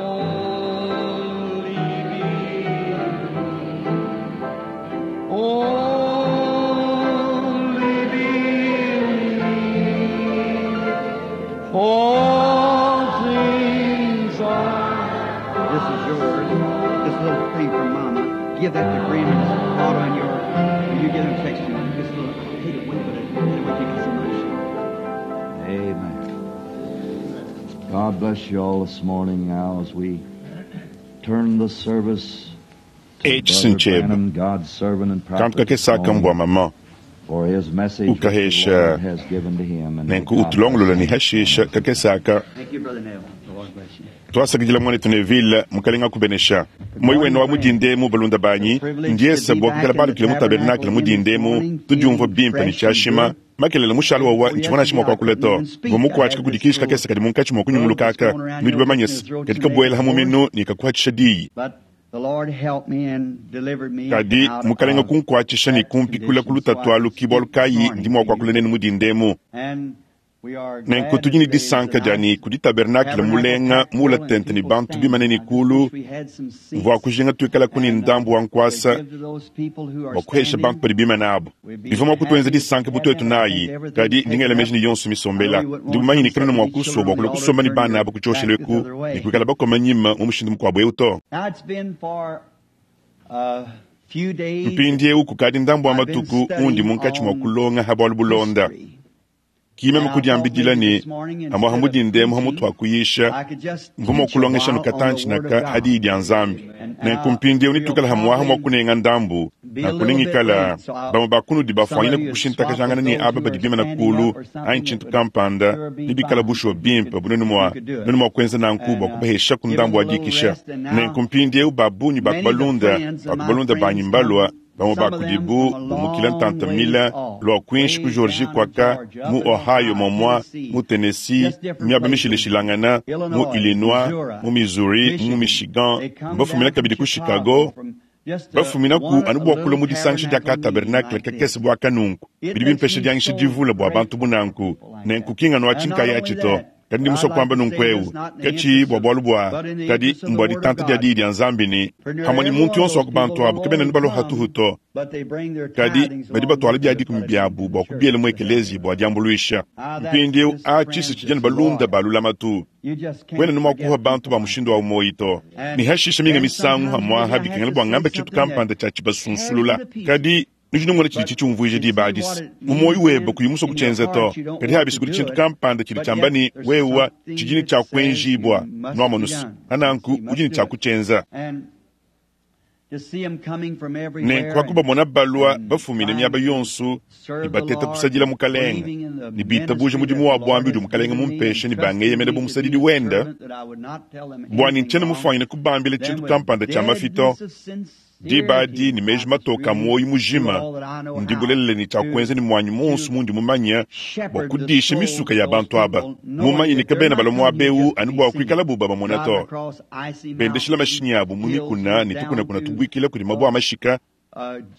Only believe. Only believe. All things are. This is yours. This little thing from Mama. Give that to Graham and just auto on your. When you get him, text you. This little, I hate it when, but it, anyway, you get some nice. Amen. God bless you all this morning now as we turn the service to H. Brother Sincheb. Branham, God's servant and Kantu prophet kakesa this morning, kambwa mama for his message which the Ukahesha. Lord has given to him and may nenku God utulongolola bless ni him. hashisha kakesaka Thank you, Brother Neville. The Lord bless you. twasakidila mwanetu neville mukalenga kubenesha moyi wenu wa mudindemu balunda banyi ndiesa bua kukala balukile mu tabernakele mudindemu tudiumvua bimpe ni tshiashima makelele mushalo wawa ntshivua nansha mua kuakula to vua mukuatshika kudikisha kakesa kadi munkatshi mua kunyungulukaka nudi bamanyese kadi kabuela ha muminu ne kakuatshisha diyi But the Lord helped me and delivered me kadi out mukalenga of kunkuatshisha ne that kumpikula condition ku lutatu so I alu can ki bualu speak this kayi morning ndi mua to you. kuakula nenu mudindemu And we are nenku glad tudi ne that today is disanka a dia nice ne kudi tabernakele mulenga mula tente ne bantu bimane ne kulu mvua kujinga tuikala kuni ndambu wa nkuasa bua kuhesha bantu badi bimane abu bivua mua kutuenza disanka bu tuetu nayi kadi ndingela meji ne yonso misombela ndi mumanye ne kanena mua kusua bua kulua kusomba ne bana abu kutshioshelu eku ne kuikala bakoma nyima mu mushindu mukuabu eu to Now it's been for a few days mpindiewu kukadi ndambu wa matuku undi munkatshi mua kulonga ha bualu bulonda history. kimeme kudiambidila ne amua hamudindemu hamutu akuyisha I could just mvua mua teach a kulongesha while on nukatantshi the Word of naka God. hadiyi dia nzambi nenku mpindiewu nitukala hamwaha mua kunenga ndambu nakunengikala bamue bakunudi bafuanyine kukushintakajangana ne aba badi bimana kulu anyi tshintu kampanda nibikala bushuwa bimpe bunenu mua nenu mua kuenza nanku bua kubahesha ku ndambu wa dikisha nenku mpindiewu babunyi bakubalunda bakubalunda banyi mbalwa bamue bakudibu bumukila ntanta mila lua kuinshi ku georgie kwaka mu ohio momua mu tennessee miaba mishilashilangana mu illinois mu missouri mu michigan bafumina kabidi ku chicago bafumina ku anu bua kulua mu disangisha dia ka tabernakele kakese bua kanunku bidi bimpesha diangisha divula bua bantu bunanku nenku kingano atshi nkaya atshi to kadi ndi musua kuamba nunku eu katshi bua bualu bua kadi mbua ditanta dia diyi dia nzambi ni pamue ne muntu yonso wa ku bantu abu kabena ne baloha tuhu to kadi badi batuala bia dikumi biabu bua kubiela mu ekelezi bua diambuluisha mpindieu a tshisa tshidi ne balunda ba lulamatu wena ne mua kuha bantu ba mushindu wa umoyi to ne hashisha minga misangu hamwaha bikengela bua ngamba tshintu kampanda tshia tshibasunsulula kadi nudi nungona tshidi tshitshiumvuija diba adisi mumoyi webe kuyi musua kutshienza to kadi habisi kudi tshintu kampanda tshidi tshiamba ne wewa tshidi ne tshiakuenjibua nuamonusu ananku udi ne tshiakutshienza nenku pakubamona balua bafumine miaba yonso ne bateta kusadila mukalenga ne bitabuja mudimu wa buambi udi mukalenga mumpeshe ne bangeyemena bu musadidi wenda bua ne ntshiena mufuanyine kubambila tshintu kampanda tshia mafito diba adi ne meji matoka muoyo mujima ndi bulelele ne tshiakuenza ne muanyi monso mundi mumanya bua kudisha misuka ya bantu aba mumanye ne kabena balua muaba eu anu bua kuikala buba bamona to bendeshila mashinyi abu mu mikuna ne tukunakuna tubuikila kudi mabua a mashika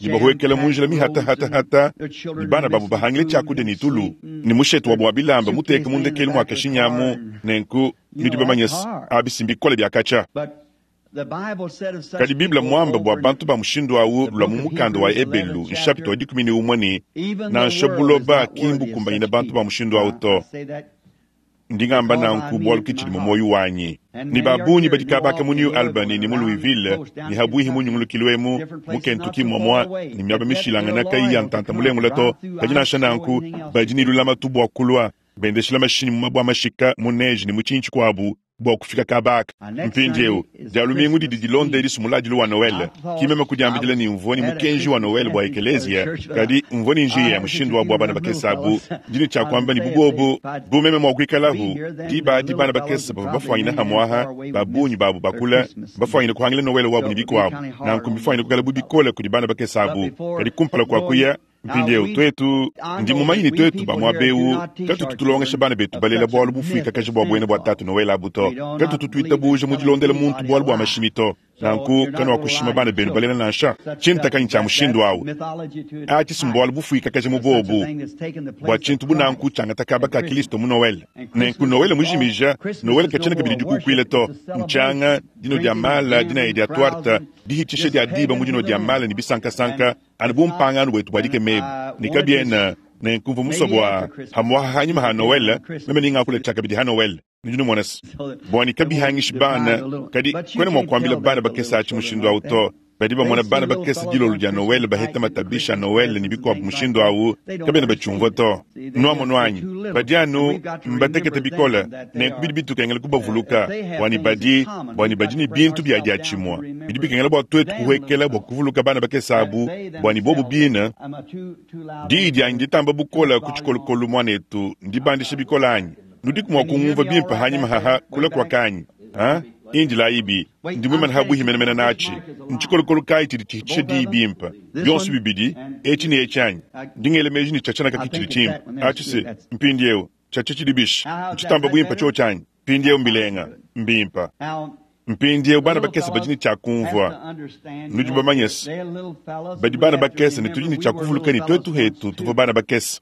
ne bahuekela mu njila mihatahatahata ne bana babu bahangile tshiakudia ne tulu ne mushete wabu wa bilamba muteka mu ndekelu mua kashinyamu nenku nudi bamanye se abi bikole bia katshia kadi biblia muamba bua bantu ba mushindu awu lua mu mukanda wa ebelu nshapita wa 11 ne nansha buloba ki mbukumbanyina bantu ba mushindu awu to ndi ngamba nanku bualu ke tshidi mu muoyo wanyi ne babunyi badi kabaka mu new albany ne mu louisville ne habuihi mu nyungulukilu emu mu kentucky momua ne miaba mishilangana kayi ya ntanta mulengula to kadi nansha nanku badi ne lulamatu bua kulua bendeshila mashinyi mu mabua mashika mu neige ne mu tshinyi tshikuabu bua kufika kabaka mpindieu dia lumingu didi dilonda edi sumuladilu wa noel kimeme kudiambidila ne mvua ne mukenji wa noel bua ekelezia kadi mvua ne njiya mushindu wa bua bana bakese abu ndi ne tshiakuamba ne bubobu bu meme mua kuikalahu diba adi bana bakese bavua bafuanyine hamuaha babunyi babu bakula bafuanyine kuhangila noel wabu ne bikuabu nanku mbifuanyine kuikala bu bikole kudi bana bakese abu kadi kumpala kua kuya mpindieu tuetu ndi mumanyi ne tuetu bamuaba eu katutu tulongesha bana betu balela bualu bufuikakaji bua buena bua tatu noel abu to katutu tuitabuja mu dilondela muntu bualu bua mashimi to. Nanku kanuakushima bana benu balela nansha. Tshinta kanyi tshia mushindu awu? Atshi si mbualu bufuikakaja mu bobu bua tshintu bu nanku tshiangata kaba ka Kilisto mu Noele. Nenku Noele mujimija, Noele katshiena kabidi dikukuila to. Ntshianga, dinua dia mala, dinaya dia tuarte, dihitshisha dia diba mu dinua dia mala ne bisankasanka, anu bu mpangano wetu bua dikema ebu, ne kabiena. Nenku mvua musue bua hamuaha hanyima ha Noele, meme ningakula tshiakabidi ha Noele. Nudi numona se, bua ne kabihangishi bana, kadi kuena mua kuambila bana bakese atshi mushindu au to. Badi bamona bana bakese dilolo dia Noele baheta matabisha a Noele ne bikuabu mushindu au, kabena batshiumvua to. Nuamonu anyi? Badi anu mbatekete bikole, nenku bidi bitukengela kubavuluka bua ne badi, bua ne badi ne bintu bia diatshimue. Bidi bikengela bua tuetu kuhuekela bua kuvuluka bana bakese abu, bua ne bobu bine. Diyi dianyi nditamba bukole ku tshikolokolo, muanetu, ndibandisha bikole anyi? Nudiku mua kungumvua bimpe hanyima haha kula kuakanyi? Ha? Indilayibi, ndi muimane ha buihi menemene natshi. Ntshikolokolo kayi tshidi tshihitshisha diyi bimpe, bionso bibidi, etshi ne etshi anyi? Ndi ngela meji ne tshiatshia naka tshidi tshimpe. Atshi se, mpindieu, tshiatshia tshidi bishi? Ntshitamba buimpe tshiotshi anyi? Mpindieu mbilenga, mbimpe. Mpindieu bana bakese badi ne tshia kumvua. Nudi bamanye se, badi bana bakese ne tudi ne tshia kuvuluka ne tuetu hetu tuvua bana bakese.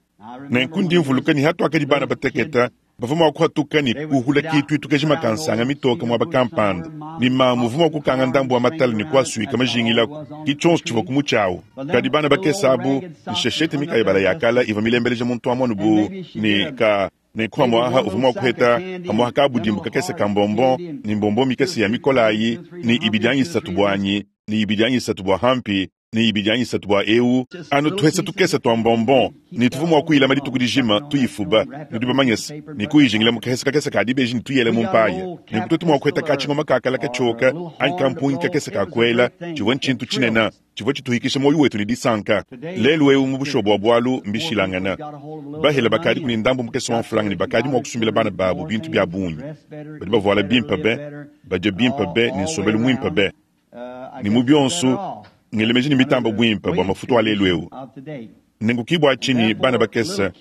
Nenku ndi mvuluka ne hatuakadi bana batekete, bavua mua kuhatuka ne kuhula kituitu kajima ka nsanga mitoke muaba kampanda, ne mamu uvua mua kukanga ndambu wa matala ne kuasuika majingilaku, ki tshionso tshivua ku mutshi awu. Kadi bana bakese abu, nsheshete mikayabala ya kala ivua milembeleja muntu amu anu bu ne ka Nenku pamu'apa uvua mua kuheta pamu'apa kabudimbu kakese ka mbombo ne mbombo mikese ya mikolayi, ne ibidi anyi isatu buanyi, ne ibidi anyi isatu bua Humpy, ne ibidi anyi isatu bua eu, anu tuhesa tukese tua mbombo, ne tuvua mua kuyilama dituku dijima, tuyifuba, nudi bamanye se, ne kuyijingila mu kahesa kakese ka dibeji ne tuyela mu mpaya. Nenku tuetu mua kuheta katshingoma ka kala katshioka anyi kampungi kakese ka kuela, tshivua ntshintu tshinene. Tshivua tshituhikisha muoyo wetu ne disanka. Lelu eu mu bushuwa bua bualu mbishilangane. Bahele bakadiku ne ndambu mukese wa mfranga ne bakadi mua kusumbila bana babu bintu bia bungi. Badi bavuala bimpe be, badia bimpe be ne nsombelu muimpe be. Ne mu bionso, ngela meji ne mitamba buimpe bua mafutu a lelu eu. Nenku ki bua tshinyi bana bakese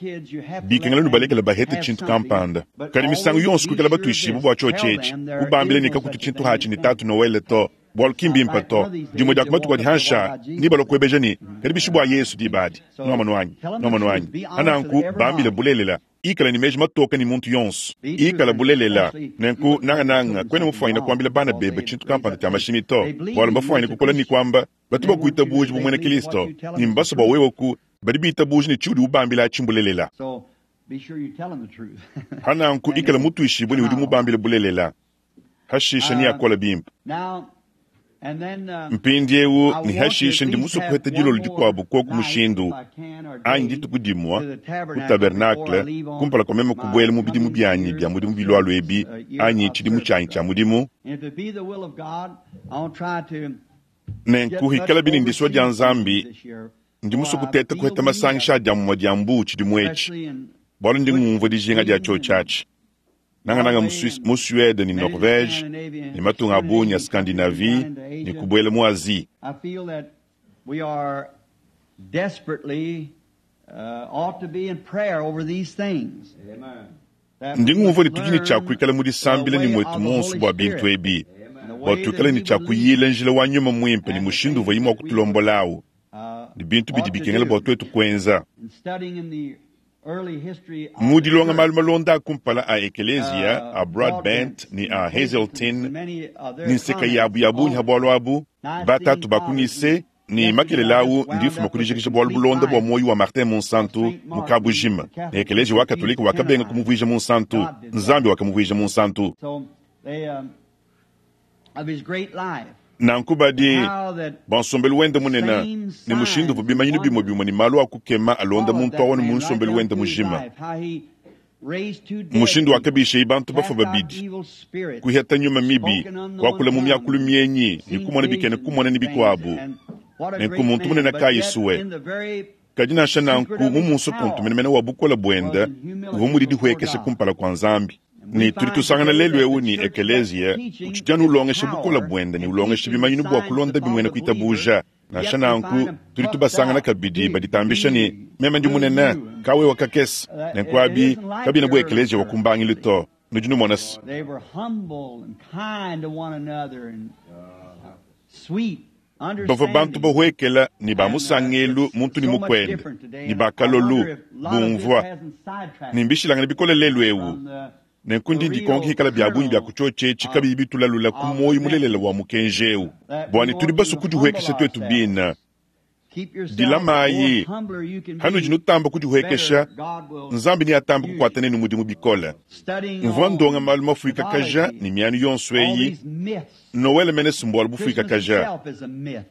bikengela nubalekele bahete tshintu kampanda. Kadi misangu yonso kuikala batuishibue bua tshiotshi etshi, kubambila ne kakutu tshintu hatshi ne Tatu Noele to. Bualu ki mbimpe to. Dimue dia ku matuku adi hanshi aa, nebalue kuebeja ne, Kadi bishi bua Yesu diba adi? Nuamonu anyi? Nuamonu anyi? Pa nanku, bambile bulelela. Ikala ne meji matoke ne muntu yonso. Ikala bulelela. Nenku, nangananga, kuena mufuanyine kuambila bana bebe tshintu kampanda tshia mashimi to, bualu mbafuanyine kukola ne kuamba, Batu bakuitabuja bu muena Kristo, ne mbasue bua wewe ku. Badi bitabuja ne tshiudi ubambila atshi mbulelela. Pa nanku, ikala mutuishibue ne udi mubambile bulelela. Hashishe neakole bimpe. Mpindieu ne hashishe ndi musue kuheta dilolo dikuabo koku mushindu, anyi dituku dimue ku tabernakle, kumpala kua meme kubuela mu bidimu bianyi bia mudimu bilualua ebi, anyi tshidimu tshianyi tshia mudimu. Nenku hikalabi ne ndisua dia Nzambi, ndi musue kuteta kuheta masangisha a diamumue dia mbuu tshidimu etshi, bualu ndi ngumvua dijinga dia tshiotshi atshi. Nangananga mu Suisse, mu Suede ne Norvege ne matunga a bungi a Scandinavie ne kubuela mu Asie. Ndi ngumvua ne tudi ne tshia kuikala mu disambila ne muetu muonso bua bintu ebi, bua tuikale ne tshia kuyila njila wa Nyuma Muimpe ne mushindu uvuaye mua kutulombola au ne bintu bidi bikengela bua tuetu kuenza. Mu dilonga malu malonda a kumpala a Ekeleziya, a Broadbent ne a Hazeltine, ne nseka yabu ya bungi ha bualu abu, batatu ba ku Nicee, ne makelela au ndi mfuma ku dijikija bualu bulonda bua muoyo wa Martin Munsantu mu kabujima, ne Ekeleziya wa Katolike wakabenga kumuvuija munsantu, Nzambi wakamuvuija munsantu. Nanku badi, bua nsombelu wende munene, ne mushindu uvua bimanyinu bimue bimue ne malu a kukema alonda muntu au anu mu nsombelu wende mujima, mushindu wakabishaye bantu bafue babidi, kuheta nyuma mibi, kuakula mu miakulu mienyi ne kumona bikena kumona ne bikuabu. Nenku muntu munene kayi sue. Kadi nansha nanku, mu munsokonto menemene wa bukole buende, uvua mudidihuekeshe kumpala kua Nzambi. Ne tudi tusangana lelu eu ne ekeleziya utshidi anu ulongesha bukole buende ne ulongesha bimanyinu bua kulonda muena kuitabuja. Nansha nanku, tudi tubasangana kabidi baditambisha ne, Meme ndi munene, ka wewe kakese. Nenku abi kabiena bu ekeleziya wa ku mbangilu to. Nudi numona se. Bavua bantu bahuekela ne ba musangelu muntu ne mukuende ne ba kalolu bumvua ne mbishilangane bikole lelu eu. Nenku ndi ndikonka hikala bia bungi bia kutshiotshi kabiyi bitulalula ku muoyo mulelela wa mukenji eu, bua ne tudi basue kudihuekesha tuetu bina. Dilamayi hanudi nutamba kudihuekesha, Nzambi neatambe kukuata nenu mudimu bikole. Mvua ndonga malu mafuikakaja ne mianu yonso eyi. Noele mene sumbualu bufuikakaja.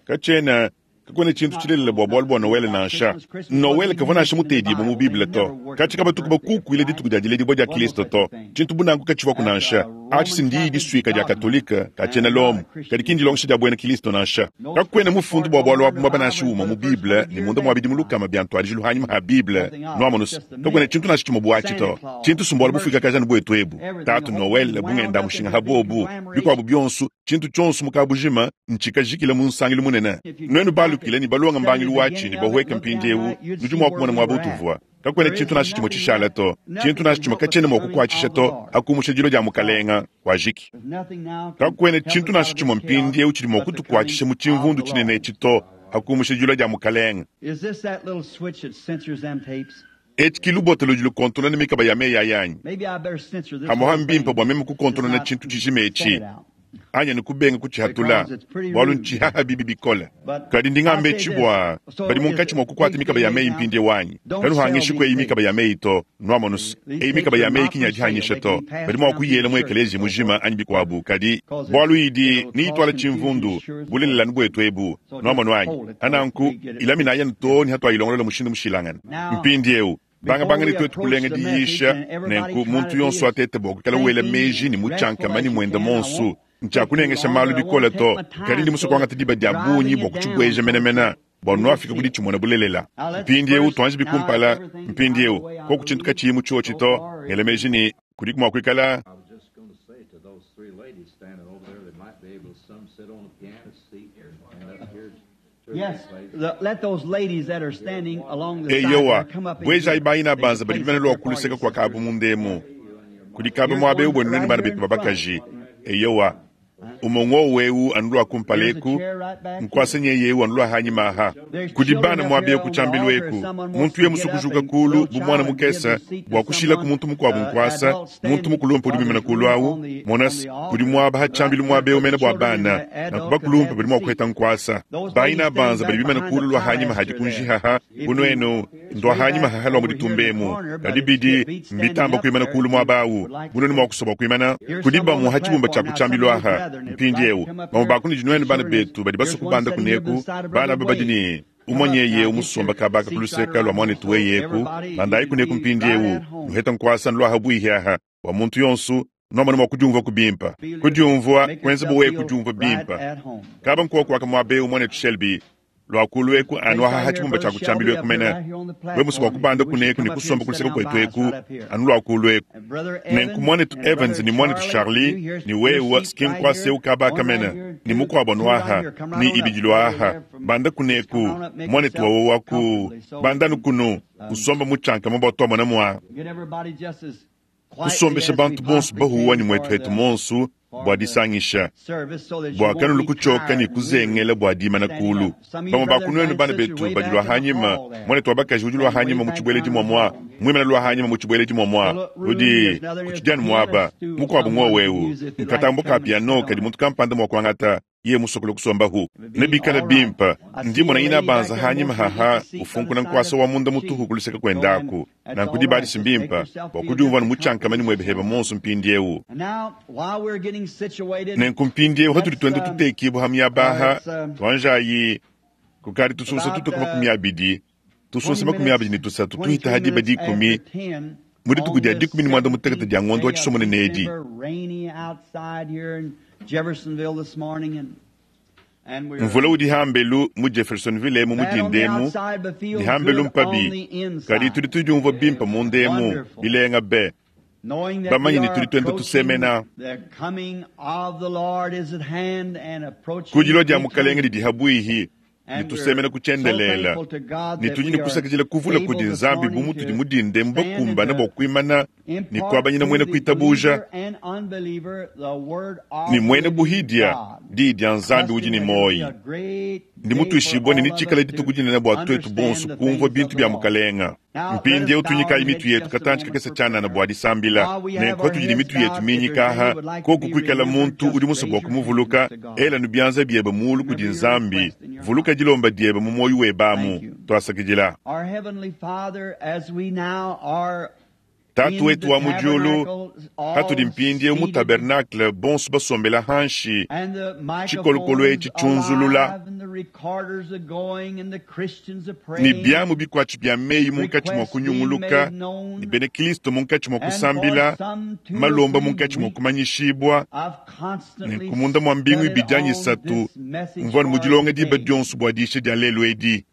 Katshiena kakuena tshintu tshilelela bua bualu bua Noele nansha. Noele kavua nansha mutedibue mu Bible to. Katshi kabatuku bakukuila dituku dia diledibua dia Kristo to. Tshintu bunangu katshivuaku nansha. Atshi si ndiyi disuika dia Katolike katshiena Lomo, kadi ki ndilongesha dia buena Kristo nansha. Kakuena mufundu bua bualu abu muaba nansha umue mu Bible ne munda mua bidimu lukama bia ntuadijilu hanyima ha Bible. Nuamonus, kakuena tshintu nansha tshimue buatshi to. Tshintu sumbualu bufuikakaja ne buetu ebu. Tatu Noele bungenda mushinga ha bobu, bikuabu bionso, tshintu tshionso mu kabujima ntshikajikila mu nsangilu munene. Nuenu balukile ne balonga mbangilu watshi ne bahueke mpindieu, nudi mua kumona muaba utuvua. Kakuena tshintu nansha tshimue tshishala to. Tshintu nansha tshimue katshiena mua kukuatshisha to, akumusha dilo dia mukalenga wajiki. Kakuena tshintu nansha tshimue mpindieu tshidi mua kutukuatshisha mu tshimvundu tshinene etshi to, akumusha dilo dia mukalenga. Etshi ki lubota ludi lukontonona mikaba ya meyi ayanyi. Hamuha mbimpe bua meme kukontonona tshintu tshijima etshi anyi ne kubenga kutshihatula, bualu ntshihaha bibi bikole. Kadi ndi ngamba etshi bua badi munkatshi mua kukuata mikaba ya meyi mpindiewu anyi. Kanuhangishi eyi mikaba ya meyi to. Nuamonus, eyi mikaba ya meyi kinyadihanyisha to. Badi mua kuyela mu ekeleziya mujima anyi bikuabu, kadi bualu idi niyituala tshimvundu bulelela nu buetu ebu. Nuamonu anyi? Ananku ilaminayanu to ne hatuayilongolola mushindu mushilangane. Mpindiewu bangabanga ne tuetu kulenga diyisha, nenku muntu yonso atete bua kuikala wela meji ne mutshiankama ne muenda monsu. Ntshiakunengesha malu bikole to, kadi ndi musue kuangata diba dia bungi bua kutshibueja menemene bua nuafika ku ditshimona bulelela. Mpindiewu tuanji bikumpala. Mpindiewu koku tshintu katshiyi mu tshiotshi to, ngela meji ne kudiku mua kuikala. I was just going to say to those three ladies standing over there, they might be able to some sit on the piano seat and up here to Yes, let those ladies that are standing along the side Eyowa, there come up in buejayi here. bayina They banza can badi place bimane up lua there for kuluseka you, kua kabu sisters. mundemu. Kudi kaba muaba eu buenu nenu bana betu babakaji. Eyowa, umongo wewu anu lua kumpala eku, nkuasa nyeye eu anu lua hanyima aha. Kudi bana muaba eu ku tshiambilu eku, muntu ye musu kujuka kulu bu muana mukese bua kushila ku muntu mukuabu nkuasa, muntu mukulumpe udi muimane kulu awu. Monas, kudi muaba ha tshiambilu muaba eu mene bua bana, nanku bakulumpe badi mua kuheta nkuasa. Bayina banza badi bimane kulu lua hanyima hadi kunjihaha, kunuenu ndua hanyima haha lua muditumbemu. Kadi bidi mbitamba kuimana kulu muaba awu, bunenu mua kusoba kuimana. Kudi bamue ha tshibumba tshia ku tshiambilu aha. Mpindiewu bamue bakunudi nuenu bana betu badi basue kubanda kuneku, bana aba badi ne umonyeye umusomba kabaka kuluseka lua muanetu weyeku, bandayi kuneku mpindiewu nuheta nkuasa nluaha buihi aha bua muntu yonsu nuamona mua kudiumvua kubimpa. Kudiumvua kuenza buwe kudiumvua bimpa. Kaba nkuwa kuaka muaba eu muanetu Shelby lua kulu eku anu aha ha tshibumba tshia ku tshiambilu eku mene. We musu bua kubanda kuneku ne kusomba kuluseka kuetu eku anu lua kulu eku. Nenku muanetu Evans ne muanetu Charlie ne wewa skinkwase ukabaka mene ne mukuabu anu aha ne ibidi aha banda kuneku muanetu wawe waku bandanu kunu usomba mutshiankama bua tuamona mua Get everybody just as quietly kusombesha as we bantu bonso possibly bahuwa can ne muetu for hetu the monsu bua disangisha service so that you bua won't kanulu be kutshoka tired ne and kuzengela bua dimana standing kulu. up. Some of you Bamue brothers bakunuenu and bana sisters betu way badi back lua in the hanyima, hall there. muanetu wa bakaji udi lua hanyima mu tshibueledi muamua, muimana lua hanyima mu tshibueledi muamua, udi kutshidianu muaba mukuabu ngowewu nkatambo ka piano kadi muntu kampanda mua kuangata ye musokolo kusombahu nebikale bimpa. Ndimona ina banza hanyima haha ufunkuna nkuasa wa munda mutuhu kuluseka kuendaku nanku dibadisi mbimpa bua kudiumvua ne mutshiankamani muebeheba monso mpindiewu. And now, while we're getting situated, Nenku mpindiewu hatudi tuenda tutekibua ha miaba aha tuanjayi kukadi tusunsa tutuku 20 tusunsa 23 tuhita ha diba 10 mu dituku dia 16 dia ngondo wa tshisomone nedi. Mvula udi hambelu mu Jeffersonville emu mu dindemu ni hambelu mpabi, kadi tudi tudiumvua bimpa mu ndemu bilenga be. Bamanye ne tudi tuenda tusemena Kudilo dia mukalenga didi habuihi Ne tusemena ku tshiendelela. Ne tudi ne kusakidila kuvula kudi Nzambi bu mutudi mu dinda emu bakumbana bua kuimana ne kuabanyina muena kuitabuja ne muena buhidia diyi dia Nzambi udi ne muoyo. Ndi mutuishibue ne netshikale dituku dinene bua tuetu bonso kumvua bintu bia Mukalenga. Mpindieu tunyikayi mitu yetu katantshi kakese tshianana bua disambila. Nenku patudi ne mitu yetu minyika aha, koku kuikala muntu udi musue bua kumuvuluka, ela nu bianza biebe muulu kudi Nzambi, vuluka dilomba diebe mu muoyo webe amu. Tuasakidila. Tatu wetu wa mu diulu, patudi mpindieu mu tabernacle bonso basombela hanshi, tshikolokolo etshi tshiunzulula, ne biamu bikuatshi bia meyi munkatshi mua kunyunguluka, ne bena Kristo munkatshi mua kusambila, malomba munkatshi mua kumanyishibua, nenku munda mua mbingu ibidi anyi isatu mvua mu dilonga diba dionso bua diisha dia lelu edi.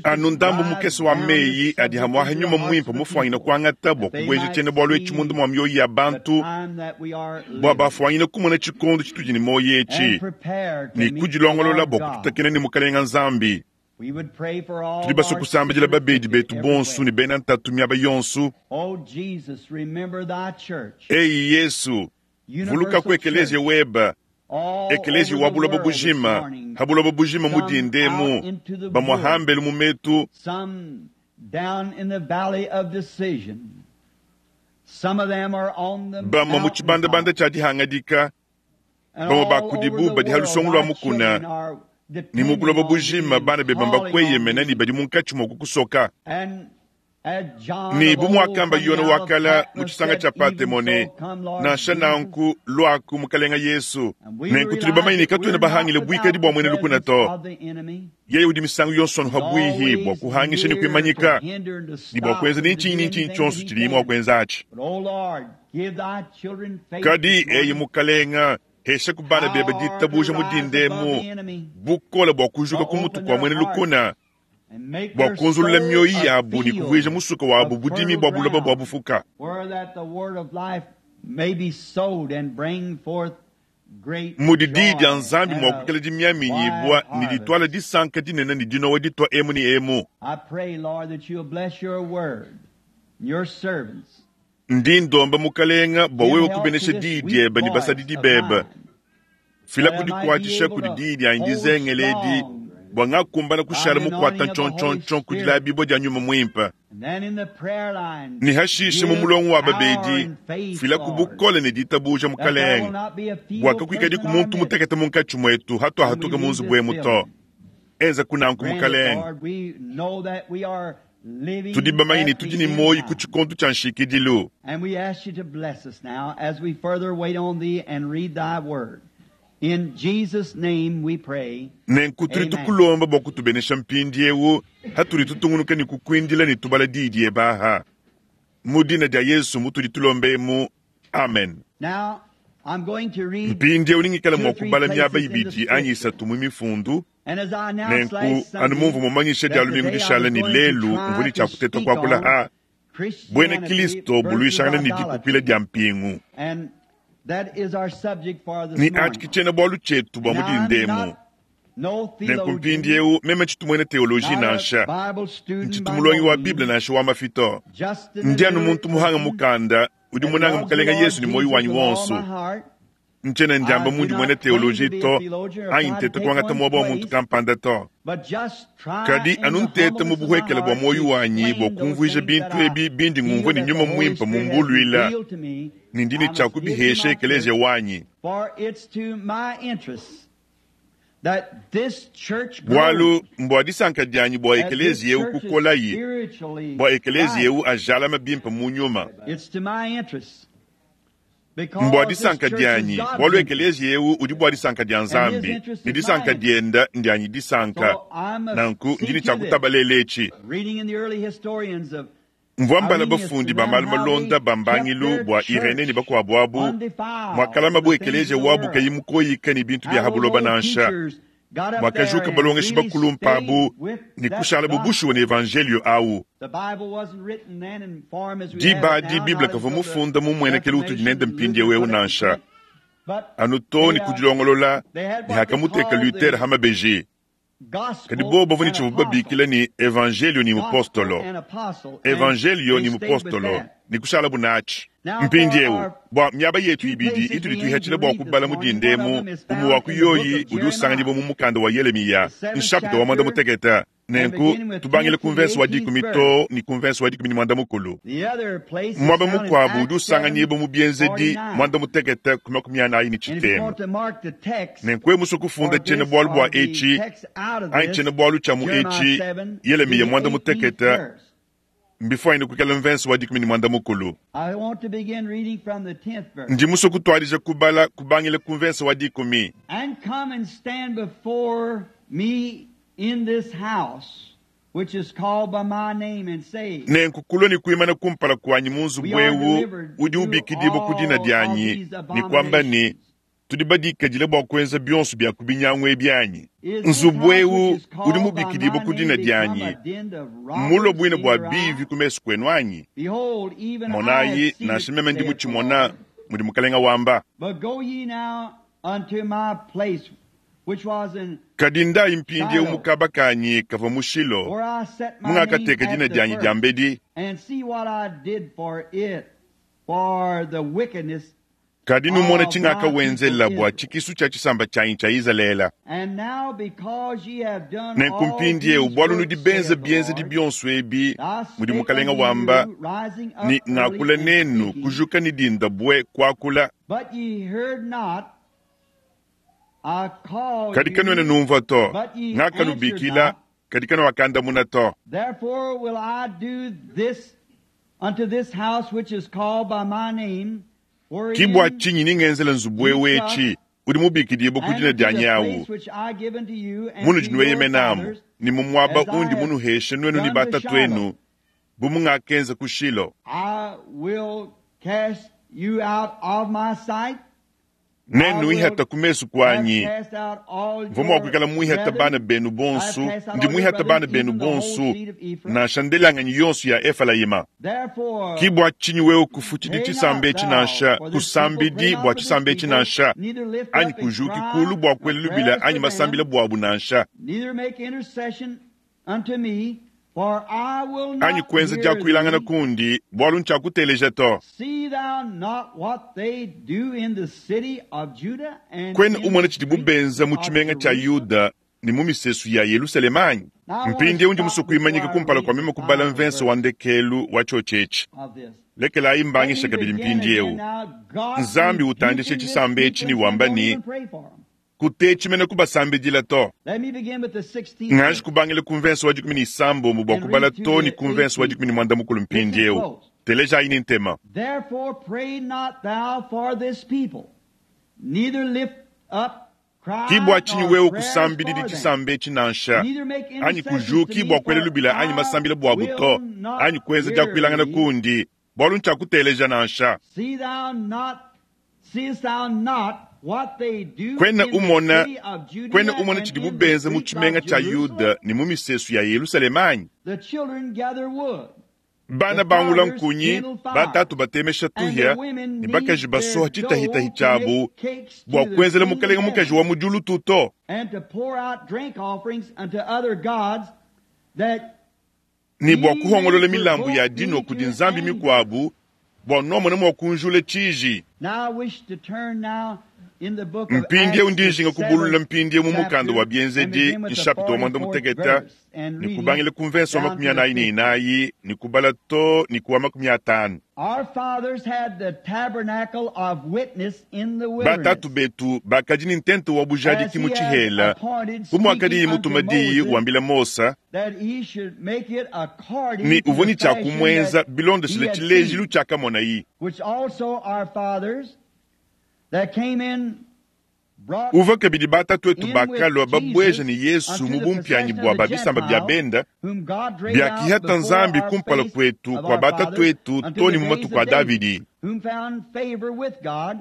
Anu ndambu mukese wa meyi adi hamuaha nyuma muimpe mufuanyine kuangata bua kubueja tshiena-bualu etshi munda mua mioyo ya bantu, bua bafuanyine kumona tshikondo tshitudi ne muoyo etshi ne kudilongolola bua kututakena ne Mukalenga Nzambi. Tudi basue kusambidila babedi betu bonso ne bena ntatu miaba yonso. Eyi Yesu, vuluka ku ekeleziya webe, ekeleziya wa buloba bujima, ha buloba bujima mu dinda emu, bamue hambelu mu metu, bamue mu tshibandabanda tshia dihangadika, bamue ba kudibu badi ha lusongo lua mukuna, ne mu buloba bujima bana bebe mbakueyemena ne badi munkatshi mua kukusoka. Ne bu muakamba Yone wa kala mu tshisanga tshia Patemo ne, nansha nanku luaku Mukalenga Yesu. Nenku tudi bamanye ne katuena bahangile buikadi bua muena lukuna to. Yeye udi misangu yonso anu pabuihi bua kuhangisha ne kuimanyika ne bua kuenza ne ntshinyi ne ntshinyi tshionso tshidiye mua kuenza atshi. Kadi eyi Mukalenga, hesha ku bana bebe ditabuja mu dinda emu, bukole bua kujuka ku mutu kua muena lukuna, bua kunzulula mioyo yabu ne kuvuija musuka wabu budimi bua buloba bua bufuka. Mudi diyi dia Nzambi mua kuikala dimiaminyibua ne dituala disanka dinene ne dinowa ditua emu ne emu. Ndi ndomba Mukalenga bua wewe kubenesha diyi diebe ne basadidi bebe. Fila kudikuatshisha kudi diyi dianyi dizengele edi, bua ngakumbana kushala mukuata ntshontshontshon ku dilabibua dia nyuma muimpe. Ne hashishe mu mulongo wa babedi, fila ku bukole ne ditabuja Mukalenga, bua kakuikadiku muntu mutekete munkatshi muetu hatuahatuka mu nzubu emu to. Enza kunanku Mukalenga. Tudi bamanye ne tudi ne muoyo ku tshikondo tshia nshikidilu. Nenku tudi tukulomba bua kutubenesha mpindieu hatudi tutungunuka ne kukuindila ne tubala diyi diebe aha. Mu dina dia Yesu mutudi tulomba emu. Amen. Mpindieu ningikala mua kubala miaba ibidi anyi isatu mu mifundu. Nenku anu mumvua mumanyisha dia lumingu dishala ne lelu mvua ne tshia kuteta kuakula ha buena Kristo buluishangana ne dikupila dia mpingu. Ne atshi ke tshiena-bualu tshietu bua mu dinda emu. Nenku mpindieu meme tshitu muena teoloji nansha, ntshitu mulongi wa Bible nansha wa mafi to. Ndi anu muntu muhanga mukanda udi munange Mukalenga Yesu ne muoyo wanyi wonso. Ntshiena ndiamba mundi muena teoloji to, anyi nteta kuangata muaba wa muntu kampanda to. Kadi anu nteta mu buhuekele bua muoyo wanyi bua kumvuija bintu ebi bindi ngumvua ne nyuma muimpe mumbuluila, ne ndi ne tshia kubihesha ekeleziya wanyi. Bualu mbua disanka dianyi bua ekeleziya eu kukolayi, bua ekeleziya eu ajalame bimpe mu nyuma. Mbua disanka dianyi, bualu ekeleziya eu udi bua disanka dia Nzambi, ne disanka dienda ndianyi disanka. Nanku ndi ne tshia kutabalela etshi. Mvua mbala bafundi ba malu malonda ba mbangilu bua Irene ne bakuabu abu, muakalamabu ekeleziya wabu kayi mukoyika ne bintu bia ha buloba nansha, muakajuka balongeshi bakulumpa abu ne kushalabu bushuwa ne evanjelio au. Diba adi Bible kavua mufunda mu mmuenekelu utudi nende mpindieu eu nansha. anu too ne ku dilongolola ne hakamuteka Luther ha mabeji. Kadi bobo bavua ne tshivuabu babikila ne evanjelio ne mupostolo, evanjelio ne mupostolo, ne kushalabu natshi. Mpindieu, bua miaba yetu ibidi itudi tuihatshila bua kubala mu dinda emu, umue wa ku yoyi udi usanganyibua mu mukanda wa Yelemiya, nshapita wa muanda-mutekete. Nenku, tubangile ku mvese wa dikumi too ne ku mvese wa dikumi ne muanda-mukulu. Muaba mukuabu udi usanganyibua mu Bienzedi muanda-mutekete ku makumi anayi ne tshitema. Nenku wewe musue kufunda tshiena-bualu bua etshi anyi tshiena-bualu tshia mu etshi, Yelemiya muanda-mutekete, mbifuanyine kuikala mvese wa dikumi ne muanda-mukulu. Ndi musue kutuadija kubala kubangila ku mvese wa dikumi. And come and stand before me in this house, which is called by my name, and say, Nenku kulua ne kuimana kumpala kuanyi mu nzubu eu udi ubikidibua ku dina dianyi, ne kuamba ne, Tudi badikadile bua kuenza bionso bia ku binyangu ebi anyi? Nzubu eu udi mubikidibue ku dina dianyi mmulue buina bua bivi ku mesu kuenu anyi? Behold, even I Monayi, have seen nansha it, meme ndi saith the mutshimona, Lord. mudi Mukalenga wamba. But go ye now unto my place, which was in Kadi ndayi mpindieu mu kaba kanyi kavua mu Shilo, where I set my name mungakateka at dina the dianyi first, diambedi, and see what I did for it, for the wickedness. kadi numone of my tshingakawenzela people bua Israel. tshikisu tshia tshisamba tshianyi tshia Izalele. And now because ye have done Nenku all mpindieu these bualu nudi works, benze saith the bienzedi Lord, bionso ebi, I mudi spake Mukalenga unto wamba, you, rising up ne early ngakula and nenu speaking, kujuka ne dinda bue kuakula, but ye heard not. I called kadi kanuena you, numvua to, but ye answered ngakanubikila, not. kadi kanuakandamuna to. Therefore will I do this unto this house which is called by my name, Ki bua wherein tshinyi ningenzela nzubu ye eu trust, etshi udi mubikidibue ku and dina unto dianyi the awu, place which I give unto you and munudi to your nueyemenamu, fathers, ne mu muaba as I undi have munuheshe nuenu ne done to batatuenu, Shiloh. bu mungakenza ku Shilo. I will cast you out of my sight. I Nenu will ihata ku mesu have kuanyi, cast out all mvua mua your kuikala muihata bana brethren. benu I have bonsu, cast out ndi all your muihata brethren, bana benu even the whole bonsu, seed of Ephraim. nansha ndelanganyi yonso ya Efelayima. Therefore, Ki bua tshinyi wewe kufutshidi pray not tshisamba etshi thou nansha, for this people, pray kusambidi not bua for this tshisamba etshi people, nansha, neither lift anyi up and kujuki cry kulu bua nor kuela lubila prayers anyi for masambila them, buabu nansha, neither make intercession unto me, for I will anyi not kuenza hear diakuilangana thee. kundi, bualu ntshiakuteleja to. See thou not what they do in the city of Judah and Kwena in umona the tshidibu streets benza mu of tshimenga tshia Jerusalem? Yuda ne mu misesu ya Yerusalemu anyi? Now I want to Mpindieu ndi stop musue before kuimanyika I kumpala read kua the meme kubala final mvese wa verse ndekelu wa tshiotshi etshi. of this. Lekelayi Let mbangisha me kabidi begin mpindieu. again now. God Nzambi utandishe rebuking this tshisamba etshi people ne and saying, wamba don't ne, even pray for them. kutetshi mene kubasambidila to. Let me begin with the 16th Nganji verse kubangila ku mvese wa dikumi ne isambombo bua and kubala read to to ne the ku mvese wa 18th. dikumi ne muanda-mukulu Listen mpindieu. close. Telejayi ne ntema. Therefore pray not thou for this people, neither lift up Ki bua cry tshinyi nor wewe prayers kusambididi for them, tshisamba etshi nansha, neither make anyi intercessions to kujuki me, bua kuela for lubila anyi I masambila buabu to, will not anyi kuenza hear diakuilangana thee. kundi, bualu ntshiakuteleja nansha. See thou not, seest thou not what they do Kwena in the umona, city of kwena Judea umona and tshidibu in the benza mu streets tshimenga of tshia Jerusalem? Yuda ne mu misesu ya Yerusalemu anyi? The children gather wood, Bana the bangula fathers nkunyi, kindle fire, batatu batemesha and the tuhia, women ne knead bakaji their basoha dough tshitahitahi to tshiabu make cakes bua to the kuenzela queen of mukalenga mukaji heaven, wa mu diulu tuto, and to pour out drink offerings unto other gods, that ne bua ye may kuhongolola milambu ya provoke dino me kudi to nzambi anger. mikuabu bua nuamona mua kunjula tshiji. Now I wish to turn now in the book of Mpindieu Acts, ndi the njinga kubulula seventh mpindieu mu mukanda wa chapter, and Bienzedi begin with the nshapita wa 44th muanda-mutekete verse and ne reading kubangila ku mvese wa down makumi to the anayi ne 50th. inayi ne kubala to ne kuwa makumi atanu. Our fathers had the tabernacle of witness in the Batatu wilderness, betu bakadi ne ntente wa as bujadiki mu he had tshihela, appointed, bu muakadiye speaking unto mutuma diyi Moses, wambila Mosa that he should make it according ne to uvua the ne tshia fashion kumuenza that he bilondeshile had tshilejilu seen, tshiakamonayi. which also our fathers that came in brought Uvua kabidi batatu etu in with bakalua babueja Jesus ne Yesu unto mu the bumpianyi possession bua of the ba bisamba bia Gentiles, benda, whom God drave out biakihata before Nzambi our kumpala face kuetu of kua our batatu fathers etu unto to the ne mu days matuku a of David, Davidi. whom found favor with God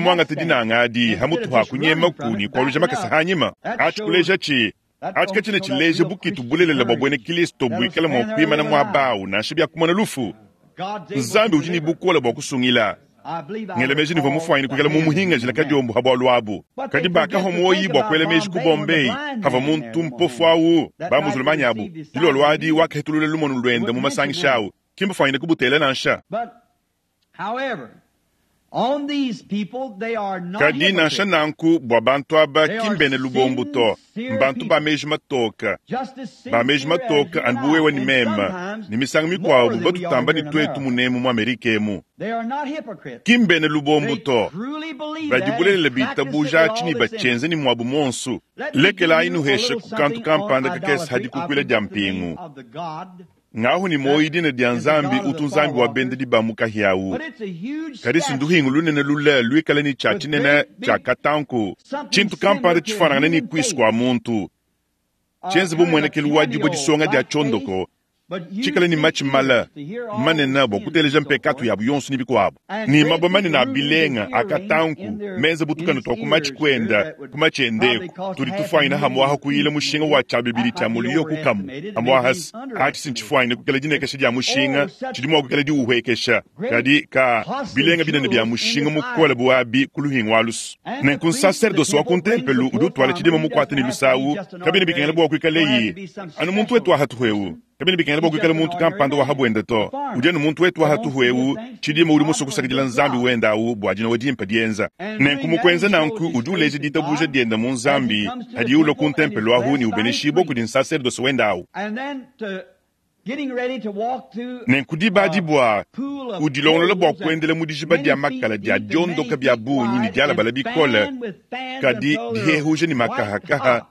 Wikala mwangata dinanga adi hamutu ha kunyemaku ne kualuja makasa hanyima. Atshi kuleja tshi. Atshi katshiena tshileja bukitu bulelela bua buena Kilisto buikala mua kuimana muaba awu nansha biakumona lufu. Nzambi udi ne bukole bua kusungila. Ngela meji nivua mufuanyine kuikala mumuhingajila kadiombo ha bualu abu. Kadi bakahua muoyi bua kuela meji ku Bombay havua muntu mpofu awu ba muzulumanyi abu. Dilolo adi wakahetulula lumonu luende mu masangisha awu. Ki mbafuanyine kubutela nansha. Kadi nansha nanku bua bantu aba ki mbena lubombo to, mbantu ba meji matoka, ba meji matoka anu bu wewe ne meme, ne misangu mikuabu batutamba ne tuetu munemu mu Amerika emu. Ki mbena lubombo to, badi bulelela bitabuja atshi ne batshienza ne muabu muonso. Lekelayi nuheshe ku kantu kampanda kakese ha dikukuila dia mpingu. Ngahu ne muoyo dina dia Nzambi utu Nzambi wa bendedi ba mu kahia awu. Kadi sinduhingu lunene lule luikale ne tshia tshinene tshia katanku, tshintu kampanda tshifanangane ne kuisu kua muntu, tshienze bu muenekelu wa dibue disonga dia tshiondoko, tshikale ne matshi male manene bua kuteleja mpekatu yabu yonso ne bikuabu, ne mabue manene a bilenga a katanku menze bu tukanu tua ku matshi kuenda ku matshi endeku tudi tufuanyina hamuaha kuyila mushinga wa tshia bibidi tshia muliyo kukamu hamuahasi. Atshi si ntshifuanyine kuikala dinekesha dia mushinga, tshidi mua kuikala diuhuekesha, kadi ka bilenga binene bia mushinga mukole bu abi ku luhingu alusu. Nenku nsaserdosi wa ku ntempelu udi utuala tshidima mukuate ne lusawu, kabiena bikengela bua kuikaleyi anu muntu wetu wa hatuhu eu. Kabiena bikengela bua kuikala muntu kampanda wa habuende to. Udi anu muntu wetu wa hatuhu eu, tshidima udi musue kusakidila Nzambi wende awu bua dinowa dimpe dienza. Nenku mu kuenza nanku udi uleja ditabuja diende mu Nzambi hadiye ulua ku ntempelo ahu ne ubeneshibua kudi nsaserdosi wende awu. Nenku diba adi bua udilongolola bua kuendela mu dijiba dia makala dia diondoka bia bungi ne dialabala bikole, kadi dihehuja ne makahakaha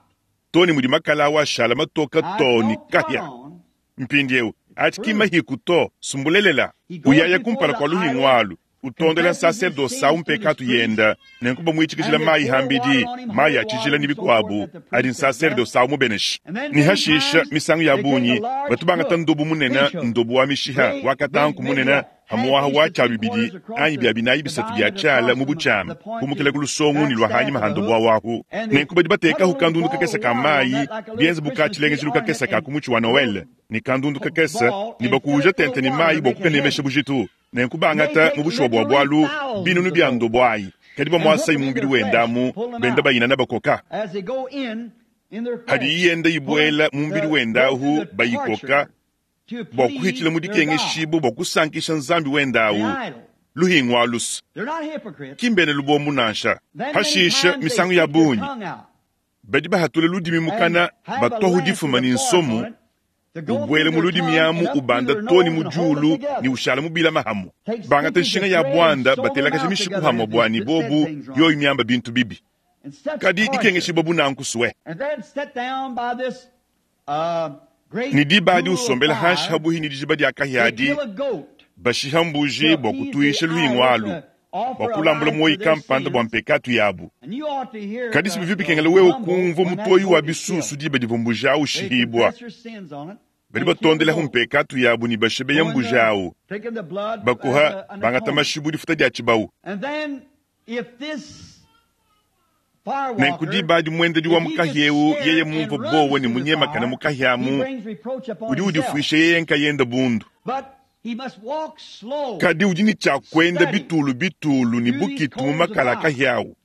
to ne mudi makala awu ashala matoka to ne kahia. Mpindieu atshi ki mahiku to, sumbulelela. Uyaya kumpala kua luhingu alu, utondela nsaserdosi awu mpekatu yenda, nenku bamuitshikijila mayi hambidi, mayi a tshijila ne bikuabu adi nsaserdosi awu mubenesha. Ne hashisha misangu ya bungi batu bangata ndobu munene, ndobu wa mishiha wa katanku munene, hamuaha wa tshia bibidi anyi bia binayi bisatu bia tshiala mu butshiama, kumukila ku lusongo ne lua hanyima ha ndobu awu. Nenku badi batekahu kandundu kakese ka mayi, bienze bu ka tshilengejilu kakese ka ku mutshi wa Noele, ne kandundu kakese, ne bakuuja tente ne mayi bua kukanemesha bujitu. Nenku bangata mu bushuwa bua bualu binunu bia ndobo ayi, kadi bamuasayi mu mubidi wenda amu, benda bayinana bakoka. Hadi yenda ibuela mu mubidi wenda ahu bayikoka bua kuhitshila mu dikengeshibua bua kusankisha Nzambi wenda awu, luhingu alusu. Ki mbena lubombo nansha. Hashisha misangu ya bungi badi bahatula ludimi mukana, batuahu difuma ne nsomu, ubuele mu ludimi amu ubanda to ne mu diulu ne ushala mubila mahamu. Bangata nshinga ya buanda batelakaja mishiku hamue bua ne bobu yoyi miamba bintu bibi. Kadi dikengeshibua bu nanku sue. Ne diba adi usombela hanshi habuhi ne dijiba dia kahia adi, bashiha mbuji bua kutuisha luhingu alu, bua kulambula muoyi kampanda bua mpekatu yabu. Kadi si bivua bikengela wewe kumvua mutoyi wa bisusu diba divua mbuji awu ushihibua. Badi batondelahu mpekatu yabu ne bashebeya mbuji awu, bakuha bangata mashi bu difuta dia tshibawu. Nenku diba adi muendedi wa mukahi eu yeye mumvue bowa ne munyemakane mukahi amu, udi udifuisha yeye nkayende bundu. Kadi udi ne tshia kuenda bitulu bitulu ne bukitu mu makala a kahia awu.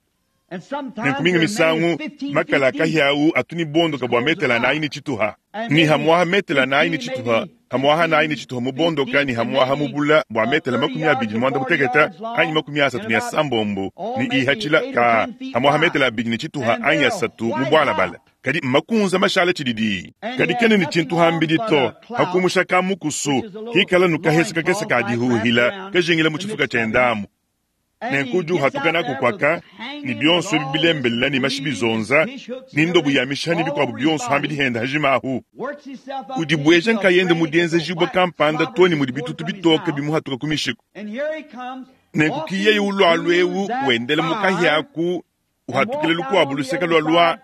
Nenku minga misangu makala a kahia awu atu ne bondoka bua metele anayi ne tshituha, ne hamuaha metele anayi ne tshituha, hamuaha anayi ne tshituha mu bondoka, ne hamuaha mu bula bua metele 230 anyi 36 ne ihatshila ka hamuaha metele 2 ne tshituha anyi 3 mu bualabala. Kadi makunza mashala tshididi. Kadi kene ne tshintu hambidi to, hakumusha ka mukusu, kikala nukahesa kakese ka dihuhila, kajingila mu tshifuka tshiendamu. Nenku udi uhatuka naku kwaka, ne bionso ebi bilembelela ne mashi bizonza, ne ndobu ya mishiha ne bikuabu bionso hambidi henda hajimahu. Udibueja nkayende mu dienzejibua kampanda to ne mudi bitutu bitoke bimuhatuka ku mishiku. Nenku ki yeye ulualu eu wendela mu kahia aku, uhatukila lukuabu luseke lua lua,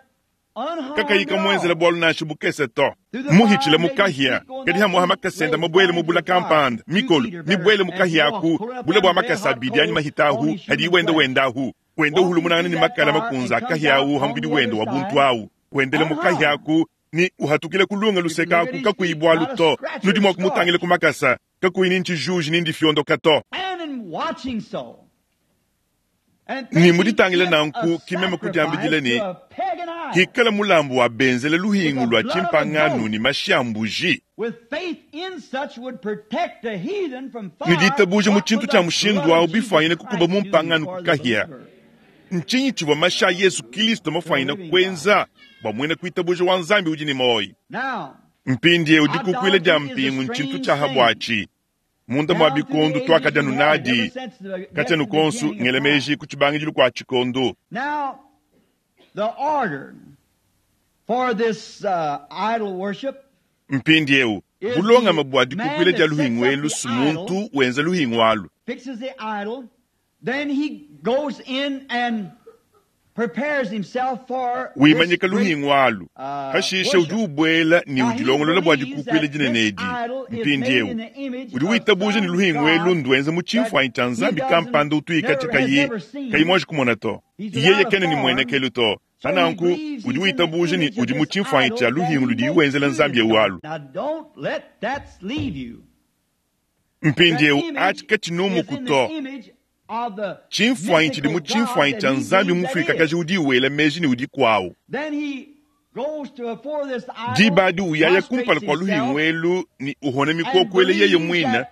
kakayi kamuenzela bualu nansha bukese to. Muhitshila mu kahia, kadi hamuaha makasenda mabuele mu bula kampanda, mikolo mibuele mu kahia aku, bula bua makasa abidi anyi mahita ahu, hadi wenda wenda ahu, wenda uhulumunangana ne makala makunza a kahia ahu ha mubidi wenda wa buntu ahu. Wendele mu kahia aku ne uhatukile ku lunga luseke aku kakuyi bualu to. Nudi mua kumutangila ku makasa kakuyi ni ntshijuji ni ndifiondoka to. Ne mu ditangila nanku ki meme kudiambidila ne, Hikala mulambu wa benzele luhingu lua tshimpangano ne mashi a mbuji. Ne ditabuja mu tshintu tshia mushindu au bifuanyine kukuba mu mpangano ku kahia. Ntshinyi tshivua mashi a Yezu Kristo mafuanyine kuenza bua muena kuitabuja wa Nzambi udi ne muoyo? Mpindieu dikukuila dia mpingu ntshintu tshia ha buatshi. Munda mua bikondo tuakadia nunadi, katshia nukonsu ngela meji ku tshibangidilu kua tshikondo. Mpindieu bulongame bua dikukuila dia luhingu elu si muntu wenza luhingu alu. Wimanyika luhingu alu, hashishe udi ubuela ne udilongolola bua dikukuila dinene edi. Mpindieu udi witabuja ne luhingu elu nduenza mu tshimfuanyi tshia nzambi kampanda utuikatshi kayi kayi muanji kumona to. Yeye kena ne muenekelu to. Pananku udi witabuja ne udi mu tshimfuanyi tshia luhingu ludiye wenzela nzambi eu alu. Mpindieu atshi katshinumuku to. Tshimfuanyi tshidi mu tshimfuanyi tshia nzambi mufuikakaji udi wela meji ne udi kuawu. Diba adi uyaya kumpala kua luhingu elu ne uhona mikoko ele yeye muine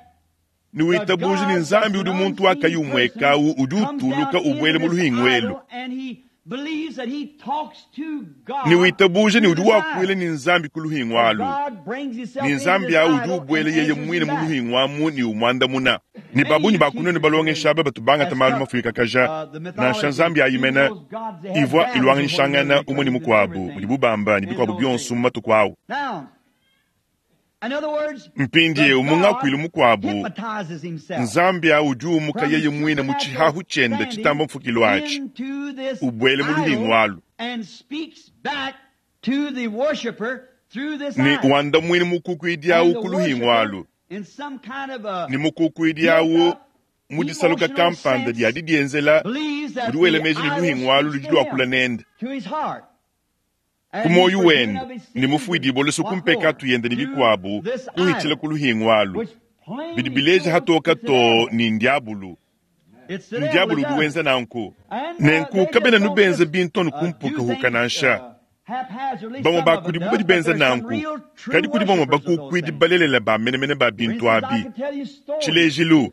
ne witabuja ne nzambi udi muntu wakayi umuekawu udi utuluka ubuela mu luhingu elu ne witabuja ne udi wakuila ne nzambi ku luhingu alu ne nzambi awu udi ubuela yeye muine mu luhingu amu ne umuandamuna. Ne babunyi ba kunenu balongesha aba batu bangata malu mafuikakaja, nansha nzambi ayimene ivua iluanganyishangana umue ne mukuabu mudibu bamba ne bikuabu bionso mu matuku awu. Mpindieu mu ngakuilu mukuabu, nzambi awu udi umuka yeye muine mu tshihahu tshiende tshitamba mfukilu atshi, ubuele mu luhingu alu ne wandamuine mukukuidi awu ku luhingu alu ne mukukuidi awu mu disaluka kampanda dia didienzela udi wela meji ne luhingu alu ludi luakula nende ku muoyo wende ne mufuidibua lusu ku mpekatu yende ne bikuabu kuhitshila ku luhingu alu bidi bileja hatoka to ne ndiabulu. Ndiabulu udi wenza nanku. Nenku kabena nubenza bintu anu kumpukahuka nansha. Bamue ba kudibu badi benza nanku, kadi kudi bamue bakukuidi balelela ba menemene ba bintu abi. Tshilejilu,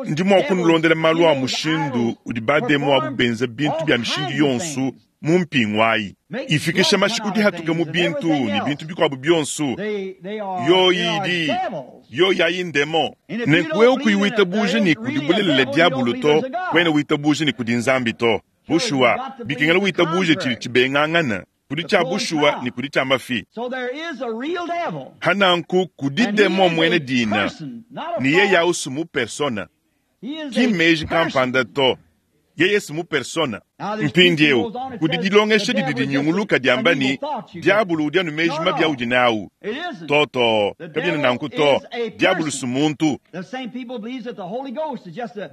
ndi mua kunulondela malu a mushindu udi bademo abu benza bintu bia mishindu yonso mu mpingu ayi, ifikisha mashi ku dihatuka mu bintu ne bintu bikuabu bionso. Yoyi idi yoyi ayi ndemo. Nenku wewe kuyi witabuja ne kudi bulelela diabulu to, kuena witabuja ne kudi nzambi to. Bushuwa, bikengela witabuje tshidi tshibengangana kudi tshia bushuwa ne kudi tshia mafi. Hananku kudi demo muena dina ne yeye awu si mu persona, ki mmeji kampanda to. Yeye si mu persona. Mpindieu kudi dilongesha didi dinyunguluka diamba ne diabulu udi anu meji mabi audi nawu. Toto kabiena nanku to. Diabulu si muntu.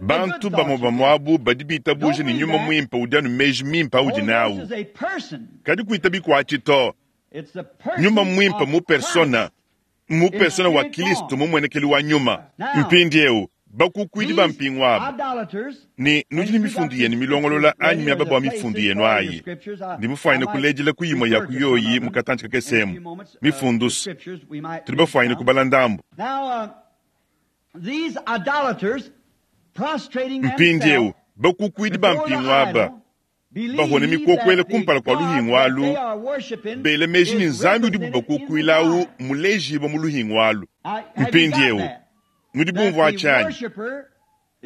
Bantu bamue bamue abu badi bitabuja ne nyuma muimpe udi anu meji mimpe audi nawu, kadi kuitabi kuatshi to. Nyuma muimpe mu persona, mu persona wa Kristo mumuenekelu wa nyuma. Mpindieu bakukuidi ba mpingu aba ne nudi ne mifundu yenu milongolola anyi miaba bua mifundu yenu ayi, ndi mufuanyine kulejila ku imue ya ku yoyi mu katantshi kakesemu mifundu tudi bafuanyine kubala ndambu. Mpindieu bakukuidi ba mpingu aba bahone mikokuele kumpala kua luhingu alu, bela meji ne nzambi udibu bakukuila awu mulejibua mu luhingu alu. Mpindieu nudi bumvua tshianyi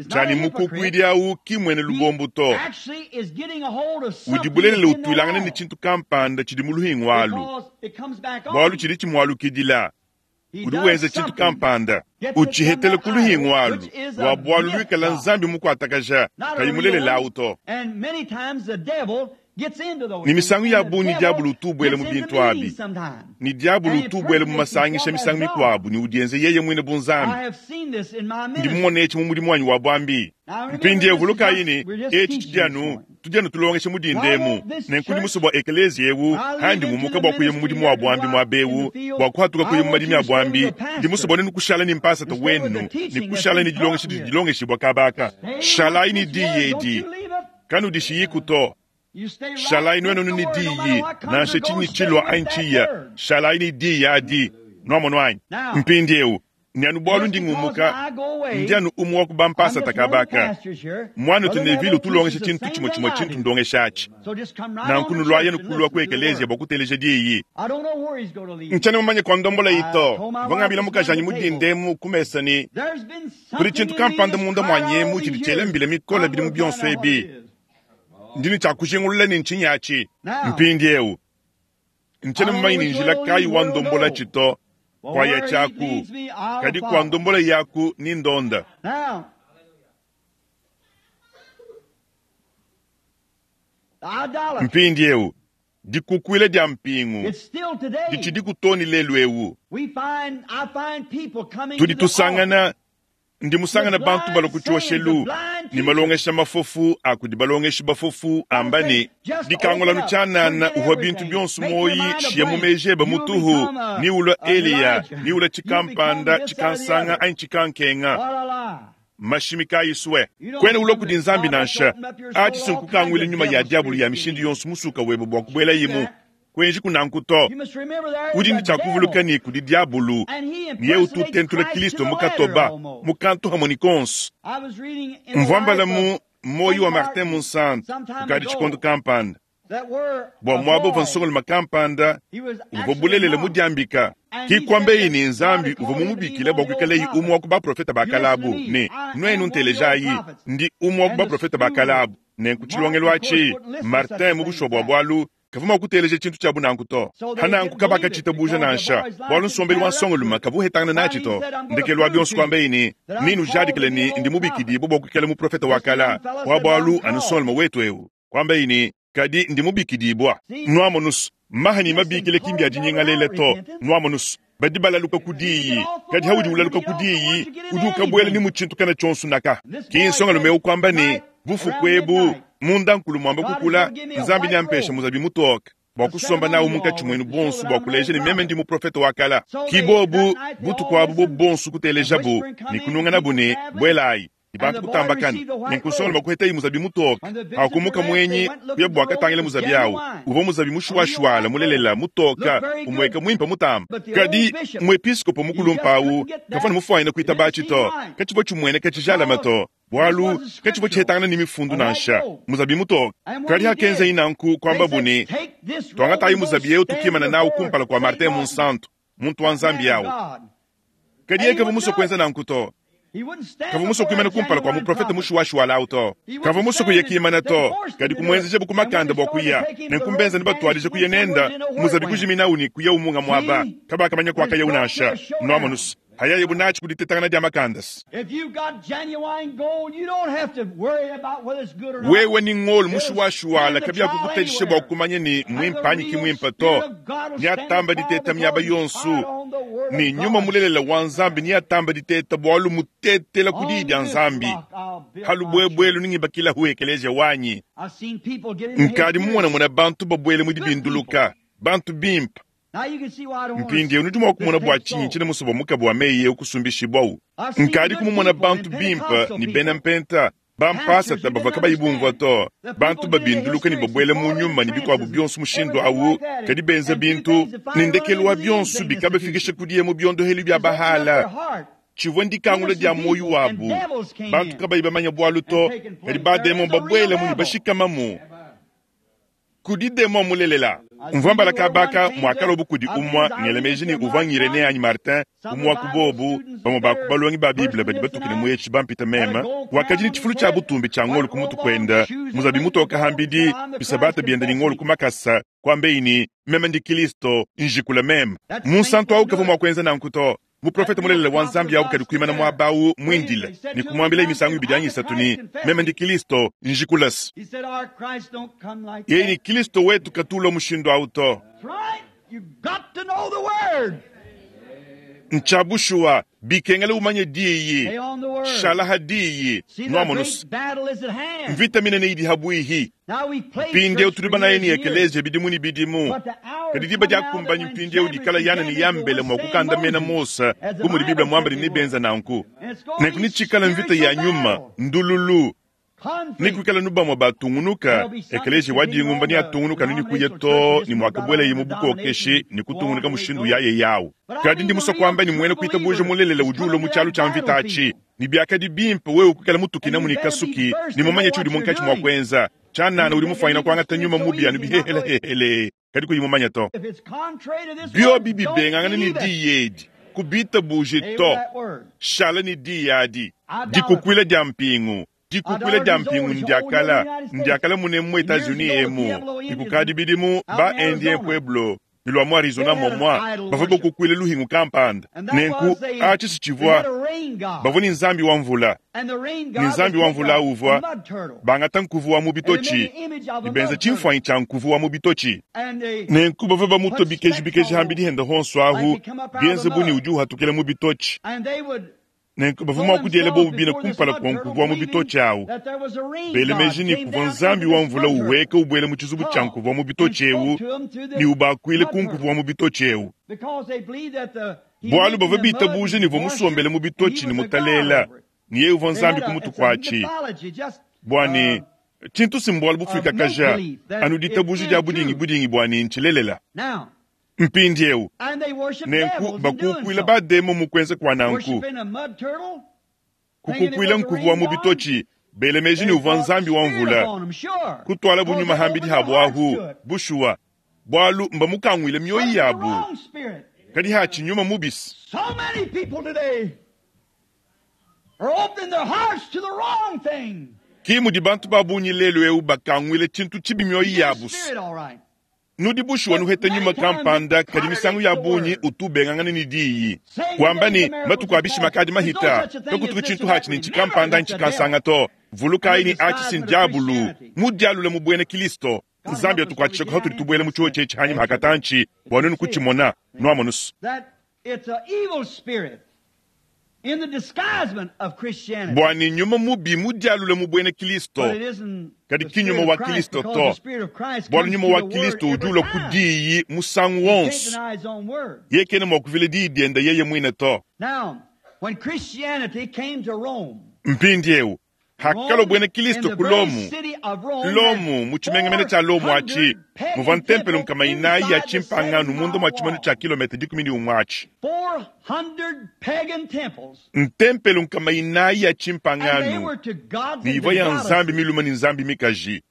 tshianyi mukukuidi awu ki muena lubombo to. Udi bulelela utuilangana ne tshintu kampanda tshidi mu luhingu alu, bualu tshidi tshimualukidila. Udi wenza tshintu kampanda utshihetela ku luhingu alu lua bualu luikala nzambi mukuatakaja kayi mulelela awu to. Ne misangu ya bungi diabulu utu ubuela mu bintu abi, ne diabulu utu ubuela mu masangisha misangu mikuabu ne udienze yeye muine bu Nzambi. Ndi mumone etshi mu mudimu wanyi wa buambi. Mpindieu vulukayi ne, etshi tshidi anu tudi anu tulongesha mu dinda emu. Nenku ndi musue bua ekeleziya eu, handi ngumuka bua kuya mu mudimu wa buambi muaba eu, bua kuhatuka kuya mu madimi a buambi, ndi musue bua nenu kushala ne mpasata wenu ne kushala ne dilongesha didi dilongeshibua kaba aka. Shalayi ne diyi edi, kanudishiyiku to. Shalayi nuenu ne diyi, nansha tshinyi tshilua anyi tshiya, shalayi ne diyi adi. Nuamonu anyi? Mpindieu, ne anu bualu ndi ngumuka, ndi anu umue wa ku bampasata kaba aka. Muanetu Neville utu ulongesha tshintu tshimue tshimue tshintu ndongesha atshi. Nanku nuluayi anu kulua ku ekeleziya bua kuteleja diyi. Ntshiena mumanye kua ndombolayi to. Mvua ngambila mukajanyi mu dinda emu ku mesa ne, kudi tshintu kampanda munda muanyi emu tshidi tshiela mbila mikole bidimu bionso ebi. Ndi ne tshia kujingulula ne ntshinyi atshi. Mpindieu, ntshiena mumanye ne njila kayi wa ndombolatshi to, kuaya tshiaku, kadi kua ndombola yaku ni ndonda. Mpindieu, dikukuila dia mpingu ditshidiku too ne lelu eu. Tudi tusangana Ndi musangane bantu balua ku tshioshelu ne malongesha mafofu a kudi balongeshi bafofu amba ne, Dikangula nu tshianana uvua bintu bionso muoyi shiya mu meji ebe mutuhu ni ulua Eliya ni ulua tshikampanda tshikansanga anyi tshikankenga. Mashimi kayi sue. Kuena ulua kudi Nzambi nansha. Atshi si nkukanguila nyuma ya diabolo ya mishindu yonso musuka webe bua kubuelayimu. Kuenjiku nanku to. Udi ne tshia kuvuluka ne kudi diabulu, ne yeye utu utentula Kilisto mu katoba, mu kantu hamue ne konso. Mvua mbala mu Muoyo wa Martin Munsantu kukadi tshikondo kampanda, bua muaba uvua nsongalume kampanda uvua bulelela mudiambika. Ki kuambeyi ne Nzambi uvua mumubikile bua kuikalayi umue wa ku baprofete ba kale abu, ne, Nuenu ntelejayi, ndi umue wa ku baprofete ba kale abu. Nenku tshilongelu atshi, Martin mu bushuwa bua bualu, kavua mua kuteleja tshintu tshia bunanku to. Pananku kabakatshitabuja nansha, bualu nsombelu wa nsongolume kavua uhetangana natshi to. Ndekelu wa bionso kuambaye ne, Nenujadikile ne, ndi mubikidibue bua kuikala muprofete wa kala, wa bualu anu nsongolume wetu eu. Kuambaye ne, Kadi ndi mubikidibua. Nuamonus, maha ne mabikila ki mbia dinyingalele to. Nuamonus, badi balaluka ku diyi, kadi haudi ulaluka ku diyi, udi ukabuela ne mu tshintu kana tshionso naka. Ki nsongalume eu kuamba ne, Bufuku ebu, munda nkulu muamba kukula, Nzambi neampeshe muzabi mutoke bua kusomba nawu munkatshi muenu bonso bua kuleja ne meme ndi muprofete wa kala. Ki bobu, butuku abu bobu bonso kutelejabu ne kununganabu ne, Buelayi. Ne bantu kutambakana. Nenku nsongalume kuhetayi muzabi mutoke. Hakumuka muenyi, kuya bua katangila muzabi awu. Uvua muzabi mushuashuala, mulelela, mutoka, umueka muimpe mutamba. Kadi muepiskopo mukulumpe awu kavua ne mufuanyine kuitabatshi to. Katshivua tshimueneka tshijalame to, bualu katshivua tshihetangana ne mifundu nansha. Muzabi mutoke. Kadi hakenzayi nanku, kuambabu ne, Tuangatayi muzabi eu tukimana nawu kumpala kua Martin Munsantu, muntu wa Nzambi awu. Kadi yeye kavua musue kuenza nanku to. Kavua musue kuimana kumpala kua muprofete mushuwashuwala au to. Kavua musue kuya kimana to, kadi kumuenzejabu ku makanda bua kuya. Nenku mbenza ne batuadije kuya nenda, muzabi kujiminawu ne kuyawu munga muaba. Kabakamanya kuakayawu nansha. Nuamonus, hayayebu natshi ku ditetangana dia makandas. Wewe ne ngolo mushuwashuwala kabiakukutatshisha bua kumanya ne muimpe anyi ki muimpe to. Neatamba diteta miaba yonso, ne nyuma mulelela wa Nzambi neatamba diteta bualu mutetela ku diyi dia Nzambi. Ha lubuebuelu nengibakilahu ekeleziya wanyi. Nkadi mumonamona bantu babuele mu dibinduluka, bantu bimpe. Mpindieu nudi mua kumona bua tshinyi ntshiena musue bua mukaba wa meyi eu kusumbishibuawu. Nkadiku mumona bantu bimpe ne bena mpenta, bampasata bavua kabayi bumvua to, bantu babinduluka ne babuela mu nyuma ne bikuabu bionso mushindu au, kadi benza bintu ne ndekelu wa bionso bikabafikisha ku diya mu biondohelu bia Bahala. Tshivua ndikangula dia muoyo wabu, bantu kabayi bamanya bualu to, kadi bademon babuelamu ne bashikamamu. Kudi demon mulelela. Mvua mbala kaba aka muakalua bu kudi umua ngela meji ne uvua ng'Irenee anyi Martin, umue wa ku bobu, bamue ba ku balongi ba Bible badi batukile mu etshi bampita meme, wakadi ne tshifulu tshia butumbi tshia ngolo ku mutu kuenda, muzabi mutoke hambidi, bisabata bienda ne ngolo ku makasa, kuambeyi ne, Meme ndi Kilisto, njikula meme. Munsantu au kavua mua kuenza nanku to. Muprofete mulelela wa Nzambi awu kadi kuimana muaba awu muindile ne kumuambilaye misangu ibidi anyi isatu ne, Meme ndi Kilisto, njikulase. Yeye ne, Kilisto wetu katu ulua mushindu awu to. Ntshia bushuwa, bikengela umanye Diyi. Shala ha Diyi. Nwamonu's, mvita minene idi habuihi. Mpindieu tudi banaye ne ekeleziya bidimu ne bidimu, kadi diba diakumbanyi mpindieu dikala Yane ne Yambele mua kukandamena Mose, bu mudi Bible muambe ne nebenza nanku. Nenku netshikale mvita ya nyuma, ndululu, ne kuikala nu bamue batungunuka, ekeleziya wa dingumba neatungunuka anu ne kuya too ne muakabuelaye mu bukokeshi ne kutungunuka mushindu yaye yawu. Kadi ndi musue kuamba ne muena kuitabuja mulelela udi ulua mu tshialu tshia mvita atshi, ne biakadi bimpe wewe kuikala mutukinamu ne kasuki ne mumanye tshiudi munkatshi mua kuenza. Tshianana udi mufuanyina kuangata nyuma mubi anu bihehelehehele, kadi kuyi mumanye to. Biobi bibengangane ne diyi edi, kubitabuje to. Shala ne diyi adi. Dikukuila dia mpingu. Dikukuila dia mpingu ndiakala, ndiakala munemu mu Etats-Unis emu, ne kukadi bidimu ba Indien Pueblo ne lua mu Arizona momua bavua bakukuila luhingu kampanda. Nenku atshi si tshivua, bavua ne nzambi wa mvula, ne nzambi wa mvula au uvua bangata nkuvu wa mu bitotshi ne benza tshimfuanyi tshia nkuvu wa mu bitotshi. Nenku bavua bamutua bikeji bikeji hambidi hende honso ahu, bienze bu ne udi uhatukila mu bitotshi. Nenku bavua mua kudiela bobu bine kumpala kua nkuvu wa mu bitotshi awu, bela meji ne, kuvua nzambi wa mvula uhueka ubuela mu tshizubu tshia nkuvu wa mu bitotshi eu ne ubakuile ku nkuvu wa mu bitotshi eu. Bualu bavua bitabuja ne uvua musombele mu bitotshi ne mutalela, ne yeye uvua nzambi ku mutu kuatshi. Bua ne, tshintu si mbualu bufuikakaja, anu ditabuja dia budingi budingi bua ne ntshilelela. Mpindieu, nenku bakukuila ba-demon mu kuenza kua nanku, kukukuila nkuvu wa mu bitotshi, bela meji ne uvua nzambi wa mvula, kutualabu nyuma hambidi habu ahu, bushuwa, bualu mbamukanguile mioyo yabu. Kadi hatshi nyuma mubisi. Ki mudi bantu ba bungi lelu eu bakanguile tshintu tshibi mioyo yabu. Nudi bushuwa nuheta nyuma kampanda, kadi misangu ya bungi utu ubengangana ne diyi, wamba ne, matuku a bishima akadi mahita, kakutuku tshintu hatshi ne ntshikampanda ntshikansanga to. Vulukayi ne, atshi si ndiabulu mudialule mu buena Kilisto. Nzambi atukuatshishaku hatudi tubuela mu tshiotshi etshi hanyima ha katantshi, bua nuenu kutshimona. Nuamonu's. Bua ne nyuma mubi mudialule mu buena Kilisto, kadi ki nyuma wa Kilisto to, bualu nyuma wa Kilisto udi ulua ku diyi musangu wonso. Yeye kena mua kuvila diyi diende yeye muine to. Mpindieu, hakalua buena Kilisto ku Lomu, Lomu, mu tshimenga mene tshia Lomu atshi, muvua ntempelo nkama inayi ya tshimpangano munda mua tshimanu tshia kilometa 11 atshi. Ntempelo nkama inayi ya tshimpangano, ne ivua ya nzambi milume ne nzambi mikaji,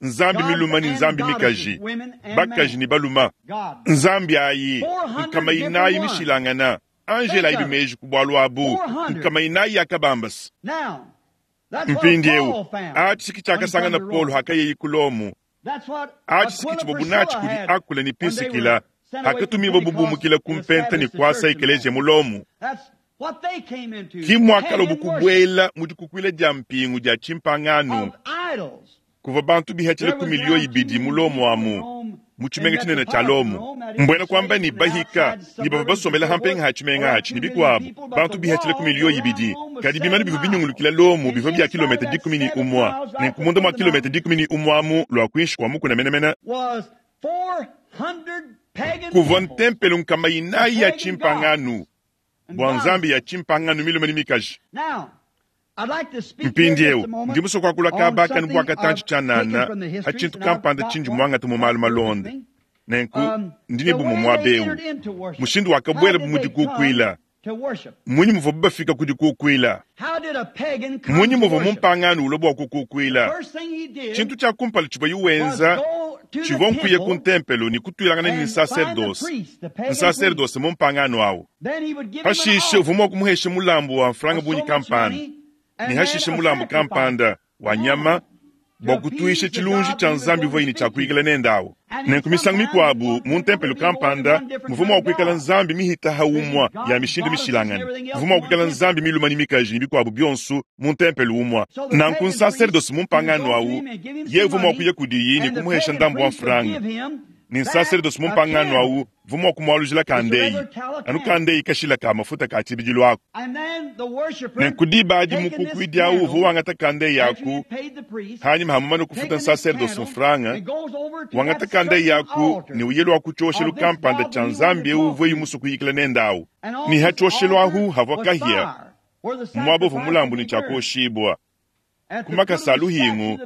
nzambi milume ne nzambi mikaji, bakaji ne balume. Nzambi ayi nkama inayi mishilangana. Angela ayi meji ku bualu abu, nkama inayi yakabambasa. Mpindieu, atshi ki tshiakasangana Paulo hakayeyi ku Lomu. Atshi ki tshivua bunatshi kudi Akula ne Pisikila hakatumibua bubumukila ku mpenta ne kuasa ekeleziya mu Lomu. Ki muakalua kubuela mu dikukuila dia mpingu dia tshimpangano, kuvua bantu bihatshila ku miliyo ibidi mu Lomu amu, mu tshimenga tshinene tshia Lomu. Mbuena kuamba ne bahika ne bavua basombela ha mpenga ha tshimenga atshi ne bikuabu bantu bihatshila ku miliyo ibidi. Kadi bimanu bivua binyungulukila Lomu bivua bia kilometa 11, nenku munda mua kilometa 11 amu lua kuinshi kua mukuna menemene kuvua ntempelo nkama inayi ya tshimpangano bua nzambi ya tshimpangano milume ne mikaji. Mpindieu ndi musue kuakula kaba kanu bua katantshi tshianana ha tshintu kampanda tshindi muangate mu malu malonda. Nenku ndi ne bumue muaba eu mushindu wakabuela bu mu dikukuila. Mmunyi muvuabu bafika ku dikukuila? Mmunyi muvua mumpangano ulua bua kukukuila? Tshintu tshia kumpala tshivuaye wenza tshivua nkuya ku ntempelo ne kutuilangana ne nsaserdose, nsaserdose mumpangano awu. Pashishe uvua mua kumuhesha mulambu wa mfranga bungi kampanda, ne hashishe mulambu kampanda wa nyama. Bua kutuisha tshilunji tshia Nzambi uvuaye ne tshia kuyikila nende awu. Nenku misangu mikuabu mu ntempelo kampanda muvua mua kuikala nzambi mihita ha umua ya mishindu mishilangane. Muvua mua kuikala nzambi milume ne mikaji ne bikuabu bionso mu ntempelo umua. Nanku nsaserdosi mumpangano awu yeye uvua mua kuya kudiyi ne kumuhesha ndambu wa mfranga. Ne nsaserdosi mumpangano awu uvua mua kumualujila kandeyi, anu kandeyi kashila ka mafuta ka tshibidilu aku. Nenku diba adi mukukuidi awu uvua wangata kandeyi aku, hanyima ha mumane kufuta nsaserdosi mfranga, wangata kandeyi aku ne uye lua ku tshioshelu kampanda tshia nzambi eu uvuaye musue kuyikila nende awu. Ne ha tshioshelu ahu havua kahia, muaba uvua mulambu ne tshia kuoshibua. Ku makasa a luhingu,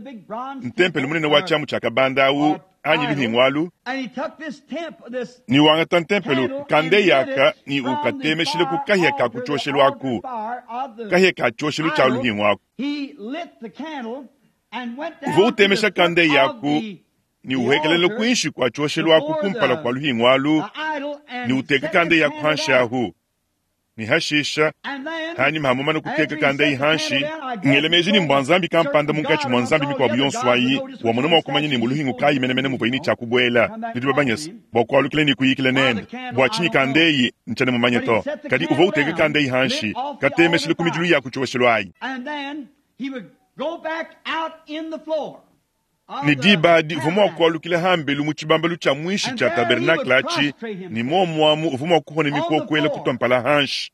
ntempelo munene wa tshiamu tshia kabanda awu anyi luhingu alu, ne wangata ntempelo kandeyi aka ne ukatemeshile ku kahia ka ku tshioshelu aku, kahia ka tshioshelu tshia luhingu aku. Uvua utemesha kandeyi aku ne uhekelela kuinshi kua tshioshelu aku kumpala kua luhingu alu, ne uteka kandeyi aku hanshi ahu. Ne hashisha, hanyima ha mumane kuteka kandeyi hanshi, ngela meji ne mbua nzambi kampanda munkatshi mua nzambi mikuabu yonso ayi, wamona mua kumanya ne muluhingu kayi menemene muvuaye ne tshia kubuela. Nudi babanyese bua kualukila ne kuyikila nende. Bua tshinyi kandeyi? Ntshiena mumanye to. Kadi uvua uteka kandeyi hanshi, katemeshile ku midilu ya ku tshioshelu ayi. Ne diba adi uvua mua kualukila hambelu mu tshibambalu tshia muinshi tshia tabernakle atshi, ne muomu amu uvua mua kuhona mikokuela kutua mpala hanshi.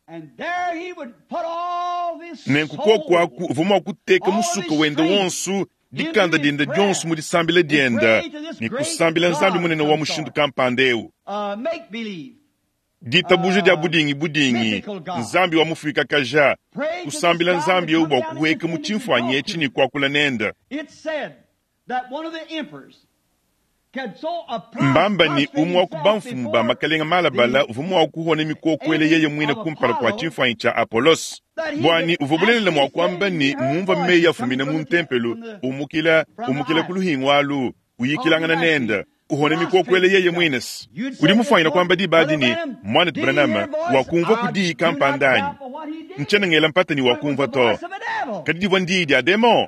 Nenku kuoku aku uvua mua kuteka musuka wende wonso, dikanda diende dionso mu disambila diende, ne kusambila Nzambi munene wa mushindu kampanda eu. Ditabuja dia budingi budingi, Nzambi wa mufuikakaja, kusambila Nzambi eu bua kuhueka mu tshimfuanyi etshi ne kuakula nende. Mbamba ne umue wa ku bamfumu ba makalenga malabala uvua mua kuhona mikokuela yeye muine kumpala kua tshimfuanyi tshia Apolos, buani uvua bulelela mua kuamba ne mumvua meyi afumina mu ntempelo, umukila, umukila ku luhingu alu, uyikilangana nende, uhona mikokuela yeye muine. Udi mufuanyina kuamba diba adi ne, Muanetu Branham, wakumvua ku diyi kampanda anyi? Ntshiena ngela mpata ne wakumvua to. Kadi divua ndiyi dia demon.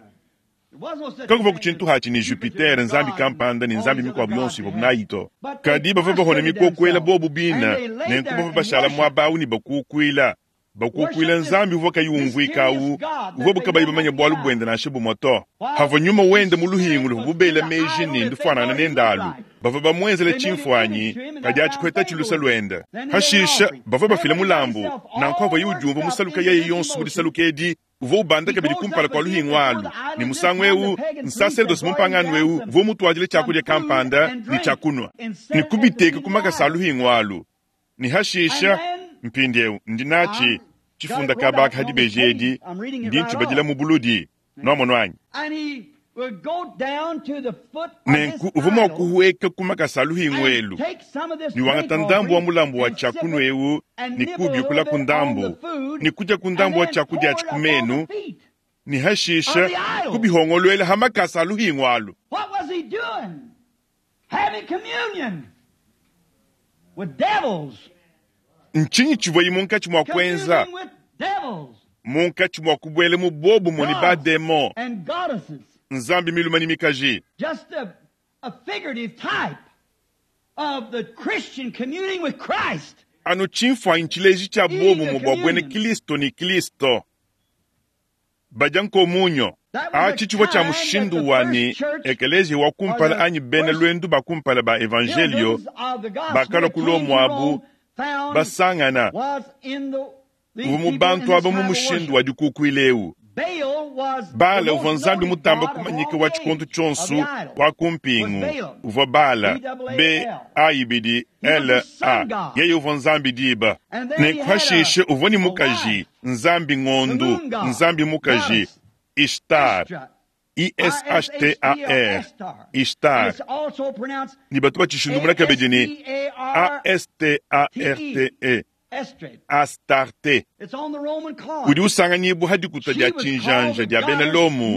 Kakuvua ku tshintu hatshi ne Jupiter, nzambi kampanda, ne nzambi mikuabu yonso ivuabu nayi to. Kadi bavua bahona mikokuela bobu bine, nenku bavua bashala muaba awu ne bakukuila, bakukuila nzambi uvua kayi umvuika awu, uvuabu kabayi bamanye bualu buende nansha bumue to. Havua nyuma wende mu luhingu luvua bubela meji ne ndufuanangana nende alu, bavua bamuenzela tshimfuanyi, kadi atshi kuhetatshi lusa luende. Hashisha bavua bafila mulambu, nanku havuaye udiumvua musaluka yeye yonso mu disaluka edi, uvua ubanda kabidi kumpala kua luhingu alu, ne musangu eu nsaserdosi mumpangano eu uvua mutuadile tshiakudia kampanda ne tshiakunua, ne kubiteka ku makasa a luhingu alu. Ne hashisha, mpindieu ndi natshi tshifunda kaba aka dibeji edi, ndi ntshibadila mu buludi, nuamonu anyi? Nenku uvua mua kuhueka ku makasa a luhingu elu, ne wangata ndambu wa mulambu wa tshiakunua eu ne kuubiukula ku ndambu, ne kudia ku ndambu wa tshiakudia atshi ku menu, ne hashisha kubihongoluela ha makasa a luhingu alu. What was he doing? Having communion with devils. Ntshinyi tshivuaye munkatshi mua kuenza? Communing with devils Munkatshi mua kubuela mu bobumue ne bademon, and goddesses. nzambi milume ne mikaji. Just a figurative type of the Christian communing with Christ. Anu tshimfuanyi tshileji tshia bobumue bua buena Kristo ne Kristo. Badia nkomunyo. Atshi tshivua tshia mushindu wa ne ekeleziya wa kumpala anyi bena luendu ba kumpala ba evanjelio bakalua ku Lomo abu basangana uvua mu bantu aba mu mushindu wa dikukuila eu. Baala uvua nzambi mutamba kumanyika wa tshikondo tshionso wa ku mpingu, uvua Baala, B A ibidi L A, yeye uvua nzambi diba. Nenku hashishe uvua ne mukaji, nzambi ngondu, nzambi mukaji, Ishtar, I S H T A R, Ishtar. Ne batu batshishindumuna kabidi ne A S T A R T E, Astarte. Udi usanganyibua ha dikuta dia tshinjanja dia bena Lomo,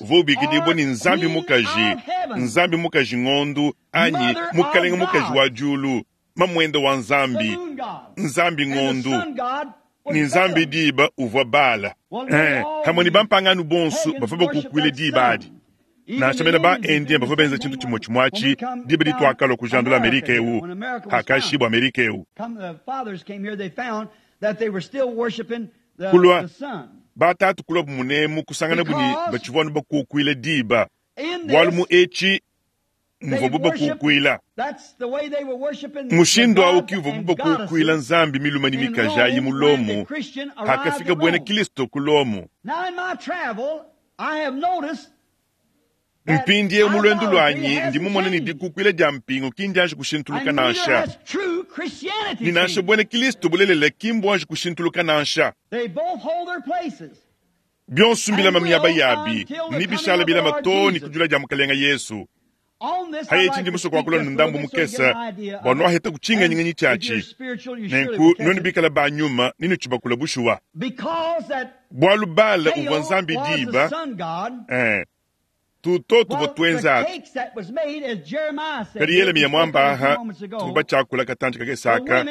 uvua ubikidibua ne nzambi mukaji, nzambi mukaji ngondu anyi mukalenge mukaji wa diulu, mamuende wa nzambi, nzambi ngondu, ne nzambi diba uvua Baala. Hamue ne bampangano bonso bavua bakukuila diba adi. Nansha mena ba-Indien bavua benza tshintu tshimue tshimue atshi diba dituakalua kujandula Amerika eu, hakashibua Amerika eu. Kulua batatu kuluabu munemu kusanganabu ne batshivua anu bakukuila diba, bualu mu etshi muvuabu bakukuila. Mushindu au ki uvuabu bakukuila nzambi milume ne mikaji ayi mu Lomo hakafika buena Kristo ku Lomo. Mpindieu mu luendu luanyi ndi mumone ne dikukuila dia mpingu ki ndianji kushintuluka nansha, ne nansha buena Kristo bulelela ki mbuanji kushintuluka nansha. Bionso mbilama miaba yabi ne bishala bilama too ne kujula dia Mukalenga Yesu. Haye ndi musue kuakula ne ndambu mukese bua nuaheta kutshinganyi tshiatshi, nenku nuenu bikala ba nyuma ne nutshibakula bushuwa. Bualu Bala uvua nzambi diba, tuto tuvua tuenza atu. Kadi Yelemiya muamba aha tuvua batshiakula katantshi kakese aka,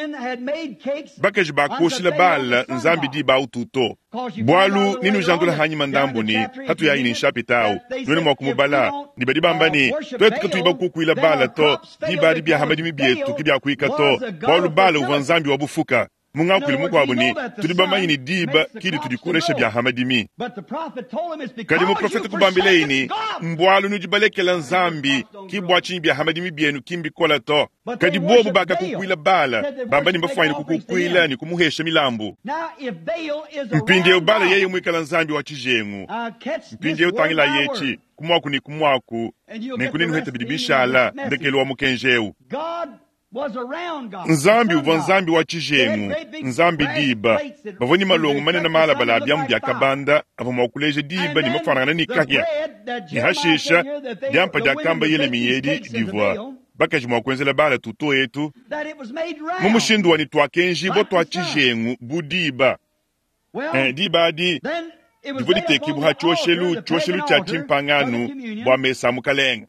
bakaji bakuoshila Bala nzambi diba au tuto. Bualu ninujandula hanyima ndambu ne hatuyayi ne nshapita au nuenu mua kumubala ne badi bamba ne tuetu katuyi bakukuila Bala to, diba adi bia madimi bietu ke biakuika to, bualu Bala uvua nzambi wa bufuka. Mungakuilu mukuabu ne tudi bamanye ne diba kidi tudikolesha bia hamadimi. Kadi muprofete kubambileyi ne mbualu nudi balekela nzambi ki bua tshinyi bia hamadimi bienu ki mbikola to. Kadi bobu bakakukuila Bala bamba ne mbafuanyine kukukuila ne kumuhesha milambu. Mpindieu Bala yeye muikala nzambi wa tshijengu. Mpindieu tangila yetshi kumuaku ne kumuaku nenku nenuhete bidi bishala ndekelu wa mukenji eu. Nzambi uvua nzambi wa tshijengu, nzambi diba. Bavua ne malongo manene malabala a biamu bia kabanda avua mua kuleja diba ne mafuanangana ne kahia. Ne hashisha diampa diakamba Yelemiya edi divua bakaji mua kuenzela Bala tuto etu mu mushindu wa ne tuakenjibua tua tshijengu bu diba. Diba adi divua ditekibua ha tshioshelu, tshioshelu tshia tshimpangano bua mesa a mukalenga.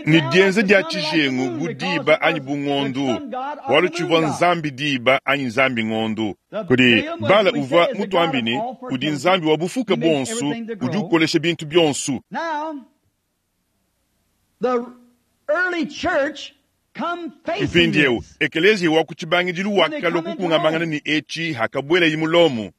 Ne dienza dia tshijengu bu diba anyi bu ngondu, bualu tshivua nzambi diba anyi nzambi ngondu. Kudi Bala uvua mutuambi ne udi nzambi wa bufuka buonso, udi ukolesha bintu bionso. Mpindieu ekeleziya wa ku tshibangidilu wakalua kukungamangana ne etshi hakabuelayi mu Lomo.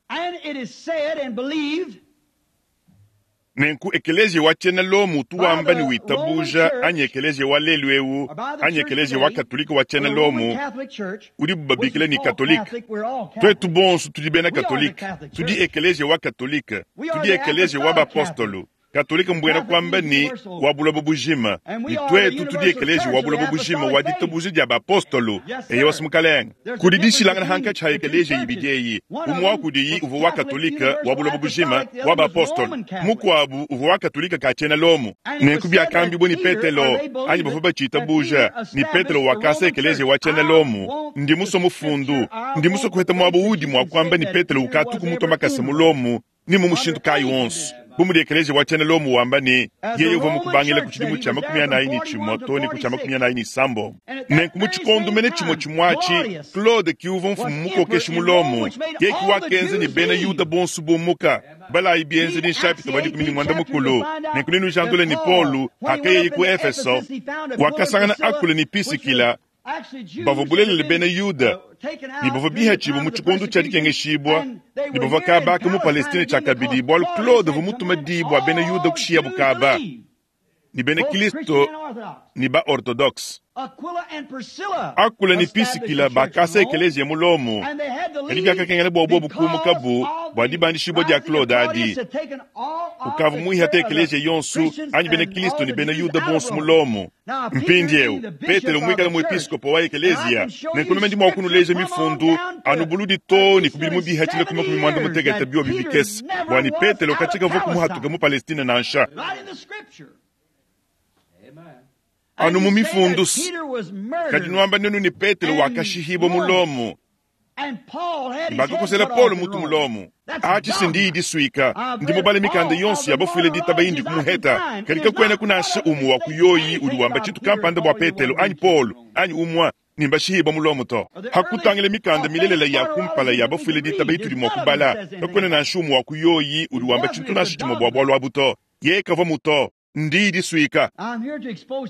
Nenku ekeleziya wa tshiena Lomo utu wamba ne witabuja anyi ekeleziya wa lelu eu anyi ekeleziya wa katolika wa tshiena Lomo udibu babikila ne katolika. Tuetu bonso tudi bena katolika, tudi ekeleziya wa katolika, tudi ekeleziya wa bapostolo. Katolika mbuena kuamba ne wa buloba bujima, ne tuetu tudi ekeleziya wa buloba bujima wa ditabuja dia bapostolo. Eyo mukalenga, kudi dishilangana hankatshi ha ekeleziya ibidi eyi. Umue wa kudiyi uvua wa katolika wa buloba bujima wa bapostolo, mukuabu uvua wa katolika ka tshiena Lomo. Nenku biakambibua ne Petelo anyi bavua batshitabuja ne Petelo wakasa ekeleziya wa tshiena Lomo. Ndi musue mufundu, ndi musue kuheta muaba udi mua kuamba ne Petelo ukatuku mutua makasa mu Lomo ni mu mushindu kayi wonso. Bu mudi ekeleziya wa tshiena Lomo wamba ne yeye uvua mukubangila ku tshidimu tshia 46 too ne ku tshia 46. Nenku mu tshikondo mene tshimue tshimue atshi, Claude ki uvua mfumu mukokeshi mu Lomo, yeye ki wakenza ne bena Yuda bonso bumuka. Balayi bienzedi nshapita wa 19. Nenku nenujandule ne Paulo hakayeye ku Efeso, wakasangana Akula ne Pisikila bavua bulelela bena Yuda ne bavua bihatshibua mu tshikondo tshia dikengeshibua ne bavua kabaka mu Palestine tshiakabidi, bualu Claude uvua mutuma diyi bua bena Yuda kushiyabu kaba ne bena Kristo ne ba Orthodoxe. Akula ne Pisikila bakasa ekeleziya mu Lomo, kadi biakakengela bua bobu kumukabu bua dibandishibua dia Claude adi. Ukavua muihate ekeleziya yonso anyi bena Kristo ne bena Yuda bonso mu Lomo. Mpindieu Petelo muikale muepiskopo wa ekeleziya, nenku meme ndi mua kunuleja mifundu anu buludi too ne ku bidimu bihatshile ku 86 biobi bikese, bua ne Petelo katshikavua kumuhatuka mu Palestine nansha. Anu mu mifundu, kadi nuamba nenu ne Petelo wakashihibua mu Lomo, bakakosela Paulo mutu mu Lomo. Atshi sindiyi disuika, ndi mubale mikanda yonso ya bafuile ditaba indi kumuheta, kadi kakuena kunasha umue wa kuyoyi udi wamba tshintu kampanda bua Petelo anyi Paulo anyi umue ne mbashihibua mu Lomo to. Hakutangila mikanda milelela ya kumpala ya bafuile ditaba itudi mua kubala, kakuena nansha umue wa kuyoyi udi wamba tshintu nansha tshimue bua bualu abu to. Yeye kavua mu to. Ndiyi disuika.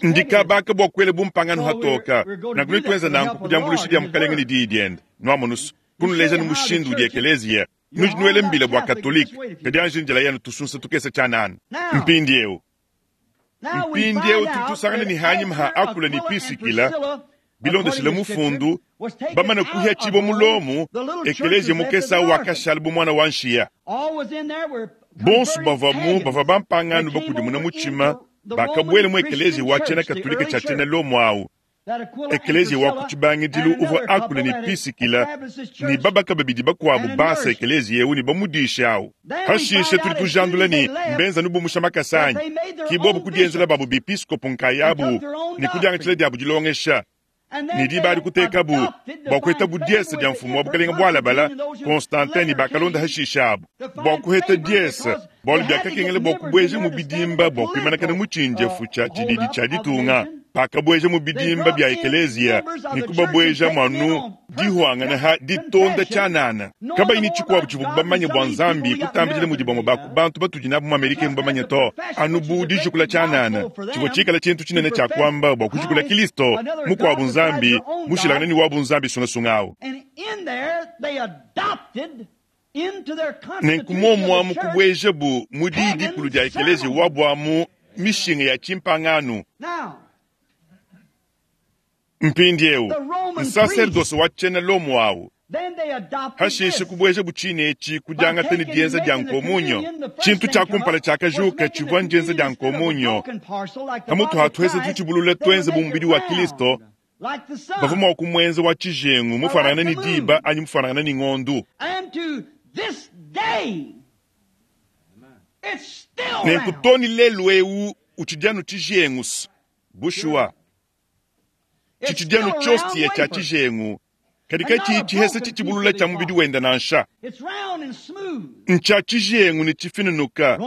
Ndi kabaka bua kuela bumpangano hatoka. Nanku netuenza nanku ku diambuluisha dia Mukalenge ne Diyi diende. Nwamonu's, kunuleja ne mushindu udi ekeleziya. Nudi nuela mbila bua Katolike, kadi anji njila yenu tusunsa tukese tshianana. Mpindiewu, mpindiewu tudi tusangana ne hanyima ha Akula ne Pisikila, bilondeshile mufundu, bamane kuhiatshibua mu Lomo, ekeleziya mukese au wakashala bu muana wa nshiya. Bonso bavuamu bavua bampangano bakudimuna mutshima bakabuela mu ekeleziya wa tshiena Katolike tshia tshiena Lomo au. Ekeleziya wa ku tshibangidilu uvua Akula ne Pisikila ne babaka babidi bakuabu basa ekeleziya eu ne bamudishe au. Pashishe tudi tujandula ne, mbenza anu bumusha makasa anyi? Ki bobu kudienzela babu bepiskopo nkayabu ne kudiangatshila diabu dilongesha. Ne diba adi kutekabu bua kuheta diese dia mfumu wa bukalenge bualabala Constantin ne bakalonda hashishe abu bua kuheta diese, bualu biakakengela bua kubueja mu bidimba bua kuimanakana mu tshinjefu tshia tshididi tshia ditunga. Bakabueja mu bidimba bia ekeleziya ne kubabuejamu anu dihuangana ha ditonda tshianana, kabayi ne tshikuabu tshivuabu bamanye bua Nzambi kutambidila mudi bamue ba ku bantu batudi nabu mu Amerika emu bamanye to, anu bu dijukula tshianana tshivua tshikale tshintu tshinene tshia kuamba bua kujukula Kilisto, mukuabu nzambi mushilangane ne wabu nzambi sungasunga au. Nenku muomu amu kubuejabu mu diyi dikulu dia ekeleziya wabu amu mishinga ya tshimpangano. Mpindieu, nsaserdose wa tshiena Lomo au, pashishe kubuejabu tshine etshi ku diangata ne dienza dia nkomunyo. Tshintu tshia kumpala tshiakajuka tshivua ndienza dia nkomunyo. Pamutu ha tuese tutshibulula tuenze bu mubidi wa Kristo, bavua mua kumuenza wa tshijengu mufuanangane ne diba anyi mufuanangane ne ngondu. Nenku too ne lelu'eu utshidi anu tshijengu. Bushuwa, tshitshidi anu tshiostia tshia tshijengu, kadi katshiyi tshihesa tshitshibulula tshia mubidi wende nansha. Ntshia tshijengu ne tshifinunuka.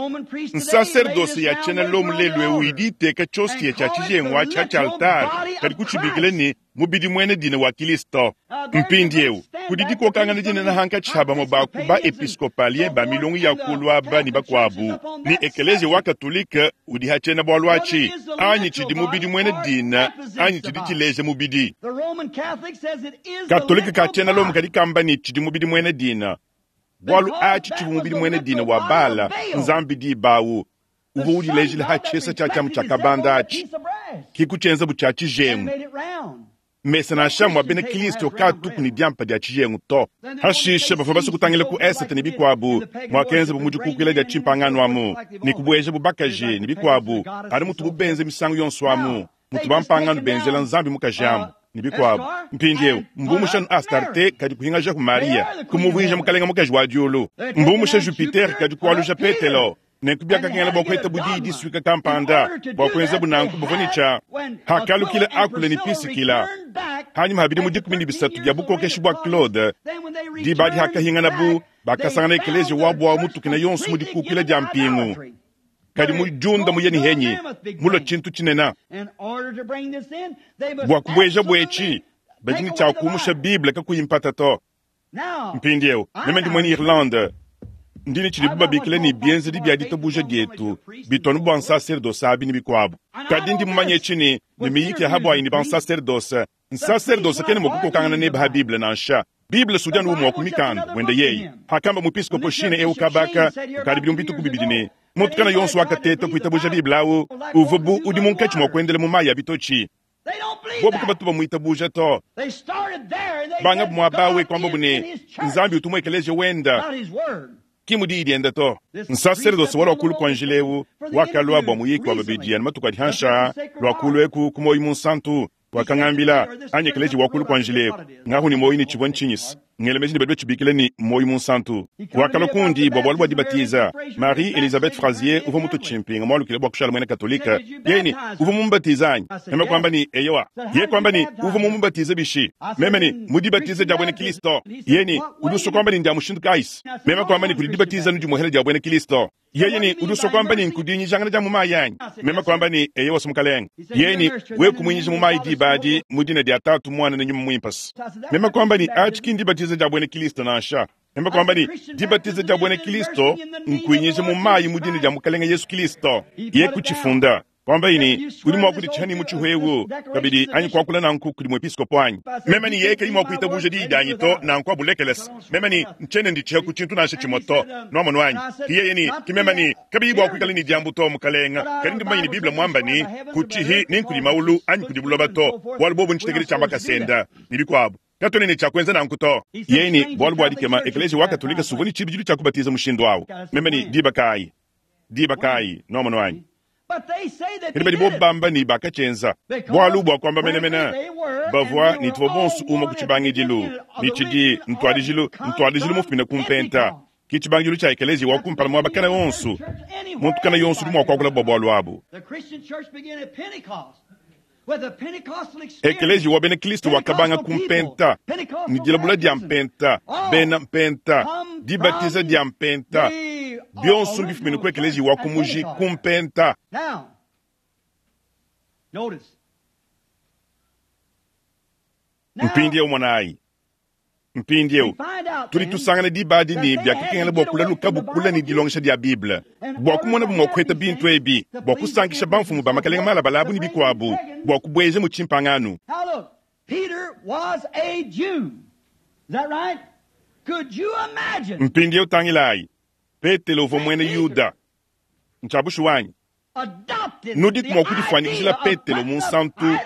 Nsaserdose ya tshiena Lomo lelu'eu idi iteka tshiostia tshia tshijengu atshi ha tshialtare, kadi kutshibikila ne, mubidi muena dina wa Kilisto. Mpindieu, kudi dikokangana dinene hankatshi ha bamue ba ku ba-episkopalien ba milongo ya kulu aba ne bakuabu ne Ekeleziya wa Katolike udi ha tshiena-bualu atshi, anyi tshidi mubidi muena dina anyi tshidi tshileja mubidi. Katolike ka tshiena Lomo kadi kamba ne tshidi mubidi muena dina, bualu atshi tshivua mubidi muena dina wa Bala, nzambi diba au, uvua udilejila ha tshiesa tshia tshiamu tshia kabanda atshi, ki kutshienza bu tshia tshijengu. Mesa nansha mua bena Kristo kaatuku ne diampa dia tshijengu to. Hashishe bavua basue kutangila ku esete ne bikuabu, muakenzabu mu dikukuila dia tshimpangano amu, ne kubuejabu bakaji ne bikuabu, anu mutubu benza misangu yonso amu, mutu bampangano benzela Nzambi mukaji amu, ne bikuabu. Mpindieu mbumusha anu Astarte kadi kuhingajaku Maria, kumuvuija mukalenge mukaji wa diulu. Mbumusha Jupiter kadi kualuja Petelo. Nenku biakakengela bua kuheta diyi disuika kampanda bua kuenzabu nanku bavua ne tshia hakalukila Akula ne Pisikila hanyima ha bidimu 13 bia bukokeshi bua Claude. Diba adi hakahinganabu, bakasangana ekeleziya wabu au mutukina yonso mu dikukila dia mpingu, kadi mu diunda muye ne henyi mulua tshintu tshinene. Bua kubueja buetshi badi ne tshia kumusha Bible kakuyi mpata to. Mpindieu meme ndi muena Irlande, ndi ne tshidibu babikila ne bienzedi bia ditabuja dietu bitu anu bua nsaserdose abi ne bikuabu. Kadi ndi mumanye etshi ne, ne miyiki ya habuayi ne bansaserdose, nsaserdose kena mua kukokangana nebe ha Bible nansha. Bible sudi anu umue wa ku mikanda wende yeye. Hakamba muepiskopo Sheen eu kabaka kukadi bidimu bituku bibidi ne, muntu kana yonso wakateta kuitabuja Bible au uvua bu udi munkatshi mua kuendela mu mayi a bitotshi. Bobu kabatu bamuitabuja to. Banga muaba awu kuambabu ne, Nzambi utu mu ekeleziya wenda, ki mu diyi diende to. Nsaserdose wa lua kulu kua njila eu wakalua bua muyiki wa babidi anu matuku adi hanshi aa, lua kulu eku ku muoyo munsantu, wakangambila, anyi ekeleziya wa kulu kua njila eku, ngahu ne muoyo ne tshivua ntshinyisa. Ngela meji ne badi batshibikila ne, muoyo munsantu. Wakalua kundi bua bualu bua dibatiza. Marie Elizabeth Frazier uvua mutue tshimpinga mualukile bua kushala muena Katolike. Yeye ne, Uvua mumubatize anyi? Meme kuamba ne, Eyowa. Yeye kuamba ne, Uvua mumubatize bishi? Meme ne, Mu dibatiza dia buena Kristo. Yeye ne, Udi usua kuamba ne ndia mushindu kayi? Meme kuamba ne, Kudi dibatiza anu dimuehela dia buena Kristo. Yeye ne, Udi usua kuamba ne nkudinyijangana dia mu mayi anyi? Meme kuamba ne, Eyowa, Mukalenge. Yeye ne, Wewe kumuinyija mu mayi diba adi mu dina dia Tatu, Muana ne Nyuma Muimpe. Meme kuamba ne, Atshi ki ndibatiza dia buena Kristo nansha. Meme kuamba ne, Dibatiza dia buena Kilisto nkuinyija mu mayi mu dina dia Mukalenge Yesu Kilisto. Yeye kucifunda. Kuambaye ne, Udi mua kuditshiha ne mutshihu eu kabidi anyi kuakula nanku kudi muepiskopo anyi? Meme ne, Yeye kayi mua kuitabuja diyi dianyi to, nanku abulekelese. Meme ne, Ntshiena nditshiha ku tshintu nansha tshimue to. Nwamonu anyi? Ki yeye ne, Ki meme ne, Kabiyi bua kuikala ne diambu to, Mukalenge, kadi ndi mumanye ne Bible muamba ne, Kutshihi ni nkudi maulu anyi kudi buloba to, bualu buobu ntshitekedi tshia makasa enda, ne bikuabu. Katuena ne tshia kuenza nanku to. Yeye ne, Bualu bua dikema, Ekeleziya wa Katolike s'uvua ne tshibidilu tshia kubatiza mushindu awu. Meme ne, Diba kaayi? Diba kaayi? Nwamonu anyi? Kadi badi bobu bamba ne, bakatshienza. Bualu bua kuamba menemene, bavua ne tuvua bonso umue ku tshibangidilu, ne tshidi ntuadijilu, ntuadijilu mufumine ku mpenta. Ke tshibangidilu tshia ekeleziya wa kumpala muaba kana wonso. Muntu kana yonso udi mua kuakula bua bualu abu. Ekeleziya wa bena Kristo wakabanga ku mpenta, ne dilabula dia mpenta, bena mpenta, dibatiza dia mpenta, bionso mbifumine ku ekeleziya wa ku muji ku mpenta. Mpindieu monayi. Mpindieu, tudi tusangana diba adi ne biakakengela bua kulalukabu kule ne dilongesha dia Bible bua kumonabu mua kupeta bintu ebi, bua kusankisha bamfumu ba makalenge malabale abu ne bikuabu, bua kubueja mu tshimpangano. Mpindieu tangilayi, Petelo uvua muena Yuda. Ntshia bushuwa anyi? Nudiku mua kudifuanyikijila Petelo Munsantu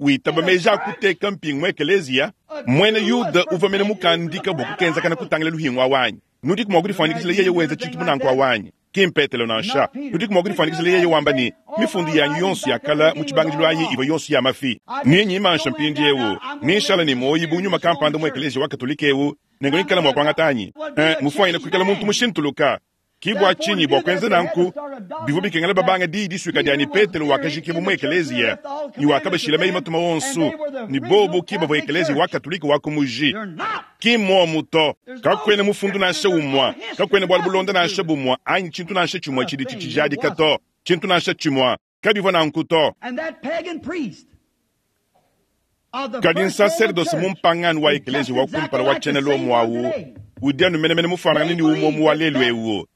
witaba meji a kuteka mpingu mu ekeleziya? Muena Yuda uvua mene mukandika bua kukenzakana kutangila luhingu awu anyi? Nudiku mua kudifuanyikijila yeye wenza tshintu bu nanku awu anyi? Ki m'Petelo nansha. Nudiku mua kudifuanyikijila yeye wamba ne, Mifundu yanyi yonso ya kale mu tshibangidilu ayi ivua yonso ya mafi. Ne nyimansha mpindieu, ne nshala ne muoyo bu nyuma kampanda mu ekeleziya wa Katolike eu, nenku ngikala mua kuangata anyi? Ee, mufuanyine kuikala muntu mushintuluka. Ki bua tshinyi bua kuenza nanku bivua bikengela babanga diyi disuika dia ne Petelo wakajikibua mu ekeleziya ne wakabashila meyi matuma onso, ne bobu ki bavua ekeleziya wa Katolike wa ku muji. Ki mmuomu to. Kakuena mufundu nansha umue, kakuena bualu bulonda nansha bumue anyi tshintu nansha tshimue tshidi tshitshijadika to, tshintu nansha tshimue. Kabivua nanku to. Kadi nsaserdose mumpangano wa ekeleziya wa kumpala wa tshiena Lomo au udi anu menemene mufuanangane ne umue wa lelu eu.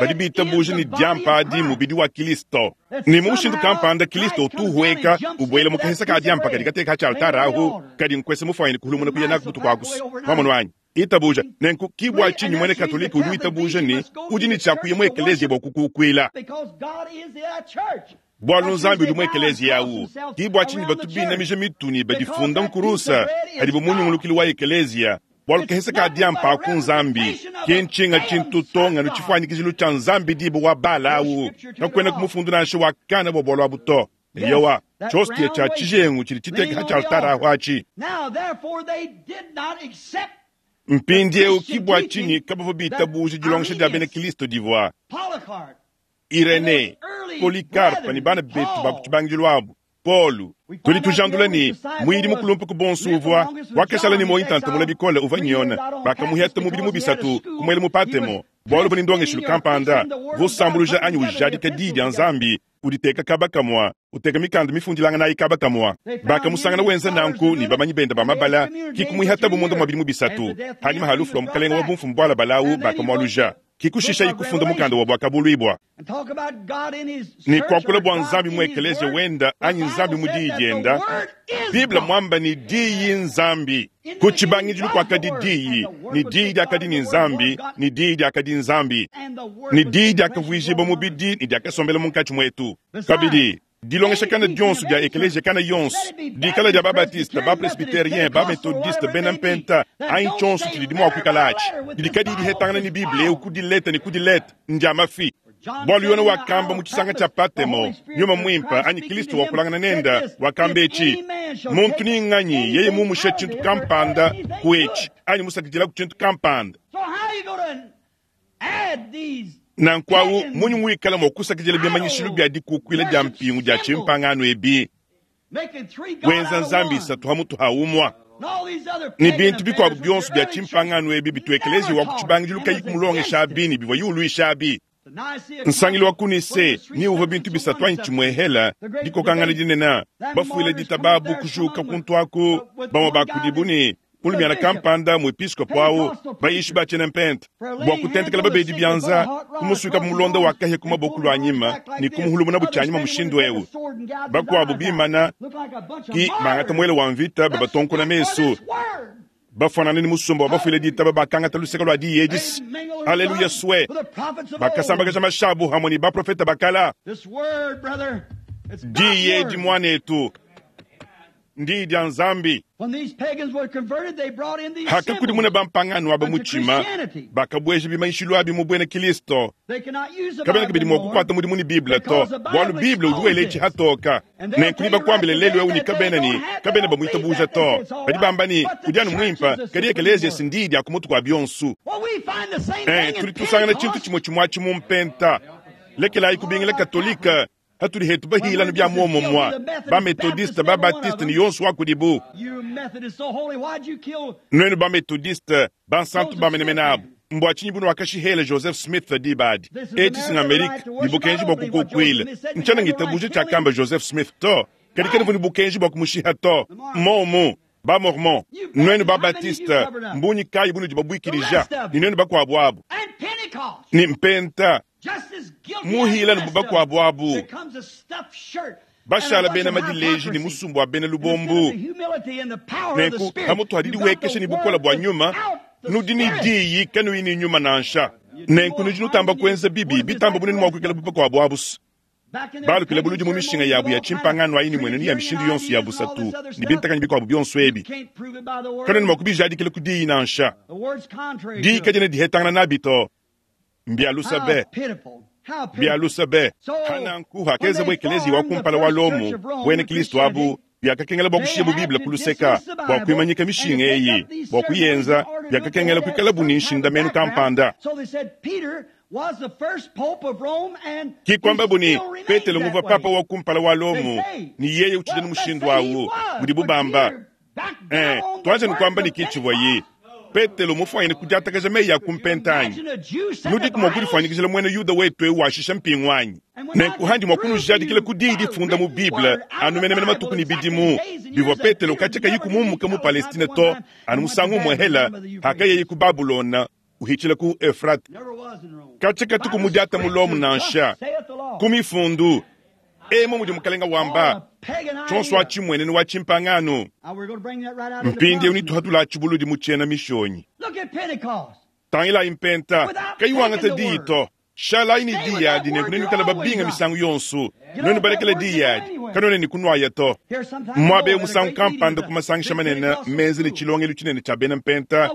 Badi bitabuja ne diampa adi mubidi wa Kilisto, ne mu mushindu kampanda Kilisto utu uhueka ubuela mu kahesa ka diampa kadi kateka ha tshialtare ahu, kadi nkuese mufuanyine kuhulumuna kuya naku butuku akusu. Nwamonu anyi? Itabuja. Nenku ki bua tshinyi muena Katolike udi witabuja ne udi ne tshia kuya mu ekeleziya bua kukukuila. Bualu Nzambi udi mu ekeleziya au. Ki bua tshinyi batu binamija mitu ne badifunda nkurusa padibu mu nyungulukilu wa ekeleziya, bualu kahesa ka diampa aku Nzambi, ki ntshinga tshintu to nganu tshifuanyikijilu tshia Nzambi diba wa Bala au. Kakuenaku mufundu nansha wa kana bua bualu abu to. Eyowa, tshiostia tshia tshijengu tshidi tshiteka ha tshialtare ahu atshi. Mpindieu ki bua tshinyi kabavua bitabuja dilongesha dia bena Kristo divua Irenee, Polycarpe ne bana betu ba ku tshibangidilu abu, Paulo. Tudi tujandula ne, muyidi mukulumpe ku bonso uvua wakashala ne muoyo ntanta mule bikole uvua n'Yone. Bakamuheta mu bidimu bisatu, kumuela mu Patemo, bualu uvua ne ndongeshilu kampanda uvua usambuluja anyi ujadika Diyi dia Nzambi, uditeka kaba kamua, uteka mikanda mifundilanganayi kaba kamua. Bakamusangana wenza nanku ne bamanyi bende ba mabala, ki kumuihatabu munda mua bidimu bisatu. Hanyima ha lufu lua mukalenge wa bumfumu bualabale au, bakamualuja, ki kushishaye kufunda mukanda wa Buakabuluibua. Ne kuakula bua Nzambi mu ekeleziya wenda anyi Nzambi mu Diyi dienda, Bible muamba ne Diyi n'Nzambi. Ku tshibangidilu kuakadi Diyi, ne Diyi diakadi ne Nzambi, ne Diyi diakadi Nzambi. Ne Diyi diakavuijibua mubidi ne diakasombela munkatshi muetu. Kabidi, dilongesha kana dionso dia ekeleziya kana yonso, dikala dia ba-Batiste, ba-Presbyterien, ba-Methodiste, bena Mpenta, anyi tshionso tshididi mua kuikala atshi, didi kadiyi dihetangana ne Bible eu ku dileta ne ku dileta, ndia mafi. Bualu Yone wakamba mu tshisanga tshia Patemo, Nyuma Muimpe anyi Kilisto wakulangana nende, wakamba etshi, Muntu ni nganyi yeye mumushe tshintu kampanda ku etshi anyi musakidilaku tshintu kampanda, nanku awu munyi muikala mua kusakidila bimanyishilu bia dikukuila dia mpingu dia tshimpangano ebi, wenza nzambi isatu ha mutu ha umua, ne bintu bikuabu bionso bia tshimpangano ebi bitu ekeleziya wa ku tshibangidilu kayi kumulongesha abi ne bivua yuluisha abi? Nsangilu wa ku Nicee ni uvua bintu bisatu anyi tshimuehela, dikokangana dinene, bafuile ditaba abu kujuka kuntu aku, bamue ba kudibu ne. Mulumiana kampanda, muepiskopo awu, bayishi ba tshiena mpenta, bua kutentekela babedi bianza, kumusuika mulonda wa kahia ku maboko lua nyima ne kumuhulumuna bu tshianyima mushindu eu. Bakuabu bimana ki bangata muele wa mvita babatonkona mesu, bafuanana ne musumba wa bafuile ditaba bakangata luseke lua diyi edisi. Aleluya sue! Bakasambakaja mashabu hamue ne baprofeta bakala. Diyi edi muanetu, ndiyi dia Nzambi. Hakakudimuna bampangano aba mutshima, bakabueja bimanyishilu abi mu buena Kilisto. Kabena kabidi mua kukuata mudimu ne Bible to, bualu Bible udi wela etshi hatoka. Nenku nebakuambile lelu eu ne kabena ne kabena bamuitabuja to. Badi bamba ne udi anu muimpe, kadi ekeleziya si ndiyi dia ku mutu kua bionso. Tudi tusangana tshintu tshimue tshimue atshi mu mpenta. Lekelayi kubingila Katolike hatudi hetu bahila anu bia muomumue, ba Methodiste, ba Baptiste ne yonso wa kudibu. Nuenu ba Methodiste, bansantu ba menemene abu, mbua tshinyi bunuakashihela Joseph Smith diba adi? Etshi si ng'Amerika ne bukenji bua kukukuila. Ntshiena ngitabuja tshiakamba Joseph Smith to, kadi kanuvua ne bukenji bua kumushiha to. Mmuomu, ba Mormon, nuenu ba Baptiste, mbunyi kayi bunudi babuikidija, ne nuenu bakuabu abu, ne Mpenta, muhila ne bakuabu abu, bashala bena madileji ne musumba wa bena lubombu. Nenku pamutu adi diwekesha ne bukole bua nyuma, nudi ne diyi kanuyi ne nyuma nansha. Nenku nudi nutamba kuenza bibi bitamba bunene mua kuikala bu bakuabu abu. Balukila buludi mu mishinga yabu ya tshimpangano ayi ne muenenu ya mishindu yonso ya busatu ne bintakanyi bikuabu bionso ebi. Kanuena mua kubijadikila ku diyi nansha. Diyi kadiena dihetangana nabi to. Mbia lusa be! Mbia lusa be! Hananku hakenzabo ekeleziya wa kumpala wa Lomo, buena Kilisto abu, biakakengela bua kushiyabu Bible ku luseka bua kuimanyika mishinga eyi. Bua kuyenza, biakakengela kuikalabu ne nshindamenu kampanda. Ki kuambabu ne, Petelo nguvua papa wa kumpala wa Lomo, ne yeye utshidi anu mushindu au, mudibu bamba. Tuanze nukuamba ne ki tshivuaye Petelo mufuanyine kudiatakaja meyi a ku mpenta anyi? Nudiku mua kudifuanyikijila muena Yuda wetu eu washisha mpingu anyi? Nenku handi mua kunujadikila ku diyi difunda mu Bible anu menemene matuku ne bidimu bivua Petelo katshia kayiku mumuka mu Palestine to, anu musangu umue hela hakayeye ku Babulona uhitshila ku Euphrate. Katshia katuku mudiata mu Lomo nansha. Ku mifundu emu mudi Mukalenga wamba, tshionso atshi mmuenenu wa tshimpangano. Mpindieu netuhatula tshibuludi mu tshiena mishonyi. Tangilayi mpenta, kayi wangata diyi to. Shalayi ne diyi adi, nenku nenuikale babinga misangu yonso. Nuenu balekele diyi adi, kanuena ne kunuaya to. Muaba eu musangu kampanda ku masangisha manene menza ne tshilongelu tshinene tshia bena mpenta,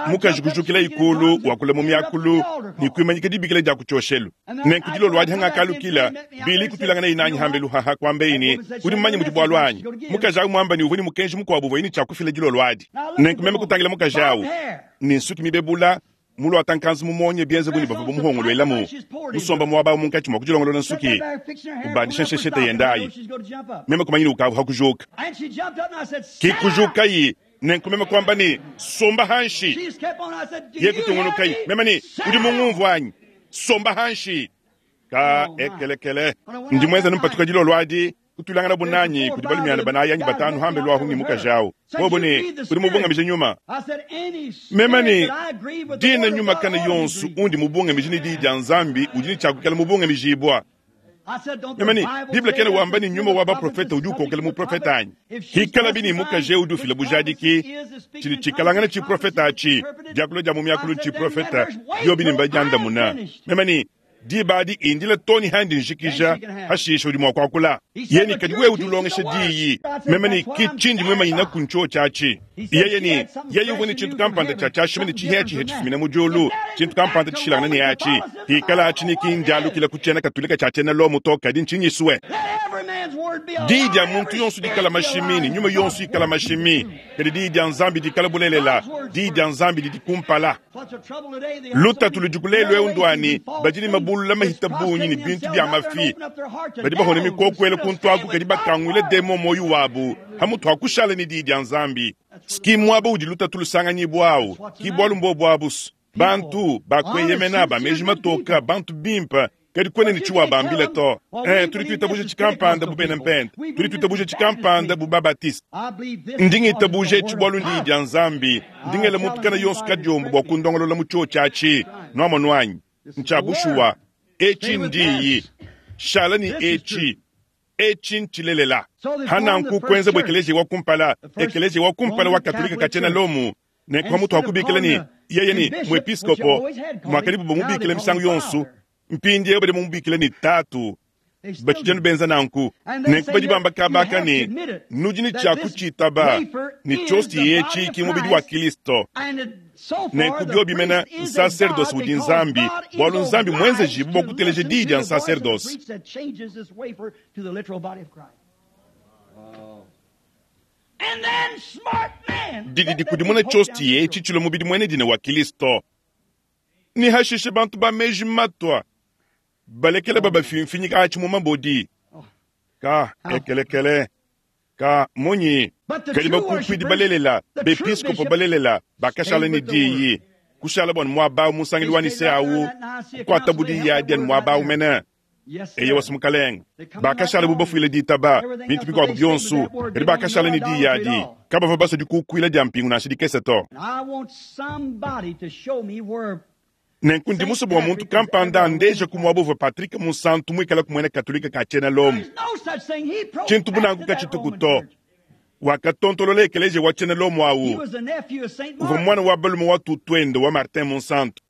mukaji kujukila ikulu wakula mu miakulu ne kuimanyika dibikila dia ku tshioshelu. Nenku dilolo adi hangakalukila, Billy kutuilanganaye nanyi hambelu haha, kuambeyi ne, Udi mumanye mudi bualu anyi? Mukaji au muamba ne uvua ne mukenji mukuabu uvuaye ne tshia kufila dilolo adi. Nenku meme kutangila mukaji au ne nsuki mibebula, muluata nkanzu mumonye bienze bu ne bavua bamuhongoluelamu, musomba muaba au munkatshi mua kudilongolola nsuki, ubandisha nsheshete yende ayi. Meme kumanya ne ukavua kujuka. Ki kujukayi, nenku meme kuamba ne, Somba hanshi. Ye kutungunukayi, meme ne, Udi mungumvua anyi? Somba hanshi. Ka ekelekele. Ndi muenza numpatuka dilolo adi, kutuilanganabu nanyi kudi balumiana banayi anyi batanu hambelu ahu ne mukaji awu. Bobo ne, Udi mubungamije nyuma. Meme ne, Dina nyuma kana yonso undi mubungamije ne diyi dia Nzambi udi ne tshia kuikala mubungamijibua. Meme ne, Bible kena wamba ne nyuma wa baprofete udi ukokela muprofete anyi? Hikalabi ne mukaji eu udi ufila bujadiki, tshidi tshikalangana tshiprofete atshi, diakula dia mu miakulu tshiprofete, biobi ne mbadiandamuna. Meme ne, Diba adi indila too ne handi njikija, hashisha udi mua kuakula. Yeye ne, Kadi wewe udi ulongesha diyi. Meme ne, Ki tshindi muimanyinaku ntshiotshi atshi. Yeye ne, Yeye uvua ne tshintu kampanda tshia tshiashima ne tshihiatshiha tshifumina mu diulu, tshintu kampanda tshishilangane ne atshi. Hikala atshi ne ki ndialukila ku tshiena Katolika tshia tshiena Lomo to, kadi ntshinyisue. Diyi dia muntu yonso dikala mashimi ne nyuma yonso ikala mashimi, kadi diyi dia Nzambi dikala bulelela. Diyi dia Nzambi didi kumpala. Lutatu ludiku lelu eu ndua ne, badi ne mabulula mahita bungi ne bintu bia mafi, badi bahona mikokuela kuntu aku, kadi bakanguila demon muoyo wabu hamutu ha kushala ne diyi dia Nzambi. Ski muaba udi lutatu lusanganyibua au, ki bualu mbobu abu. Bantu ba kueyemena, ba meji matoka, bantu bimpe. Kadi kuena ne tshiwabambila to. Eh, tudi tuitabuja tshikampanda bu bena Mpente. Tudi tuitabuja tshikampanda bu Babatiste. Ndi ngitabuja etshi bualu ndiyi dia Nzambi. Ndi ngela muntu kana yonso kadiombo bua kundongolola mu tshiotshi atshi. Nuamonu anyi? Ntshia bushuwa. Etshi ndiyi. Shala ne etshi. Etshi ntshilelela. Hananku kuenza bu ekeleziya wa kumpala, ekeleziya wa kumpala wa Katolika ka tshiena Lomu, nenku pamutu ha kubikila ne yeye ne muepiskopo, muakadibu bamubikila misangu yonso, mpindieu badi bamubikila ne Tatu. Batshidi anu benza nanku. Nenku badi bamba kaba aka ne, Nudi ne tshia kutshitaba ne tshiosti etshi ki mubidi wa Kilisto. Nenku biobi mene nsaserdose udi Nzambi, bualu Nzambi muenzejibue bua kuteleja diyi dia nsaserdose. Didi dikudimuna tshiosti etshi tshilua mubidi muena dina wa Kilisto. Ne hashishe bantu ba meji matua balekele babafimfinyika atshi mu mabodi. Ka ekelekele ka munyi? Kadi bakukuidi balelela, bepiskopo balelela bakashala ne diyi, kushala bua muaba mu nsangilu wa Nicea awu, kukuatabu diyi adi anu muaba awu mene. Eyowa, Mukalenge, bakashala bu bafuile ditaba bintu bikuabu bionso, kadi bakashala ne diyi adi. Kabavua basue dikukuila dia mpingu nansha dikese to. Nenku ndi musue bua muntu kampanda andeje ku muaba uvua Patrick Munsantu muikale ku muena Katolike ka tshiena Lomo. Tshintu bu nanku katshituku to. Wakatontolola ekeleziya wa tshiena Lomo au. Uvua muana wa balume wa tutuende wa Martin Munsantu.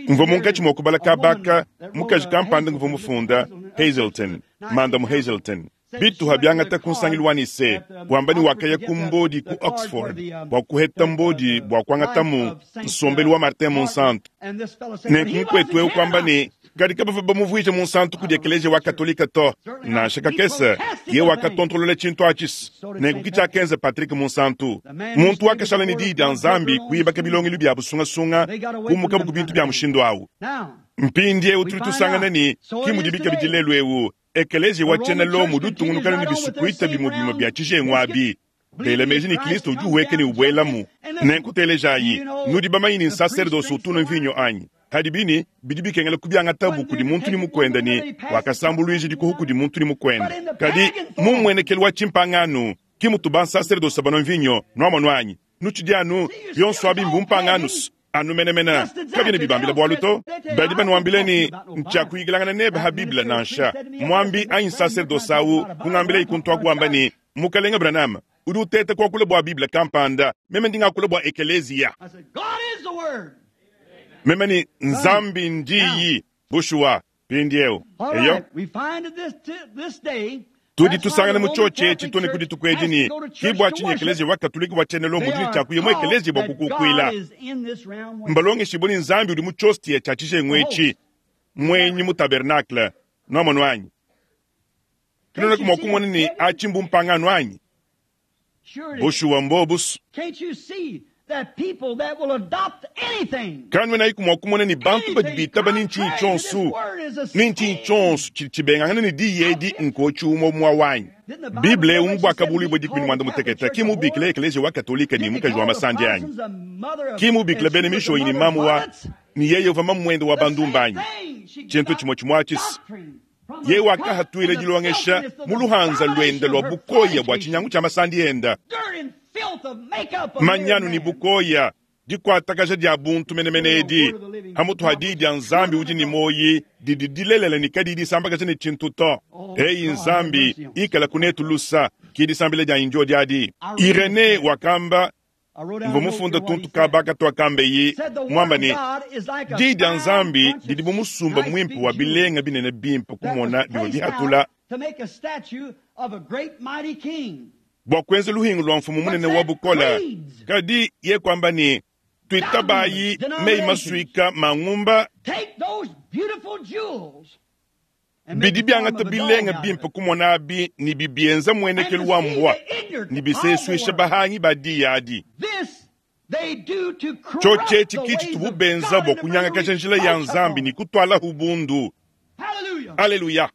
Mvua munkatshi mua kubala kaba aka mukaji kampanda nguvua mufunda Hazelton, Mandamu Hazelton. Bituha biangata ku nsangilu wa Nicee, wamba ne wakaya ku mbodi ku Oxford bua kuheta mbodi bua kuangatamu nsombelu wa Martin Munsantu. Nenku mukuetu eu kuamba ne, kadi kabavua bamuvuije munsantu kudi ekeleziya wa Katolika to, nansha kakese. Ye wakatontolola tshintu atshi. Nenku ki tshiakenza Patrick Munsantu. Muntu wakashala ne diyi dia Nzambi, kuibaka bilongelu bia busungasunga, kumukabu ku bintu bia mushindu au. Mpindieu tudi tusangana ne, ki mudibi kabidi lelu eu. Ekeleziya wa tshiena Lomo udi utungunuka ne bisukuita bimue bimue bia tshijengu abi, bela meji ne Kristo udi uhueka ne ubuelamu. Nenku telejayi, nudi bamanye ne nsaserdose utu unua mvinyo anyi? Hadibi ne bidi bikengela kubiangatabu kudi muntu ne mukuende ne wakasambuluija dikuhu kudi muntu ne mukuende. Kadi mu mmuenekelu wa tshimpangano ki mutu bansaserdose banua mvinyo, nuamonu anyi? Nutshidi anu bionso abi mbumpangano anu menemene, kabiena bibambila bualu to. Badi banuambila ne, Ntshiakuyikilangana nebe ha Bible nansha. Muambi anyi nsaserdose au kungambilayi kuntu aku wamba ne, Mukalenge Branham, udi uteta kuakula bua Bible kampanda, meme ndi ngakula bua ekeleziya. Meme ne, Nzambi ndiyi. Bushuwa. Mpindieu, eyo, tudi tusangana mu tshiotshi etshi to ne ku dituku edi ne, ki bua tshinyi ekeleziya wa Katolike wa tshiena Lomo udi ne tshia kuya mu ekeleziya bua kukukuila. Mbalongeshibue ne Nzambi udi mu tshiostia tshia tshijengu etshi, muenyi mu tabernakle. Nuamonu anyi? Kanuenaku mua kumona ne atshi mbumpangano anyi? Bushuwa mbobusu. Kanuenayiku mua kumona ne bantu badi bitaba ne ntshinyi tshionso ne ntshinyi tshionso tshidi tshibengangana ne diyi edi nkotshi umue umue wanyi. Bible eu mu Buakabuluibua 16 ki mubikila ekeleziya wa Katolike ne mukaji wa masandi anyi? Ki mubikila bena Mishonyi ne mamu wa ne yeye uvua mamuende wa bandumba anyi? Tshintu tshimue tshimue atshi. Yeye wakahatuila dilongesha mu luhanza luende lua bukoya bua tshinyangu tshia masandi enda, manyanu ne bukoya, dikuatakaja dia buntu menemene edi hamutu ha diyi dia Nzambi udi ne muoyi didi dilelela ne kadiyi disambakaja ne tshintu to. Eyi Nzambi, ikala kunetu lusa, ki disambila dianyi ndiodi adi. Irenee wakamba Mvua mufunda tuntu kaba katuakambeyi, muamba ne, Diyi dia Nzambi didi bu musumba muimpe wa bilenga binene bimpe kumona bivua bihatula bua kuenza luhingu lua mfumu munene wa bukole. Kadi ye kuamba ne, Tuitabayi meyi masuika mangumba Bidi biangata bilenga bimpe kumona abi ne bibienza muenekelu wa mbua ne bisesuisha bahangi ba diyi adi. Tshiotshi etshi ki tshitubu benza bua kunyangakaja njila ya Nzambi ne kutualahu bundu. Aleluya!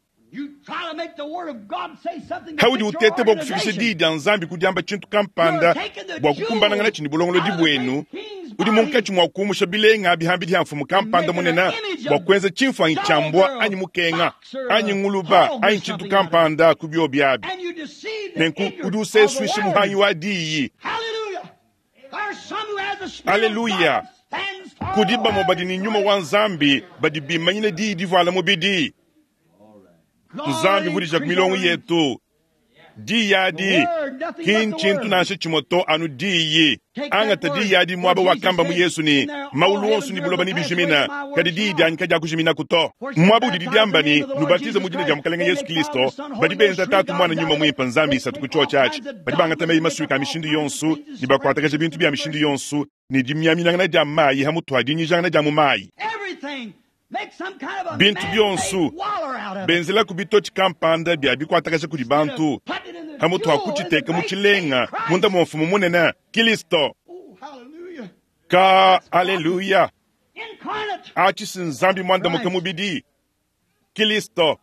Haudi uteta bua kufikisha diyi dia Nzambi ku diamba tshintu kampanda bua kukumbanangana tshi ne bulongolodi buenu, udi munkatshi mua kuumusha bilenga bihambidi ha mfumu kampanda munene bua kuenza tshimfuanyi tshia mbwa anyi mukenga anyi nguluba anyi tshintu kampanda ku biobi abi. Nenku udi usesuisha muhangi wa diyi. Aleluya! Kudi bamue badi ne nyuma wa Nzambi badi bimanyina diyi divuala mubidi. Nzambi vudija ku milongo yetu. Diyi adi ki ntshintu nansha tshimue to, anu diyi. Angata diyi adi muaba wakamba mu Yesu ne, maulu onso ne buloba nebijimina, kadi diyi dianyi kadiakujiminaku to. Muaba udidi diamba ne, nubatize mu dina dia Mukalenge Yesu Kristo, badi benza Tatu, Muana, Nyuma Muimpe, Nzambi isatu ku tshiotshi atshi. Badi bangata meyi masuika a mishindu yonso ne bakuatakaja bintu bia mishindu yonso ne dimiaminangana dia mayi ha mutu ha dinyijangana dia mu mayi. Bintu bionso benzelaku bitotshi kampanda bia bikuatakaja kudi bantu ha mutu ha kutshiteka mu tshilenga munda mua mfumu munene Kristo. Ka aleluya! Atshi si Nzambi muandamuke mubidi Kristo.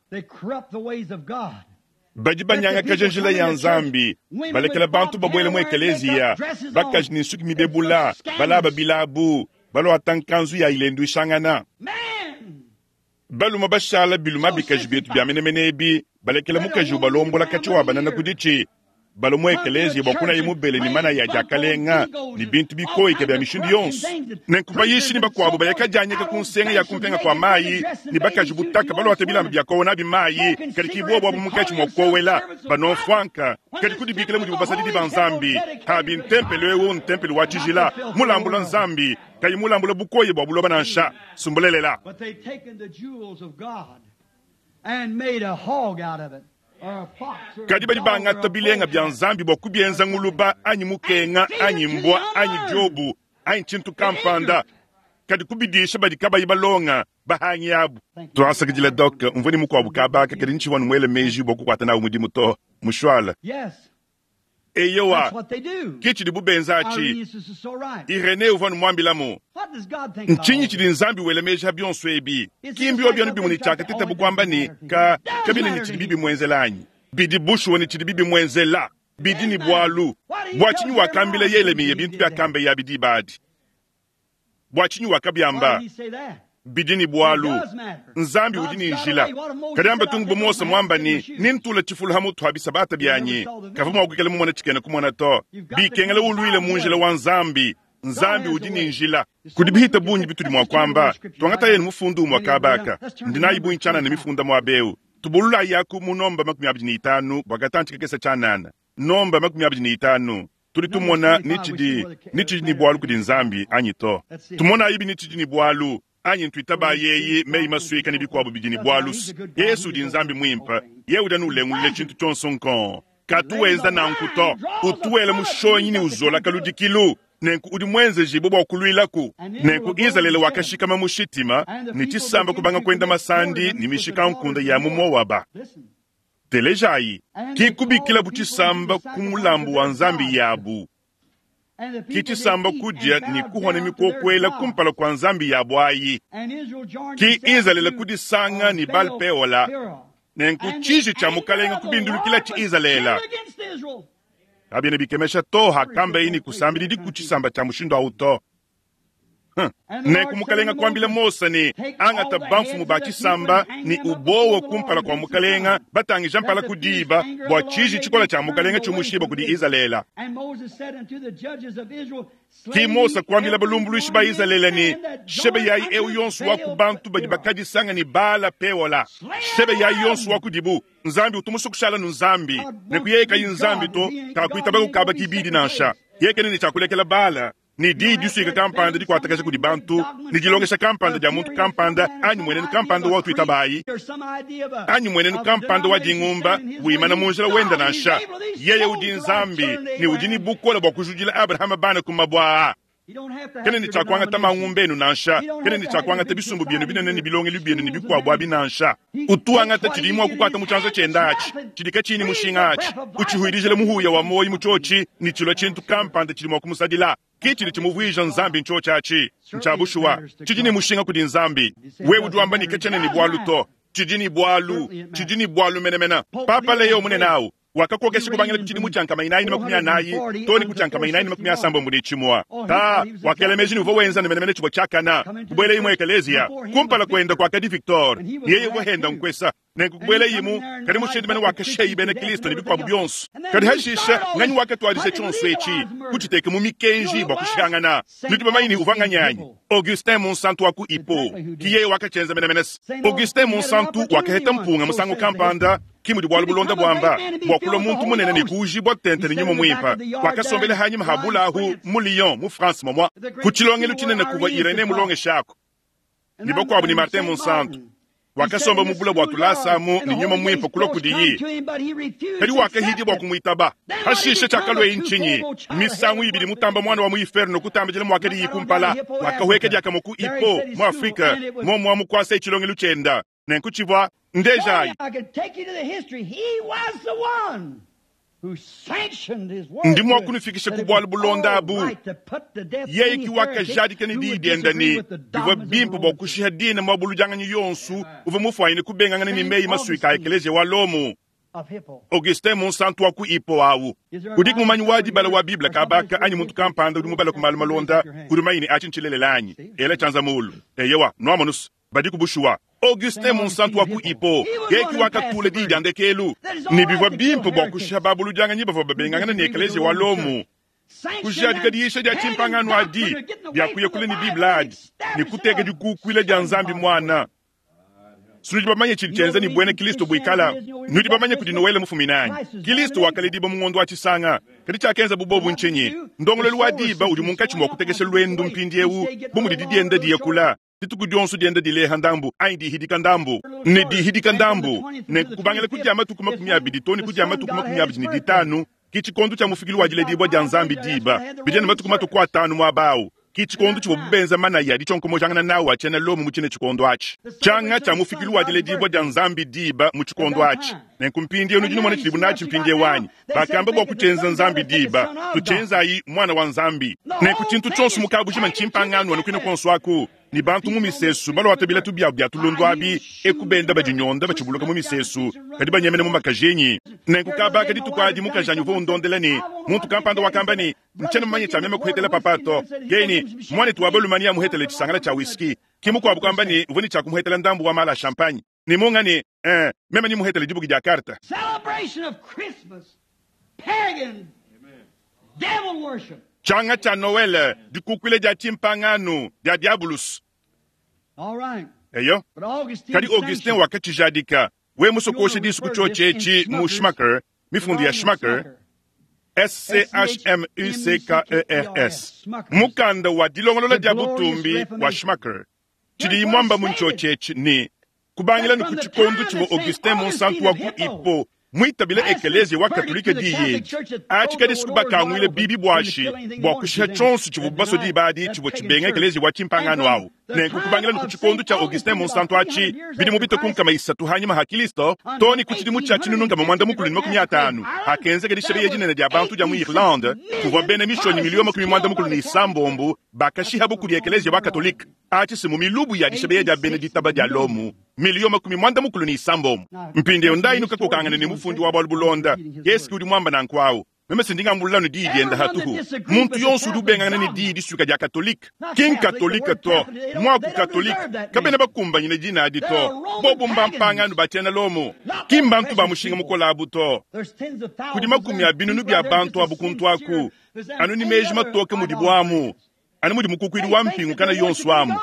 Badi banyangakaja njila ya Nzambi, balekela bantu babuela mu ekeleziya, bakaji ne nsuki mibebula, balaba bilabu, baluata nkanzu ya ilenduishangana. Balume bashala biluma bikaji bietu bia menemene ebi, balekela mukaji ubalombola katshia wa banana ku ditshi, balua mu ekeleziya bua kunaya mubele ne manaya a diakalenga ne bintu bikoyike bia mishindu yonso. Nenku bayishi ne bakuabu baya kadianyika ku nsenga ya kumpenga kua mayi ne bakaji butaka baluata bilamba bia kowa nabi mayi, kadi ki buobu abu munkatshi mua kuowela banua mfuanka, kadi kudibikila mudibu basadidi ba Nzambi. Pabi ntempelo eu ntempelo wa tshijila, mulambula Nzambi, kayi mulambula bukoya bua buloba nansha. Sumbulelela. But they've taken the jewels of God and made a hog out of it. Kadi badi bangata bilenga bia Nzambi bua kubienza nguluba anyi mukenga anyi mbwa anyi diobu anyi tshintu kampanda, kadi kubidisha badi kabayi balonga bahangi abu. Tuasakidila Doc, mvua ne mukuabu kabaka kadi ntshivua nmuele meji bua kukuata nawu mudimu to. Mushuala. Eyowa, ke tshidibu benza atshi. Irene uvua numuambilamu. Ntshinyi tshidi Nzambi wela meji ha bionso ebi? Ki mbiobi anu bimue ne tshiakatetabu kuamba ne, ka kabiena ne tshidibi bimuenzela anyi? Bidi bushuwa ne tshidibi bimuenzela. Bidi ne bualu. Bua tshinyi wakambila Yelemiya bintu biakambeye abi diba adi? Bua tshinyi wakabiamba? Bidi ne bualu. Nzambi udi ne njila. Kadi amba tungu bu Mose muamba ne, nentula tshifulu ha mutu ha bisabata bianyi, kavua mua kuikala mumona tshikena kumona to. Bikengela uluile mu njila wa Nzambi. Nzambi udi ne njila. Kudi bihita bungi bitudi mua kuamba. Tuangatayi mufundu umue kaba aka. Ndi nayi bungi tshianana mifunda muaba eu. Tubululayi aku mu nomba 25 bua katantshi kakese tshianana. Nomba 25. Tudi tumona ni tshidi ni tshidi ne bualu kudi Nzambi anyi to. Tumonayibi ni tshidi ne bualu anyi ntuitabayi eyi meyi masuika ne bikuabu bidi ne bualu. Yesu udi Nzambi muimpe, yeye udi anu ulengulula tshintu tshionso nkong. Katu wenza nanku to. Utu wela mushonyi ne uzola kaludikilu. Nenku udi muenzejibue bua kuluilaku. Nenku Izalele wakashikama mu Shitima, ne tshisamba kubanga kuenda masandi ne mishikankunde ya mu Moaba. Telejayi, ki kubikilabu tshisamba ku mulambu wa nzambi yabu, ki tshisamba kudia ne kuhona mikokuela kumpala kua nzambi yabu ayi. Ki Izalele kudisanga ne Baal-Peola, nenku tshiji tshia mukalenge kubindulukila tshi Izalele. Kabiena bikemesha to hakambaye ne kusambididi ku tshisamba tshia mushindu au to. Nenku mukalenga kuambila Mose ne, angata bamfumu ba tshisamba ne ubowa kumpala kua mukalenga, batangija mpala ku diba, bua tshiji tshikola tshia mukalenga tshiumushiba kudi Izalele. Ki Mose kuambila balumbuluishi ba Izalele ne, shebeyayi eu yonso wa ku bantu badi bakadisanga ne Baala Peola, shebeyayi yonso wa kudibu. Nzambi utu musue kushala nu Nzambi, nenku yeye kayi Nzambi to, kakuitaba kukaba kibidi nansha. Yeye kena ne tshia kulekela Baala ne diyi disuika kampanda dikuatakaja kudi bantu, ne dilongesha kampanda dia muntu kampanda, anyi mmuenenu kampanda wa tuitabayi, anyi mmuenenu kampanda wa dingumba wimana mu njila wende nansha. Yeye udi Nzambi ne udi ne bukole bua kujudila Abrahama bana ku mabue aa. Kena ne tshia kuangata mangumba enu nansha, kena ne tshia kuangata bisumbu bienu binene ne bilongelu bienu ne bikuabu abi nansha. Utu wangata tshidiye mua kukuata mu tshianza tshiende atshi, tshidi katshiyi ne mushinga atshi, utshihuidijila muhuya wa muoyo mu tshiotshi, ne tshilua tshintu kampanda tshidi mua kumusadila. Ke tshidi tshimuvuija Nzambi ntshiotshi atshi. Ntshia bushuwa, tshidi ne mushinga kudi Nzambi. Wewe udi wamba ne, katshiena ne bualu to. Tshidi ne bualu, tshidi ne bualu menemene. Papa Leo munene au wakakokesha kubangila ku tshidimu tshia 440 too ne ku tshia 461. Ta wakela meji ne uvua wenza ne menemene tshivua tshiakana, kubuelaye mu ekeleziya. Kumpala kuende kuakadi Victor, ne yeye uvua henda nkuesa. Nenku kubuelayimu, kadi mushindu mene wakashiyayi bena Kristo ne bikuabu bionso. Kadi hashishe, nganyi wakatuadija tshionso etshi, kutshiteka mu mikenji bua kushihangana? Nudi bamanye ne uvua nganyi anyi? Augustin Munsantu wa ku Hippo. Ki yeye wakatshienza menemene. Augustin Munsantu wakaheta mpunga musangu kampanda, ki mudi bualu bulonda buamba, bua kulua muntu munene ne kuujibua tente ne nyuma muimpe. Wakasombela hanyima ha bulahu mu Lyon, mu France momua, ku tshilongelu tshinene kuvua Irenee mulongeshaku ne bakuabu ne Martin Munsantu. Wakasomba mu bula bua tulasa amu ne nyuma muimpe kulua kudiyi, kadi wakahidia bua kumuitaba. Hashishe tshiakalueyi ntshinyi? Misangu ibidi mutamba muana wa mu inferno kutambidila muakadiyi kumpala. Wakahueka diakamue ku Hippo mu Afrika, muomua mukuasa tshilongelu tshienda. Nenku tshivua ndejayi. Ndi mua kunufikisha ku bualu bulonda abu. Yeye ki wakajadika ne diyi diende ne, bivua bimpe bua kushiha dina muabuludianganyi yonso uvua mufuanyine kubengangana ne meyi masuika a ekeleziya wa Lomo. Augustin Munsantu wa ku Hippo au. Udiku mumanyi wa dibala wa Bible kabaka anyi muntu kampanda udi mubala ku malu malonda udi mumanye ne atshi ntshilelela anyi? Ela tshianza muulu. Eyowa, nuamonus, badiku bushuwa. Augustin Munsantu wa ku Hippo yeye ki wakatula diyi dia ndekelu ne bivua bimpe bua kushiha babuludianganyi bavua babengangana ne ekeleziya wa Lomo, kujadika diyisha dia tshimpangano adi dia kuya kule ne Bible adi ne kuteka dikukuila dia Nzambi Muana. Nudi bamanye tshidi tshienza ne buena Kristo buikala. Nudi bamanye kudi Noele mufumine anyi? Kristo wakaledibua mu ngondo wa Tshisanga. Kadi tshiakenza bu bobu ntshinyi? Ndongoluelu wa diba udi munkatshi mua kutekesha luendu mpindieu bu mudi didienda diya kula. Dituku dionso dienda dileha ndambu anyi dihidika ndambu ne dihidika ndambu, ne kubangila ku dia matuku 20 too ne ku dia matuku 25 ki tshikondo tshia mufikilu wa diledibua dia Nzambi diba bidi ne matuku matuku atanu muaba au. Ki tshikondo tshivuabu benza manaya a ditshionkomojangana nawu a tshiena Lomo mu tshine tshikondo atshi, tshianga tshia mufikilu wa diledibua dia Nzambi diba mu tshikondo atshi. Nenku mpindieu nudi numona tshidibu natshi mpindieu anyi? Bakamba bua kutshienza Nzambi diba, tutshienzayi Muana wa Nzambi. Nenku tshintu tshionso mu kabujima ntshimpangano anu kuine kuonso aku, ne bantu mu misesu baluata bilatu biabu bia tulundu abi, eku benda badinyonda batshibuluka mu misesu, kadi banyemena mu makajenyi. Nenku kabaka dituku adi mukajanyi uvua undondela ne, muntu kampanda wakamba ne, Ntshiena mumanye tshia meme kuhetela papa to. Keni, muanetu wa balume neamuhetele tshisangala tshia whisky. Ki mukuabu kuamba ne, uvua ne tshia kumuhetela ndambu wa mala a champagne. Ne munga ne, eh, meme nemuhetele dibuki dia karte. Celebration of Christmas, pagan, devil worship. Tshianga tshia Noele, dikukuila dia tshimpangano, dia diabulus. All right. Eyo. But Augustine Kadi Augustin sanctioned wakatshijadika. We musokoshe disu ku tshiotshi etshi mu Schmucker, mifundu ya Schmucker, S-C-H-M-U-C-K-E-R-S, mukanda wa dilongolola dia butumbi wa Schmucker. Tshidiyi muamba mu ntshiotshi etshi ne, kubangila ne ku tshikondo tshivua Augustin Munsantu wa ku Hippo muitabile ekeleziya wa Katolike diyi edi, atshi kadi kubakanguile bibi buashi bua kushiha tshionso tshivuabu basue diba adi tshivua tshibenga ekeleziya wa tshimpangano au. Nenku kubangila ne ku tshikondo tshia Augustin Munsantu atshi, bidimu bitue ku 300 hanyima ha Kilisto, too ne ku tshidimu tshia 1850, hakenzeka dishebeya dinene dia bantu dia mu Irlande, kuvua bena mishonyi 96 million bakashihabu kudi ekeleziya wa Katolike. Atshi si mu milubu ya dishebeya dia bena ditaba dia Lomu 86 million. Mpindieu ndayi nukakokangane ne mufundi wa bualu bulonda, Yesu udi muamba nanku au. Meme si ndingambulula ne diyi dienda hatuhu. Muntu yonso udi ubengangana ne diyi disuika dia Katolike, ki nkatolike to, muaku Katolike kabena bakumbanyine dina adi to. Bobu mbampangano ba tshiena Lomo, ki mbantu ba mushinga mukole abu to. There's tens of thousands Kudi makumi a binunu bia bantu abu kuntu aku, anu ni meji matoke mudibu amu, anu mudi mukukuidi wa mpingu kana yonso amu.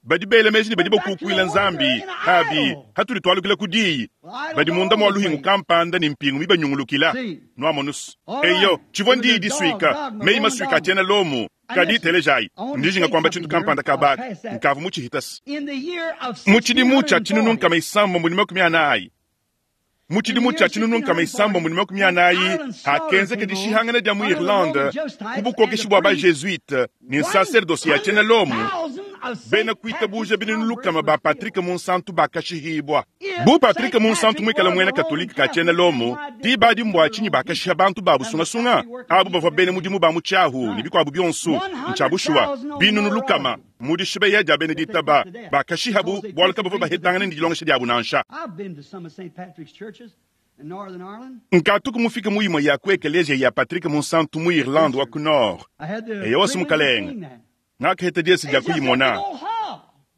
Badi bela meji ne badi bakukuila Nzambi, abi hatudi tualukila ku diyi, badi munda mua luhingu kampanda ne mpingu mibanyungulukila. Nuamonus. Eyo, tshivua ndiyi disuika, meyi masuika a tshiena Lomo. Kadi telejayi, ndijinga kuamba tshintu kampanda kabaka, nkavu mutshihitasi. In the year of Mu tshidimu tshia tshinunu 1640, 340, mu tshidimu tshia tshinunu 340 hakenzeka dishihangana dia mu Irlande ku bukokeshi bua ba-Jesuite ne sacerdoce ya tshiena Lomo, bena kuitabuja binunu lukama ba Patrick Munsantu bakashihibua. Bu Patrick Munsantu muikale muena Katolike ka tshiena Lomo, diba adi mbua tshinyi bakashiha bantu babu sungasunga? Abu bavua bena mudimu ba mu tshiahu ne bikuabu bionso. Ntshia bushuwa, binunu lukama. Mu dishibeya dia bena ditaba, bakashihabu bualu kabavua bahetangana ne dilongesha diabu nansha. Nkatuku mufike mu imue ya ku ekeleziya ya Patrick Munsantu mu Irlande wa ku Nord. Eyowa, si mukalenge. Ngakaheta diese dia kuyimona.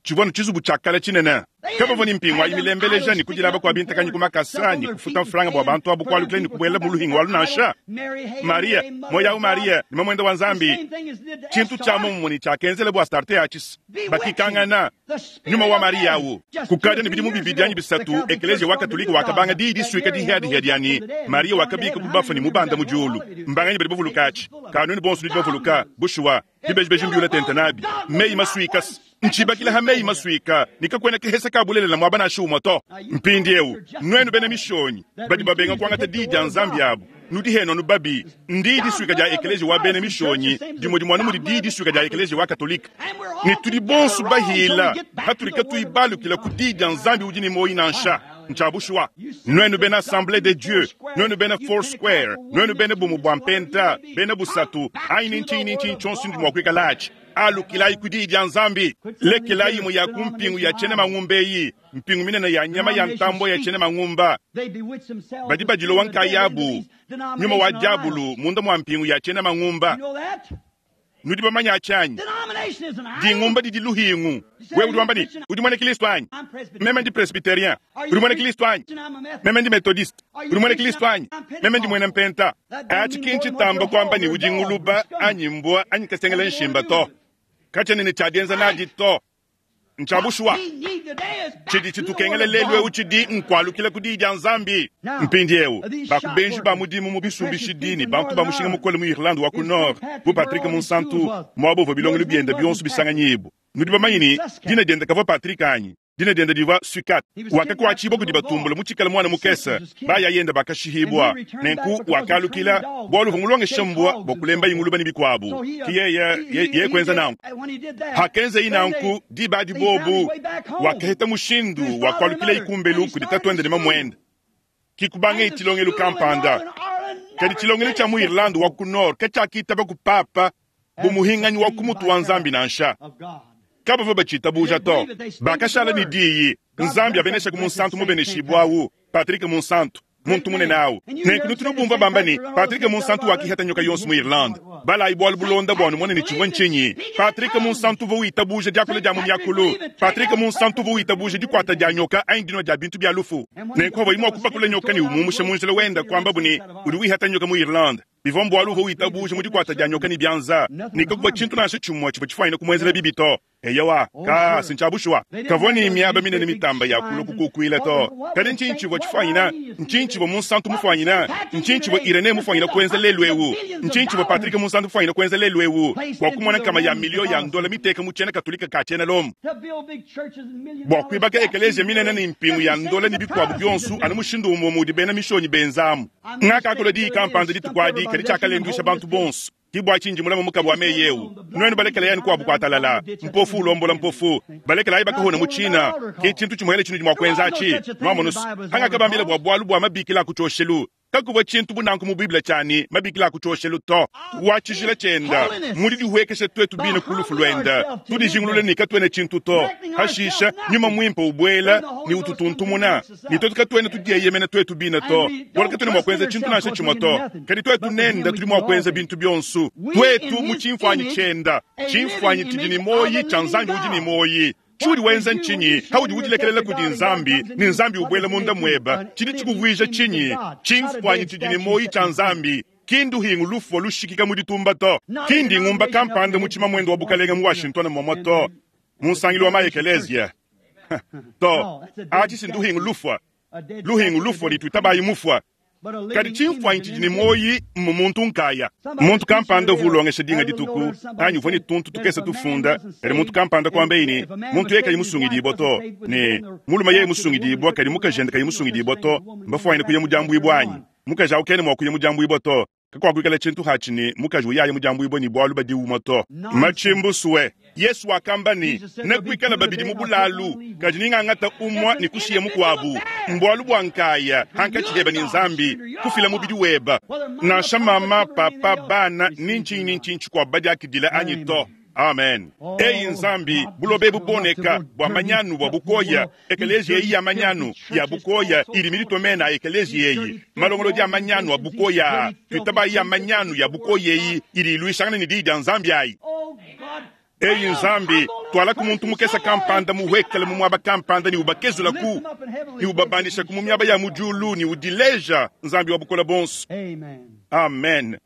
Tshivua anu tshizubu tshia kale tshinene. Kabavua ne mpingu ayi milembeleja ne kudilaba kua bintakanyi ku makasa ne kufuta mfranga bua bantu abu kualukila ne kubuela mu luhingu alu nansha. Mariya, muoyo awu Mariya, ne mamuende wa Nzambi. Tshintu tshia muomumue ne tshiakenzela bu Astarte atshi. Bakikangana. Nyuma wa Mariya awu. Kukadi ne bidimu bibidi anyi bisatu, Ekeleziya wa Katolike wakabanga diyi disuika dihiadihia dia ne, Mariya wakabika ku bafue ne mubanda mu diulu. Mbanganyi badi bavuluka atshi? Ka nuenu bonso nudi bavuluka. Bushuwa, bibejibeji mbiula tente nabi. Meyi masuika ntshibakila ha meyi masuika ne kakuena kahesa ka bulelela muaba nansha umue to. Mpindieu, nuenu bena mishonyi badi babenga kuangata diyi dia Nzambi abu, nudi henu anu babi. Ndiyi disuika dia Ekeleziya wa bena mishonyi dimue dimue anu mudi diyi disuika dia Ekeleziya wa Katolike. Ne tudi bonso bahila patudi katuyi balukila ku diyi dia Nzambi udi ne muoyo nansha. Ntshia bushuwa. Nuenu bena Assemblee de Dieu, nuenu bena Four Square, nuenu bena Bumue bua Mpenta, bena Busatu, anyi ne ntshinyi ne ntshinyi tshionso nudi mua kuikala atshi, alukilayi ku Diyi dia Nzambi. Lekelayi imue ya ku mpingu ya tshiena mangumba eyi, mpingu minene ya nyama ya ntambue ya tshiena mangumba. Badi badilowa nkayabu, nyuma wa diabulu munda mua mpingu ya tshiena mangumba. Nudi bamanye atshi anyi? Dingumba didi luhingu. Wewe udi wamba ne, udi muena Kristo anyi? Meme ndi presbyterien. Udi muena Kristo anyi? Meme ndi methodiste. Udi muena Kristo anyi? Meme ndi muena mpenta. Atshi ki ntshitamba kuamba ne udi nguluba anyi mbua anyi kasengela nshimba to. Katshiena ne tshia dienza nadi to. Ntshia bushuwa. Tshidi tshitukengela lelu eu tshidi nkualukila ku Diyi dia Nzambi. Mpindieu, ba ku benji ba mudimu mu bisumbishidi ne bantu ba mushinga mukole mu Irlande wa ku Nord, bu Patrick Munsantu, muaba uvua bilongelu biende bionso bisanganyibue. Nudi bamanye ne, dina diende kavua Patrick anyi? Dina diende divua Sucat. Wakakuatshibua kudi batumbula mutshikale muana mukese. Bayayende bakashihibua. Nenku wakalukila bualu uvua mulongeshe mbua bua kulembayi nguluba ne bikuabu. Ke yeye, yeye kuenza nanku. Hakenzeyi nanku, diba adi bobu, wakaheta mushindu wa kualukilayi kumbelu kudi tatuende ne mamuende. Ke kubangaye tshilongelu kampanda. Kadi tshilongelu tshia mu Irlande wa ku Nord katshiakitaba ku papa bu muhinganyi wa ku mutu wa Nzambi nansha. Kabavua batshitabuja to. Bakashala ne diyi, Nzambi abeneshaku Munsantu mubeneshibue au, Patrick Munsantu, muntu munene au. Nenku nutu nubumvua bamba ne, Patrick Munsantu wakihata nyoka yonso mu Irlande. Balayi bualu bulonda bua numone ne tshivua ntshinyi. Patrick Munsantu uvua witabuja diakula dia mu miakulu. Patrick Munsantu uvua witabuja dikuata dia nyoka anyi dinua dia bintu bia lufu. Nenku pavuaye mua kupakula nyoka ne umumusha mu njila wenda, kuambabu ne, udi wihata nyoka mu Irlande. Bivua mbualu uvua witabuja mu dikuata dia nyoka ne bianza, ne kakuvua tshintu nansha tshimue tshivua tshifuanyine kumuenzela bibi to. Eyowa, ka, si ntshia bushuwa. Kavua ne miaba minene mitamba ya kulua kukukuila to. Kadi ntshinyi tshivua tshifuanyine? Ntshinyi tshivua Munsantu mufuanyine? Ntshinyi tshivua Irenee mufuanyine kuenza lelu'eu? Ntshinyi tshivua Patrick Munsantu mufuanyine kuenza lelu'eu bua kumona nkama ya miliyo ya ndola miteka mu tshiena Katolike ka tshiena Lomo bua kuibaka ekeleziya minene ne mpingu ya ndola ne bikuabu bionso anu mushindu umue udi bena Mishonyi benzamu? Ngakakula diyi kampanda dituku adi, kadi tshiakalenduisha bantu bonso. Ke bua tshinyi ndi mulame mukabu wa meyi eu, Nuenu balekelayi anu kuabu kuatalala, mpofu ulombola mpofu, balekelayi bakahona mu tshina. Ke tshintu tshimuele tshinudi mua kuenza atshi. Nuamonu's, pangakabambila bua bualu bua mabikila a ku tshioshelu, kakuvua tshintu bu nanku mu Bible tshia ne, mabikila a ku tshioshelu to. Wa tshijila tshienda, mu didihuekesha tuetu bine ku lufu luende, tudijingulule ne katuena tshintu to. Pashisha, Nyuma Muimpe ubuela ne ututuntumuna. Ne tuetu katuena tudieyemena tuetu bine to, bualu katuena mua kuenza tshintu nansha tshimue to. Kadi tuetu nende tudi mua kuenza bintu bionso, tuetu mu tshimfuanyi tshienda, tshimfuanyi tshidi ne muoyi tshia Nzambi udi ne muoyi. Tshiudi wenza ntshinyi paudi udilekelela kudi Nzambi ne Nzambi ubuela munda muebe? Tshidi tshikuvuija tshinyi? Tshimfuanyi tshidi ne muoyi tshia Nzambi. Ki nduhingu lufua lushikika mu ditumba to. Ki ndingumba kampanda mu tshimamuende wa bukalenge mu Washington muamua to, mu nsangilu wa ma-ekeleziya to. Atshi si nduhingu lufua, luhingu lufua ne tuitabayi mufua. Kadi tshimfuanyi tshidi ne muoyi mmu muntu nkaya. Muntu kampanda uvua ulongesha dinga dituku, anyi uvua ne tuntu tukese tufunda, kadi muntu kampanda kuambaye ne, muntu yeye kayi musungidibua to, ne mulume yeye musungidibua kadi mukajende kayi musungidibua to, mbafuanyine kuya mu diambuibua anyi? Mukaji au kena mua kuya mu diambuibua to. Kakuakuikala tshintu hatshi ne mukaji uyaya mudiambuibue ne bualu badi umue to. Matshimbusue. Yesu wakamba ne, Nekuikale babidi mu bulalu, kadi ningangata umue ne kushiya mukuabu. Mbualu bua nkaya hankatshi heba ne Nzambi, kufila mubidi weba. Nansha mama, papa, bana, ni ntshinyi ni ntshinyi tshikuabu badiakidila anyi to. Amen. Eyi Nzambi, buloba ebu buoneka bua manyanu bua bukoya, ekeleziya eyi ya manyanu ya bukoya idi miditue mena a ekeleziya eyi, malongolodi a manyanu a bukoya aa, tuitabayi ya manyanu ya bukoya eyi idi iluishangana ne Diyi dia Nzambi ayi. Eyi Nzambi, tualaku muntu mukese kampanda muhuekele mu muaba kampanda ne ubakezulaku ne ubabandishaku mu miaba ya mu diulu ne udileja Nzambi wa Bukole Buonso. Amen.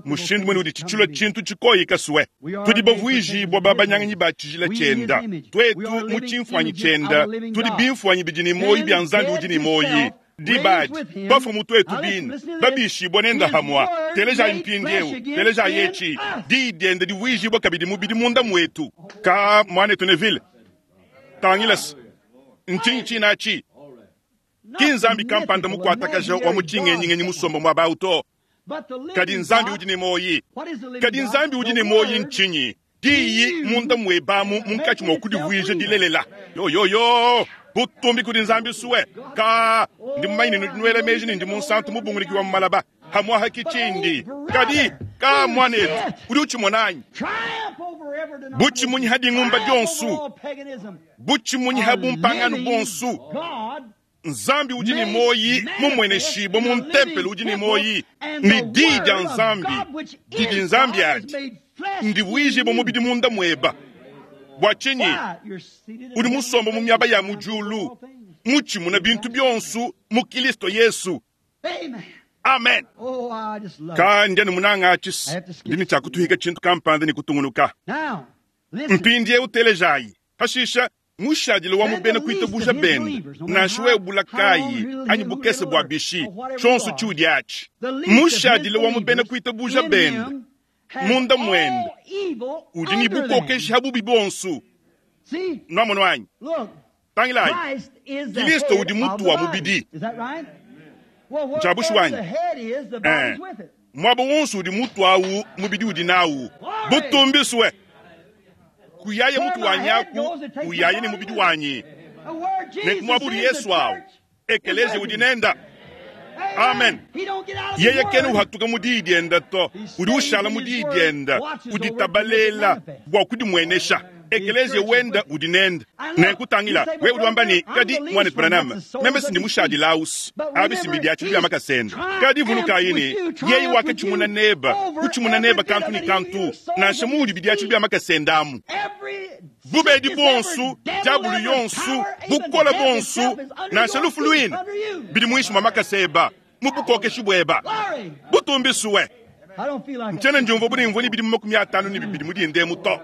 Mushindu munene udi tshitshilua tshintu tshikoyi kasue. Tudi bavuijibua babanyanganyi ba tshijila tshienda. Tuetu mu tshimfuanyi tshienda, tudi bimfuanyi bidi ne muoyo bia Nzambi udi ne muoyo. Diba adi, bafua mu tuetu bine, babishibua nende hamua. Telejayi mpindieu, telejayi etshi, Diyi diende divuijibua kabidi mubidi munda muetu. Ka, muanetu Neville, tangila se, ntshinyi tshine atshi? Ki nzambi kampanda mukuatakaja wa mu tshingenyingenyi musombe muaba au to, kadi Nzambi udi ne muoyi. Kadi Nzambi udi ne muoyi ntshinyi? Diyi munda muebe amu munkatshi mua kudivuija dilelela. Yoyoyo! Butumbi kudi Nzambi sue! Ka, ndi mumanye ne nudi nuela meji ne ndi munsantu mubunguliki wa mu malaba. Hamuaha ki tshindi. Kadi, ka, muanetu, udi utshimona anyi? Butshimunyi ha dingumba dionso, butshimunyi ha bumpangano buonso. Nzambi udi ne muoyi mumueneshibue mu ntempelo udi ne muoyi, ne Diyi dia Nzambi didi Nzambi adi ndivuijibue mubidi munda mueba. Bua tshinyi? Udi musombe mu miaba ya mu diulu, mutshimuna bintu bionso mu Kilisto Yesu. Amen. Ka ndi anu munanga atshi, ndi ne tshia kutuhika tshintu kampanda ne kutungunuka. Mpindieu telejayi. Pashisha mushadile wa mu bena kuitabuja bende, nansha wewe bula kayi anyi bukese bua bishi, tshionso tshiudi atshi, mushadile wa mu bena kuitabuja bende munda muende udi ne bukokeshi ha bubi buonso. Nuamonu anyi? Tangilayi, Kilisto udi mutu wa mubidi. Ntshia bushuwa anyi? Eh. Muaba wonso udi mutu awu, mubidi udi nawu. Butumbi sue! Kuyaye mutu wanyi aku, uyaye ne mubidi wanyi. Nenku muaba udi Yesu awu, ekeleziya udi nenda. Amen. Yeye kena uhatuka mu diyi dienda to, udi ushala mu diyi dienda, uditabalela bua kudimuenesha. Ekeleziya wenda udi nende. Nenku tangila, wewe udi wamba ne, Kadi, Muanetu Branham, meme si ndi mushadile awu's. Abi si mbidiatshidi bia makasa ende. Kadi vulukayi ne, yeye wakatshimuna neba, kutshimuna neba kantu ne kantu, nansha muudi bidiatshidi bia makasa ende amu. Bubedi buonso, diabulu yonso, bukole buonso, nansha lufu luine, bidi muinshi mua makasa eba, mu bukokeshi bueba. Butumbi sue! Ntshiena ndiumvua bu ne mvua ne bidimu 52 mu dinda emu to.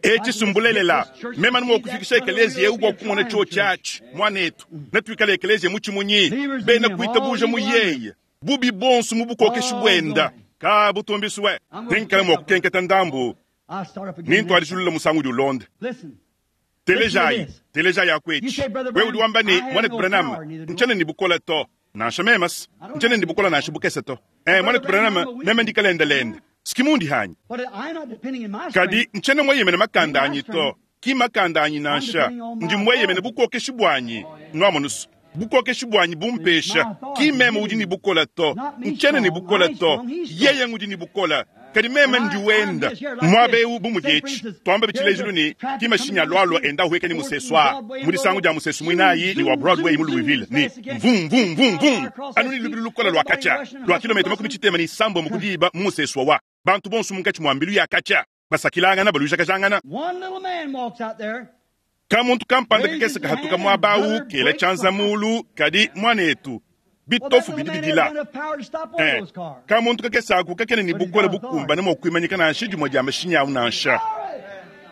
Etshi si mbulelela. Meme anu mua kufikisha ekeleziya eu bua kumona tshiotshi atshi, muanetu. Netuikale ekeleziya mutshimunyi, bena kuitabuja mu yeye, bubi buonso mu bukokeshi buenda. Ka butumbi sue! Nengikale mua kukenketa ndambu ne ntuadijilula musangu udi ulonda. Telejayi, telejayi aku etshi. Wewe udi wamba ne, Muanetu Branham, ntshiena ne bukole to. Nansha meme's, ntshiena ne bukole nansha bukese to. Eh, Muanetu Branham, meme ndi kalendelende. S'ki mundi hanyi? Kadi ntshiena mueyemene makanda anyi to. Ki makanda anyi nansha. Ndi mueyemene bukokeshi buanyi. Nuamonu's, bukokeshi buanyi bumpesha. Ki meme udi ne bukole to. Ntshiena ne bukole to. Yeye ngudi ne bukole. Kadi meme ndi wenda muaba eu bu mudi etshi. Tuambe tshilejilu ne, ki mashinyi alualua enda ahueka ne musesu aa mu disangu dia musesu muinayi ne wa Broadway mu Louisville ne mvum mvum mvum mvum anu ne lubilu lukole lua katshia lua kilometa 66 ku diba mu musesu wawa. Bantu bonso munkatshi mua mbilu ya katshia basakilangana baluijakajangana. Ka-muntu kampanda kakese kahatuka muaba au kela tshianza mulu, kadi, muanetu, bitofu bidi bidila. Eh, ka-muntu kakese aku kakena ne bukole bukumbane mua kuimanyika nansha dimue dia mashinyi au nansha.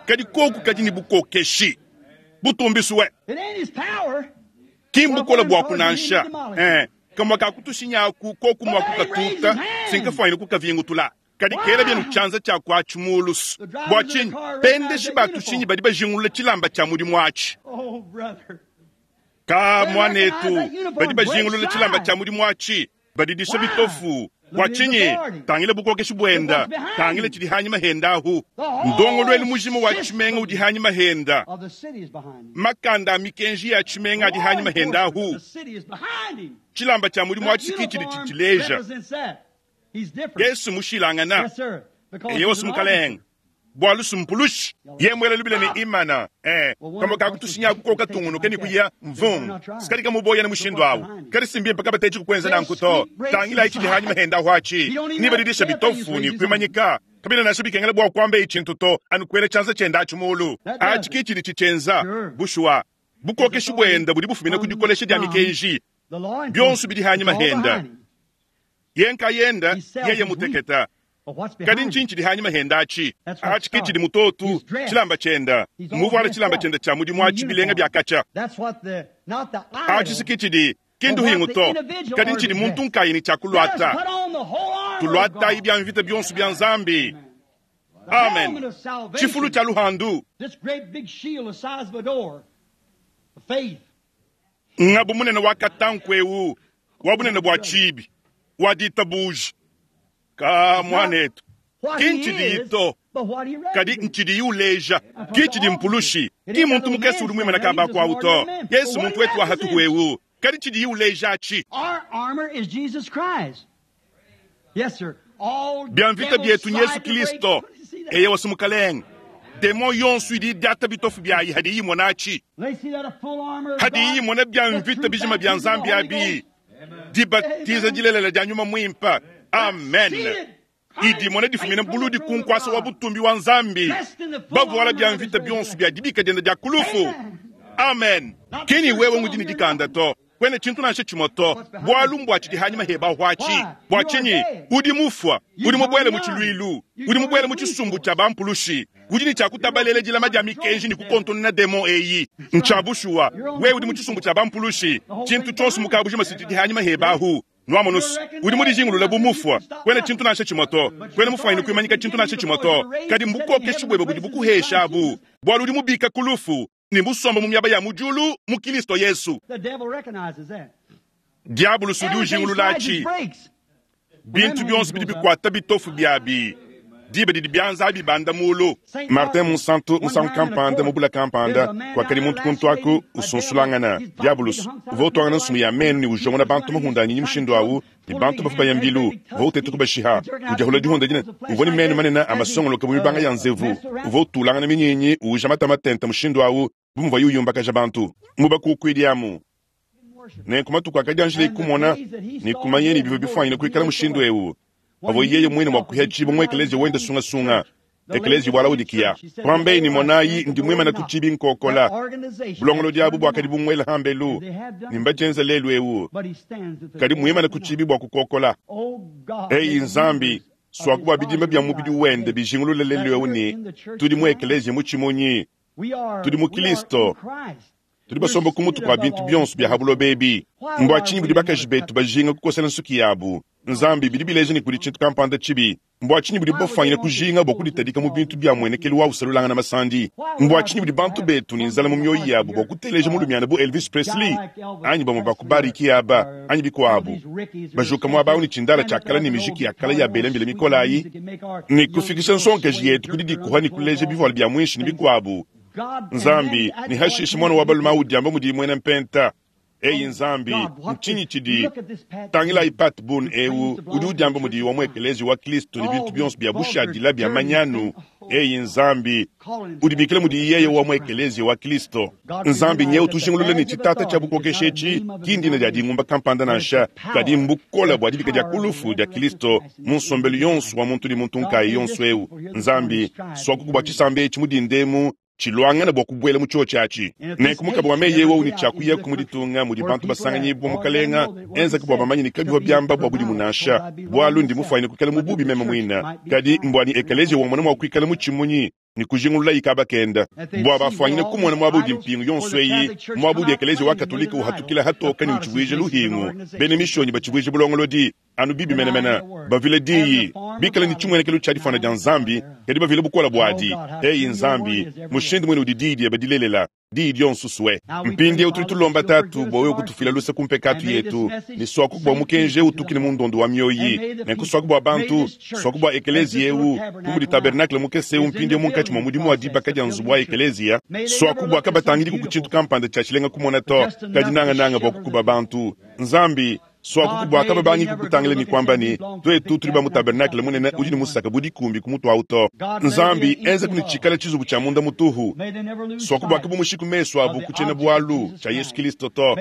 Kadi koku kadi ne bukokeshi butumbisue. Ki mbukole buaku nansha. Eh, kamue ka ku tushinyi aku koku mua kukatuta, sinkafuanyine kukavingutula. Kadi kela bienu tshianza tshia kuatshi mulu. Bua tshinyi? Bendeshi ba tushinyi badi bajingulula tshilamba tshia mudimu atshi. Ka, muanetu, badi bajingulula tshilamba tshia mudimu atshi, badidisha bitofu. Bua tshinyi? Tangila bukokeshi buenda, tangila tshidi hanyima henda ahu. Ndongoluelu mujima wa tshimenga udi hanyima henda, makanda a mikenji ya tshimenga adi hanyima henda ahu. Tshilamba tshia mudimu atshi ki tshidi tshitshileja. Yesu mushilangana. Eyowa, Mukalenge. Bwalu sumpulushi ye mwela lubila ne imana eh kama kakutushinya kukoka tungunuke ni kuya mvung sikali kamuboya na mushindo awu kali simbi mpaka batechi kukwenza na nkuto tangila ichi lihanyuma henda hwachi nibadilisha bitofu ni kwimanyika kabila nasho bikengela bwa kwamba ichintu to anukwele chanza chenda achimulu achi kichili chichenza bushuwa bukokeshi bwenda buli bufumina kudikolesha dya mikenji byonso bili hanyuma henda yenka yenda yeye muteketa kadi nchinchi hanyuma henda achi achi kichili mutotu chilamba chenda muvwala chilamba chenda cha mudimu achi bilenga byakacha achi sikichili kindu hingu to kadi nchili muntu nkayini chakulwata tulwata ibya mvita byonso bya nzambi amen chifulu cha luhandu ngabu munene wa katanku wa bunene bwa chibi wa ditabuji ka mwanetu kinchidi ito kadi nchidi uleja kichidi mpulushi ki muntu mukesi uli mwimana kamba kwa uto yesu muntu wetu wahatuhwewu kadi chidi uleja achi bya mvita byetu yesu kristo eye wasumukalenga demo yonso idi diata bitofu byayi hadi yimona achi hadi yimona bya mvita bijima bya nzambi abi dibatiza dilelela dia nyuma mwimpa amen idimona difumina buludi kunkwasa wa butumbi wa nzambi bavuala bya mvita byonso bya dibika dienda dia kulufu amen kini wewe ngudini dikanda to kwene chintu nansha chimoto bwalu mbwachi dihanyuma heba hwachi bwachinyi udi mufwa udi mubwele mu chilwilu udi mubwele mu chisumbu cha bampulushi udi ni chakutabalele dilama dia mikenji ni kukontonena demo eyi nchabushuwa we udi mu chisumbu cha bampulushi chintu chonso mukabujima siti dihanyuma hebahu nwamonusu udi mudijingulula bumufwa kwene chintu nansha chimoto kwene mufwanyine kuimanyika chintu nansha chimoto kadi mbukokeshi bwebe budi bukuhesha abu bwalu udi mubika kulufu ni musomba mu myaba ya mujulu mu Kristo Yesu. Diabulu sudi ujingulula achi bintu byonso bidi bikwata bitofu byabi diba didi byanza bibanda mulu. Martin Monsanto musangu kampanda mubula kampanda kwakali muntu kuntu aku usunsulangana diabulus uvotwangana nsumu ya menu ni ujongona bantu mahunda anyinyi mushindu awu ni bantu bafu bayambilu votete kubashiha ujahula dihunda dina uvoni menu manene amasongoloka mu mibanga ya nzevu uvotulangana minyinyi uja matamatenta mushindu awu bumuva yuyumbakaja bantu mubakukwiliamu nenku matuku akadianjila ikumona nikumanyeni bivu bifwanyine kuikala mushindu ewu avo yeye mwene mwakuhya chibo mwe ekelezia wenda sungasunga ekelezia bwala udikiya kwambeini monayi ndi mwimana kuchibi nkokola bulongolo diabu bwakadi bungwela hambelu nimbachenza lelu ewu kadi mwimana kuchibi bwa kukokola eyi nzambi swaku bwa bidimba bya mubidi wende bijingulula lelu ewu ni tudi mu ekelezia muchimunyi tudi mu Kristo tudi basomba kumutu kwa bintu byonso bya habulo bebi mbwa chinyi budi bakaji betu bajinga kukosela nsuki yabu nzambi bidi bileja ni kudi chintu kampanda chibi mbwa chinyi budi bafwanyine kujinga bwa kuditadika mu bintu bya mwenekelu wa usalulangana masandi mbwa chinyi budi bantu betu ni nzala mu myoyo yabu bwa kuteleja mulumiana bu Elvis Presley anyi bamwe bakubariki aba anyi bikwabu bajuka mwabawu ni chindala chakala ni mijiki yakala ya belembele mikolayi ni kufikisha nsonkeji yetu kudi dikuha ni kuleja bivwala bya mwinshi ni bikwabu nzambi ni hashishi mwana wa baluma udiamba mudi mwene mpenta eyi nzambi nchinyi chidi tangila ipat bun ewu udi udiamba mudi wa mwekelezi wa kristo ni bintu byonso bya bushadila bya manyanu eyi nzambi udibikile mudi yeye wa mwekelezi wa kristo nzambi nyewu tujingulule ni chitata cha bukokesha echi kindina dia dingumba kampanda nansha kadi mbukola bwa dibika dia kulufu dia kristo mu nsombelu yonso wa muntu ni muntu nkayi yonso ewu nzambi swakuku bwa chisamba echi mudindemu chilwangana bwa kubwela mu chochi achi nenku mukaba wa meyi ewu ni chakuya kumuditunga mudi bantu basanganyibwa mukalenga enza kubwa bamanyi ni kabiwa byamba bwa budi munasha bwalu ndi mufwanyine kuikala mu bubi meme mwina kadi mbwani ekelezia wamona mwa kuikala mu chimunyi ni kujingulula ikaba kenda bwa bafwanyine kumona mwabudi mpingu yonso eyi mwabudi ekelezia wa katolika uhatukila hatoka ni uchibwije luhingu bene mishonyi bachibwije bulongolodi anu bibi menemene bavile diyi bikala ni chimwenekelo cha difana dia nzambi kadi bavile bukola bwadi eyi nzambi mushindu mwene udi diyi diebe dilelela diyi dionso swe mpindi eu tuli tulomba tatu bwa wewe kutufila luse kumpekatu yetu ni swaku bwa mukenje utukile mu ndondo wa myoyi nenku swaku bwa bantu swaku bwa ekelezia eu kumudi tabernakle mukese eu mpindi eu munkatshi mwa mudimu wa dibaka dia nzubu wa ekelezia swaku bwa kabatangidi ku kutshintu kampanda tshia tshilenga kumona to kadi nangananga bwa kukuba bantu nzambi. Suaku bua kababangi kukutangila ne kuamba ne, Tuetu tudi ba mu tabernakle munene udi ne musaka bu dikumbi ku mutu awu to. Nzambi, enzaku ne tshikale tshizubu tshia munda mutuhu. Suaku bua kabumushiku mesu abu ku tshiena-bualu tshia Yesu Kilisto to.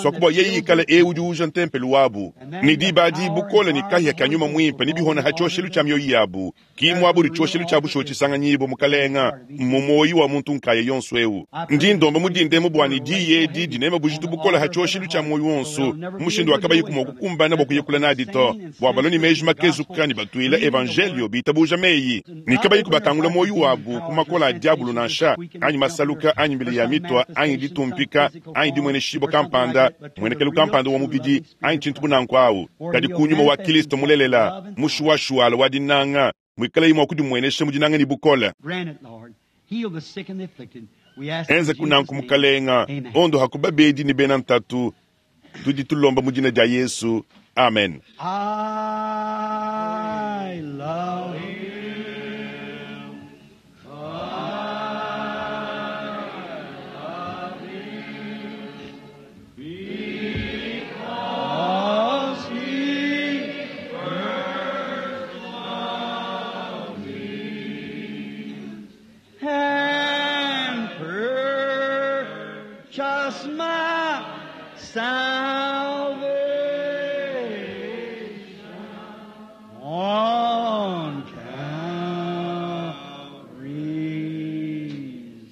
Suaku bua yeye ikale eu udi uuja ntempelo wabu ne diba adi bukole ne kahia ka nyuma muimpe ne bihona ha tshioshelu tshia mioyo yabu. Ki muaba udi tshioshelu tshia bushuwa tshisanganyibua, Mukalenga, mmu muoyo wa muntu nkaya yonso eu. Ndi ndomba mu dindemu bua ne diyi edi dineme bujitu bukole ha tshioshelu tshia muoyo wonso, mu mushindu wa kabayiku mua kukumbana bua kuyakula nadi to, bua balue ne meji makezuka ne batuila evanjelio bitabuja meyi, ne kabayiku bakangula muoyo wabu ku makola a diabulu nansha, anyi masaluka, anyi mbila ya mitua, anyi ditumpika, anyi dimueneshibua kampanda, muenekelu kampanda wa mubidi, anyi tshintu bu nanku awu, kadi ku nyuma wa Kilisto mulelela, mushuwashuwala wa dinanga, muikalaye mua kudimuenesha mu dinanga ne bukole. Enza kunanku, Mukalenga, ondoha ku babedi ne bena ntatu. Tudi tulomba mu dina dia Yesu. Amen. I love him. I love him because he first loved me and purchased my salvation on Calvary's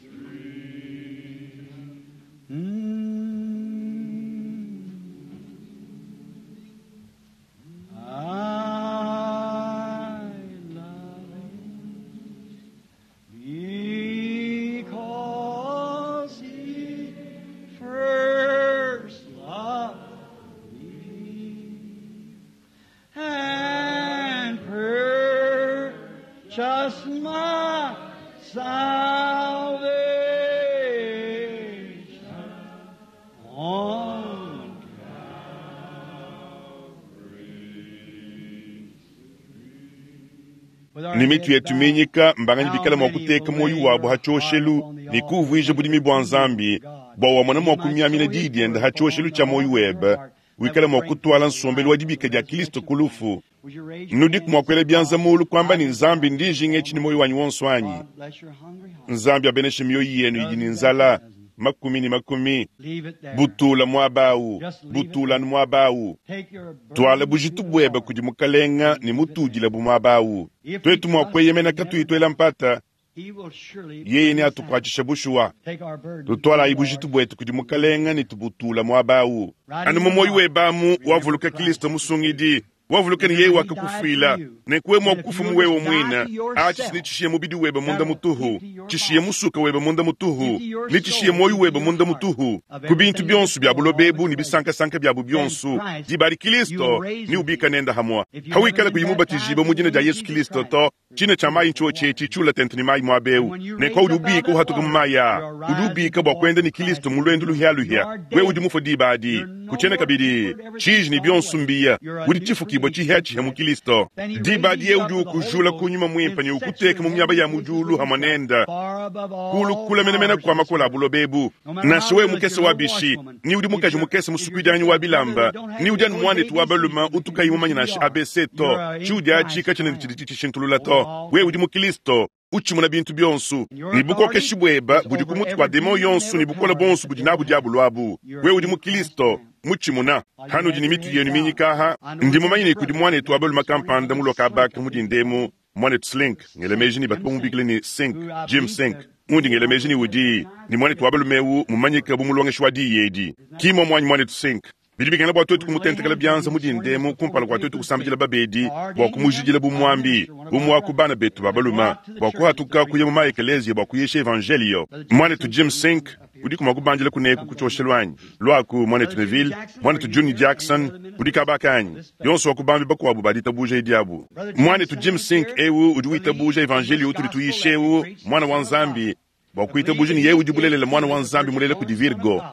tree. I love him because he first loved me and purchased my salvation on Ne mitu yetu minyika mbanganyi bikala mua kuteka muoyo wabu ha tshioshelu ne kuuvuija budimi bua Nzambi, bua wamona mua kumiamina diyi diende ha tshioshelu tshia muoyo webe, wikale mua kutuala nsombelu wa dibika dia Kilisto ku lufu. Nudiku mua kuela bianza mulu kuamba ne, Nzambi, ndi njinga etshi ne muoyo wanyi wonso anyi? Nzambi abeneshe mioyo yenu idi ne nzala, makumi ne makumi. Butula muaba awu, butula anu muaba awu. Tuala bujitu buebe kudi Mukalenga ne mutudile bu muaba awu. Tuetu mua kueyemena katuyi tuela mpata, yeye neatukuatshishe bushuwa. Tutualayi bujitu buetu kudi Mukalenga ne tubutula muaba awu. Anu mu muoyo webe amu wavuluka Kilisto Musungidi, wavuluka ne yeye wakakufuila, nenku wewe mua kufa mu wewe muine, atshi ne tshishiye mubidi webe munda mutuhu, tshishiye musuka webe munda mutuhu, ne tshishiye muoyo webe munda mutuhu, ku bintu bionso bia buloba ebu ne bisankasanka biabu bionso, diba adi Kilisto ne ubika nenda hamua. Hawikala kuyi mubatijibue mu dina dia Yesu Kilisto to, tshina tshia mayi ntshiotshi etshi tshiula tente ne mayi muaba eu, nenku udi ubika uhatuka mu mayi aa, udi ubika bua kuenda ne Kilisto mu luendu luhialuhia. Wewe udi mufue diba adi, kutshiena kabidi tshiji ne bionso mbiya, udi tshifukibua tshihiatshihia mu Kilisto. Diba adi yeye udi ukujula ku nyuma muimpe ne ukuteka mu miaba ya mu diulu hamua nenda, kulu kula menamena kua makola a buloba ebu. Nansha wewe mukese wa bishi, ni udi mukaji mukese musukuidianyi wa bilamba, ni udi anu muanetu wa balume utukayi mumanye nansha ABC to, tshiudi atshi katshiena ne tshidi tshishintulula to. Wewe udi mu Kilisto, utshimuna bintu bionso, ne bukokeshi buebe budi ku mutu kua demon yonso ne bukole bonso budi nabu diabulu abu. Wewe udi mu Kilisto, mutshimuna. Hanudi ne mitu yenu minyika aha, ndi mumanye ne kudi muanetu wa balume kampanda muloka abaka mu dindemu, muanetu Slink, ngela meji ne batu bamubikila ne Sink, Jim Sink. Undi ngela meji ne udi ne muanetu wa balume eu mumanyike bu mulongeshi wa diyi edi. Ki muamuanyi muanetu Sink. Bidi bikengela bua tuetu kumutentekela bianza mu dindemu kumpala kua tuetu kusambidila babedi, bua kumujidila bu muambi, bu muaku bana betu ba balume, bua kuhatuka kuya mu maekeleziya bua kuyisha evanjelio. Muanetu Jim Sink, udiku mua kubandila kuneku ku tshioshelu anyi? Luaku, muanetu Neville, muanetu Junior Jackson, udi kabaka anyi? Yonso wa ku bambi bakuabu ba ditabuja edi abu. Muanetu Jim Sink eu udi witabuja evanjelio utudi tuyisha eu, muana wa Nzambi, bua kuitabuja ne yeye udi bulelela muana wa Nzambi mulela kudi Virgo.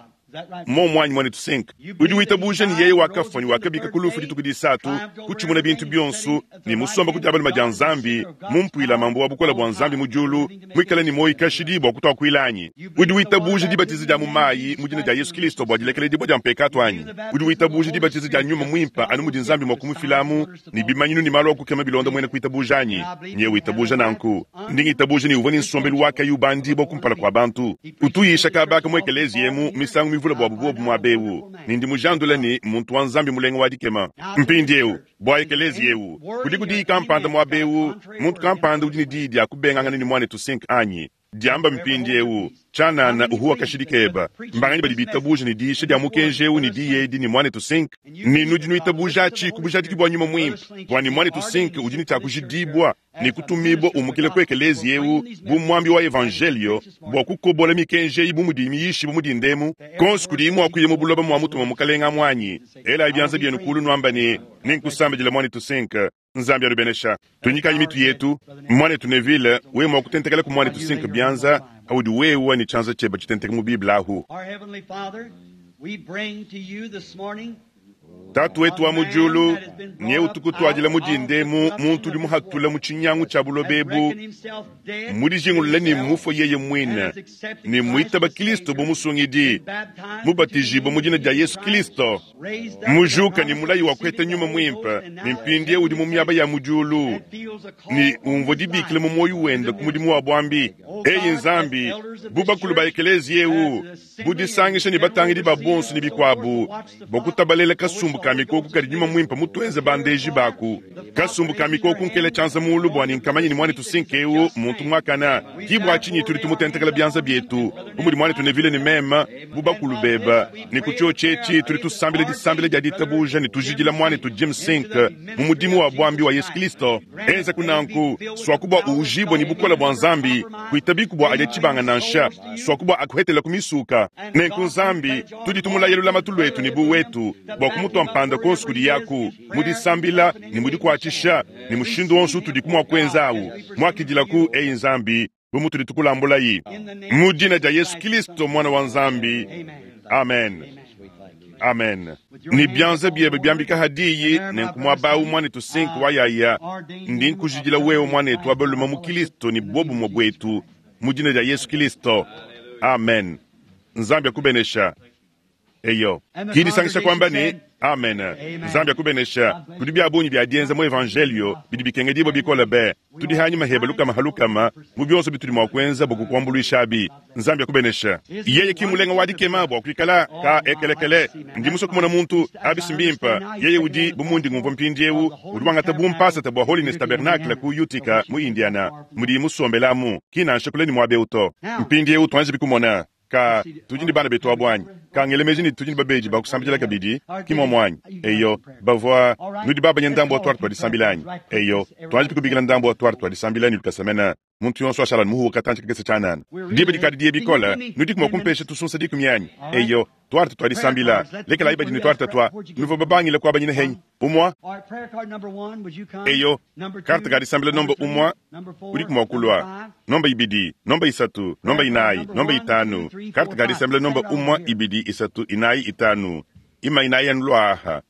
Mmuomu anyi, muanetu Sink? Udi witabuja ne yeye wakafua ne wakabika ku lufu dituku disatu, kutshimuna bintu bionso, ne musomba ku dia balume dia Nzambi, mu mpuila mambu wa bukole bua Nzambi mu diulu, muikale ne muoyo kashidi bua kutuakuila anyi? Udi witabuja dibatiza dia mu mayi mu dina dia Yesu Kristo bua dilekeledibua dia mpekatu anyi? Udi witabuja dibatiza dia nyuma muimpe anu mudi Nzambi mua kumufilamu ne bimanyinu ne malu a kukema bilonda muena kuitabuja anyi? Nye witabuja nanku. Ndi ngitabuja ne uvua ne nsombelu wa kayi ubandibua kumpala kua bantu. Utu uyisha kaba aka mu ekeleziya emu misangu mivule buabu buobu muaba eu, ne ndi mujandula ne mmuntu wa Nzambi mulenga wa dikema. Mpindieu, bua ekeleziya eu, kudiku diyi kampanda muaba eu, muntu kampanda udi ne diyi dia kubengangana ne muanetu Sink anyi? Diamba mpindieu, tshianana uhuwa kashidi keba. Mbanganyi badi bitabuja ne diyisha dia mukenji eu ne diyi edi ne muanetu Sink? Ne nudi nuitabuja atshi ku bujadiki bua Nyuma Muimpe, bua ne muanetu Sink udi ne tshia kujidibua ne kutumibua umukila ku ekeleziya eu bu muambi wa evanjelio bua kukobola mikenji eyi bu mudiyi miyishibue mu dinda emu, konso kudiyi mua kuya mu buloba muamutuma Mukalenge amu anyi? Elayi bianza bienu kulu nuamba ne, Nenkusambidila muanetu Sink. Nzambi anubenesha. Tunyikayi mitu yetu. Muanetu Neville, wewe mua kutentekela ku muanetu Sink bianza paudi wewe ne tshianza tshiebe tshitenteke mu Bible ahu. Tatu wetu wa mu diulu, nye utukutuadila mu dinda emu muntu udi muhatula mu tshinyangu tshia buloba ebu, mudijingulule ne mmufue yeye muine, ne muitaba Kristo bu Musungidi, mubatijibue mu dina dia Yesu Kristo, mujuka ne mulayi wa kuheta Nyuma Muimpe, ne mpindieu udi mu miaba ya mu diulu, ne umvua dibikila mu muoyo wende ku mudimu wa buambi. Eyi Nzambi, bu bakulu ba ekeleziya eu, bu disangisha ne batangidi ba bonso ne bikuabu, bua kutabalela kasumbu ka mikoko kadi Nyuma Muimpe mutuenze bandeji baku. Kasumbu ka mikoko nkela tshianza mulu bua ne nkamanye ne muanetu Sink eu muntu muakana. Ki bua tshinyi tudi tumutentekela bianza bietu, bu mudi muanetu Neville ne meme, bu bakulu beba, ne ku tshiotshi etshi tudi tusambila disambila dia ditabuja ne tujidila muanetu Jim Sink mu mudimu wa buambi wa Yesu Kristo. Enzaku nanku, suaku bua uujibue ne bukole bua Nzambi, kuitabiku bua adia tshibanga nansha, suaku bua akuhetela ku misuka. Nenku Nzambi, tudi tumulaya lulamatu luetu ne bu wetu bua kumutua mpanda kuonso kudi yaku mu disambila ne mu dikuatshisha ne mushindu wonso utudiku mua kuenza awu. Muakidilaku, eyi Nzambi, bu mutudi tukulambulayi mu dina dia Yesu Kristo, Muana wa Nzambi. Amen. Amen. Ne bianza biebe biambika ha diyi, nenku muaba awu muanetu Sink wa yaya, ndi nkujidila wewe muanetu wa balume mu Kristo ne buobumue buetu mu dina dia Yesu Kristo. Amen. Nzambi akubenesha. Eyo. Ki disangisha kuamba ne, Amen. Nzambi akubenesha. Kudi bia bungi bia dienza mu evanjelio bidi bikengedibua bikole be. Tudi hanyima heba lukama ha lukama mu bionso bitudi mua kuenza bua kukuambuluishabi. Nzambi akubenesha. Yeye ki mulenga wa dikema bua kuikala ka ekelekele. Ndi musue kumona muntu abi si mbimpe. Yeye udi bu mundi ngumvua mpindieu, udi wangata bu mpasata bua Holiness Tabernacle ku Utica mu Indiana, mudiyi musombelamu, ki nansha kule ne muaba eu to. Mpindieu tuanjibi kumona. Ka, tudi ne bana betu abu anyi? Ka, ngela meji ne tudi ne babedi ba kusambidila kabidi, ki muomu anyi? Eyo, bavua, nudi babanye ndambu wa tuarte tua disambila anyi? Eyo, tuanji kubikila ndambu wa tuarte tua disambila ne lukasa mene, muntu yonso ashala muhuwe katantshi kakese tshianana. Diba dikadi diye bikole, nudiku mua kumpesha tusunsa dikumi anyi? Eyo, tuarte tua disambila, lekelayi badi ne tuarte tua, nuvua babangile kuabanyina henyi? Umua? Eyo, karte ka disambila nomba umua udiku mua kulua, nomba ibidi, nomba isatu, nomba inayi, nomba itanu, karte ka disambila nomba umua, ibidi, isatu, inayi, itanu, ima inayi anu luaha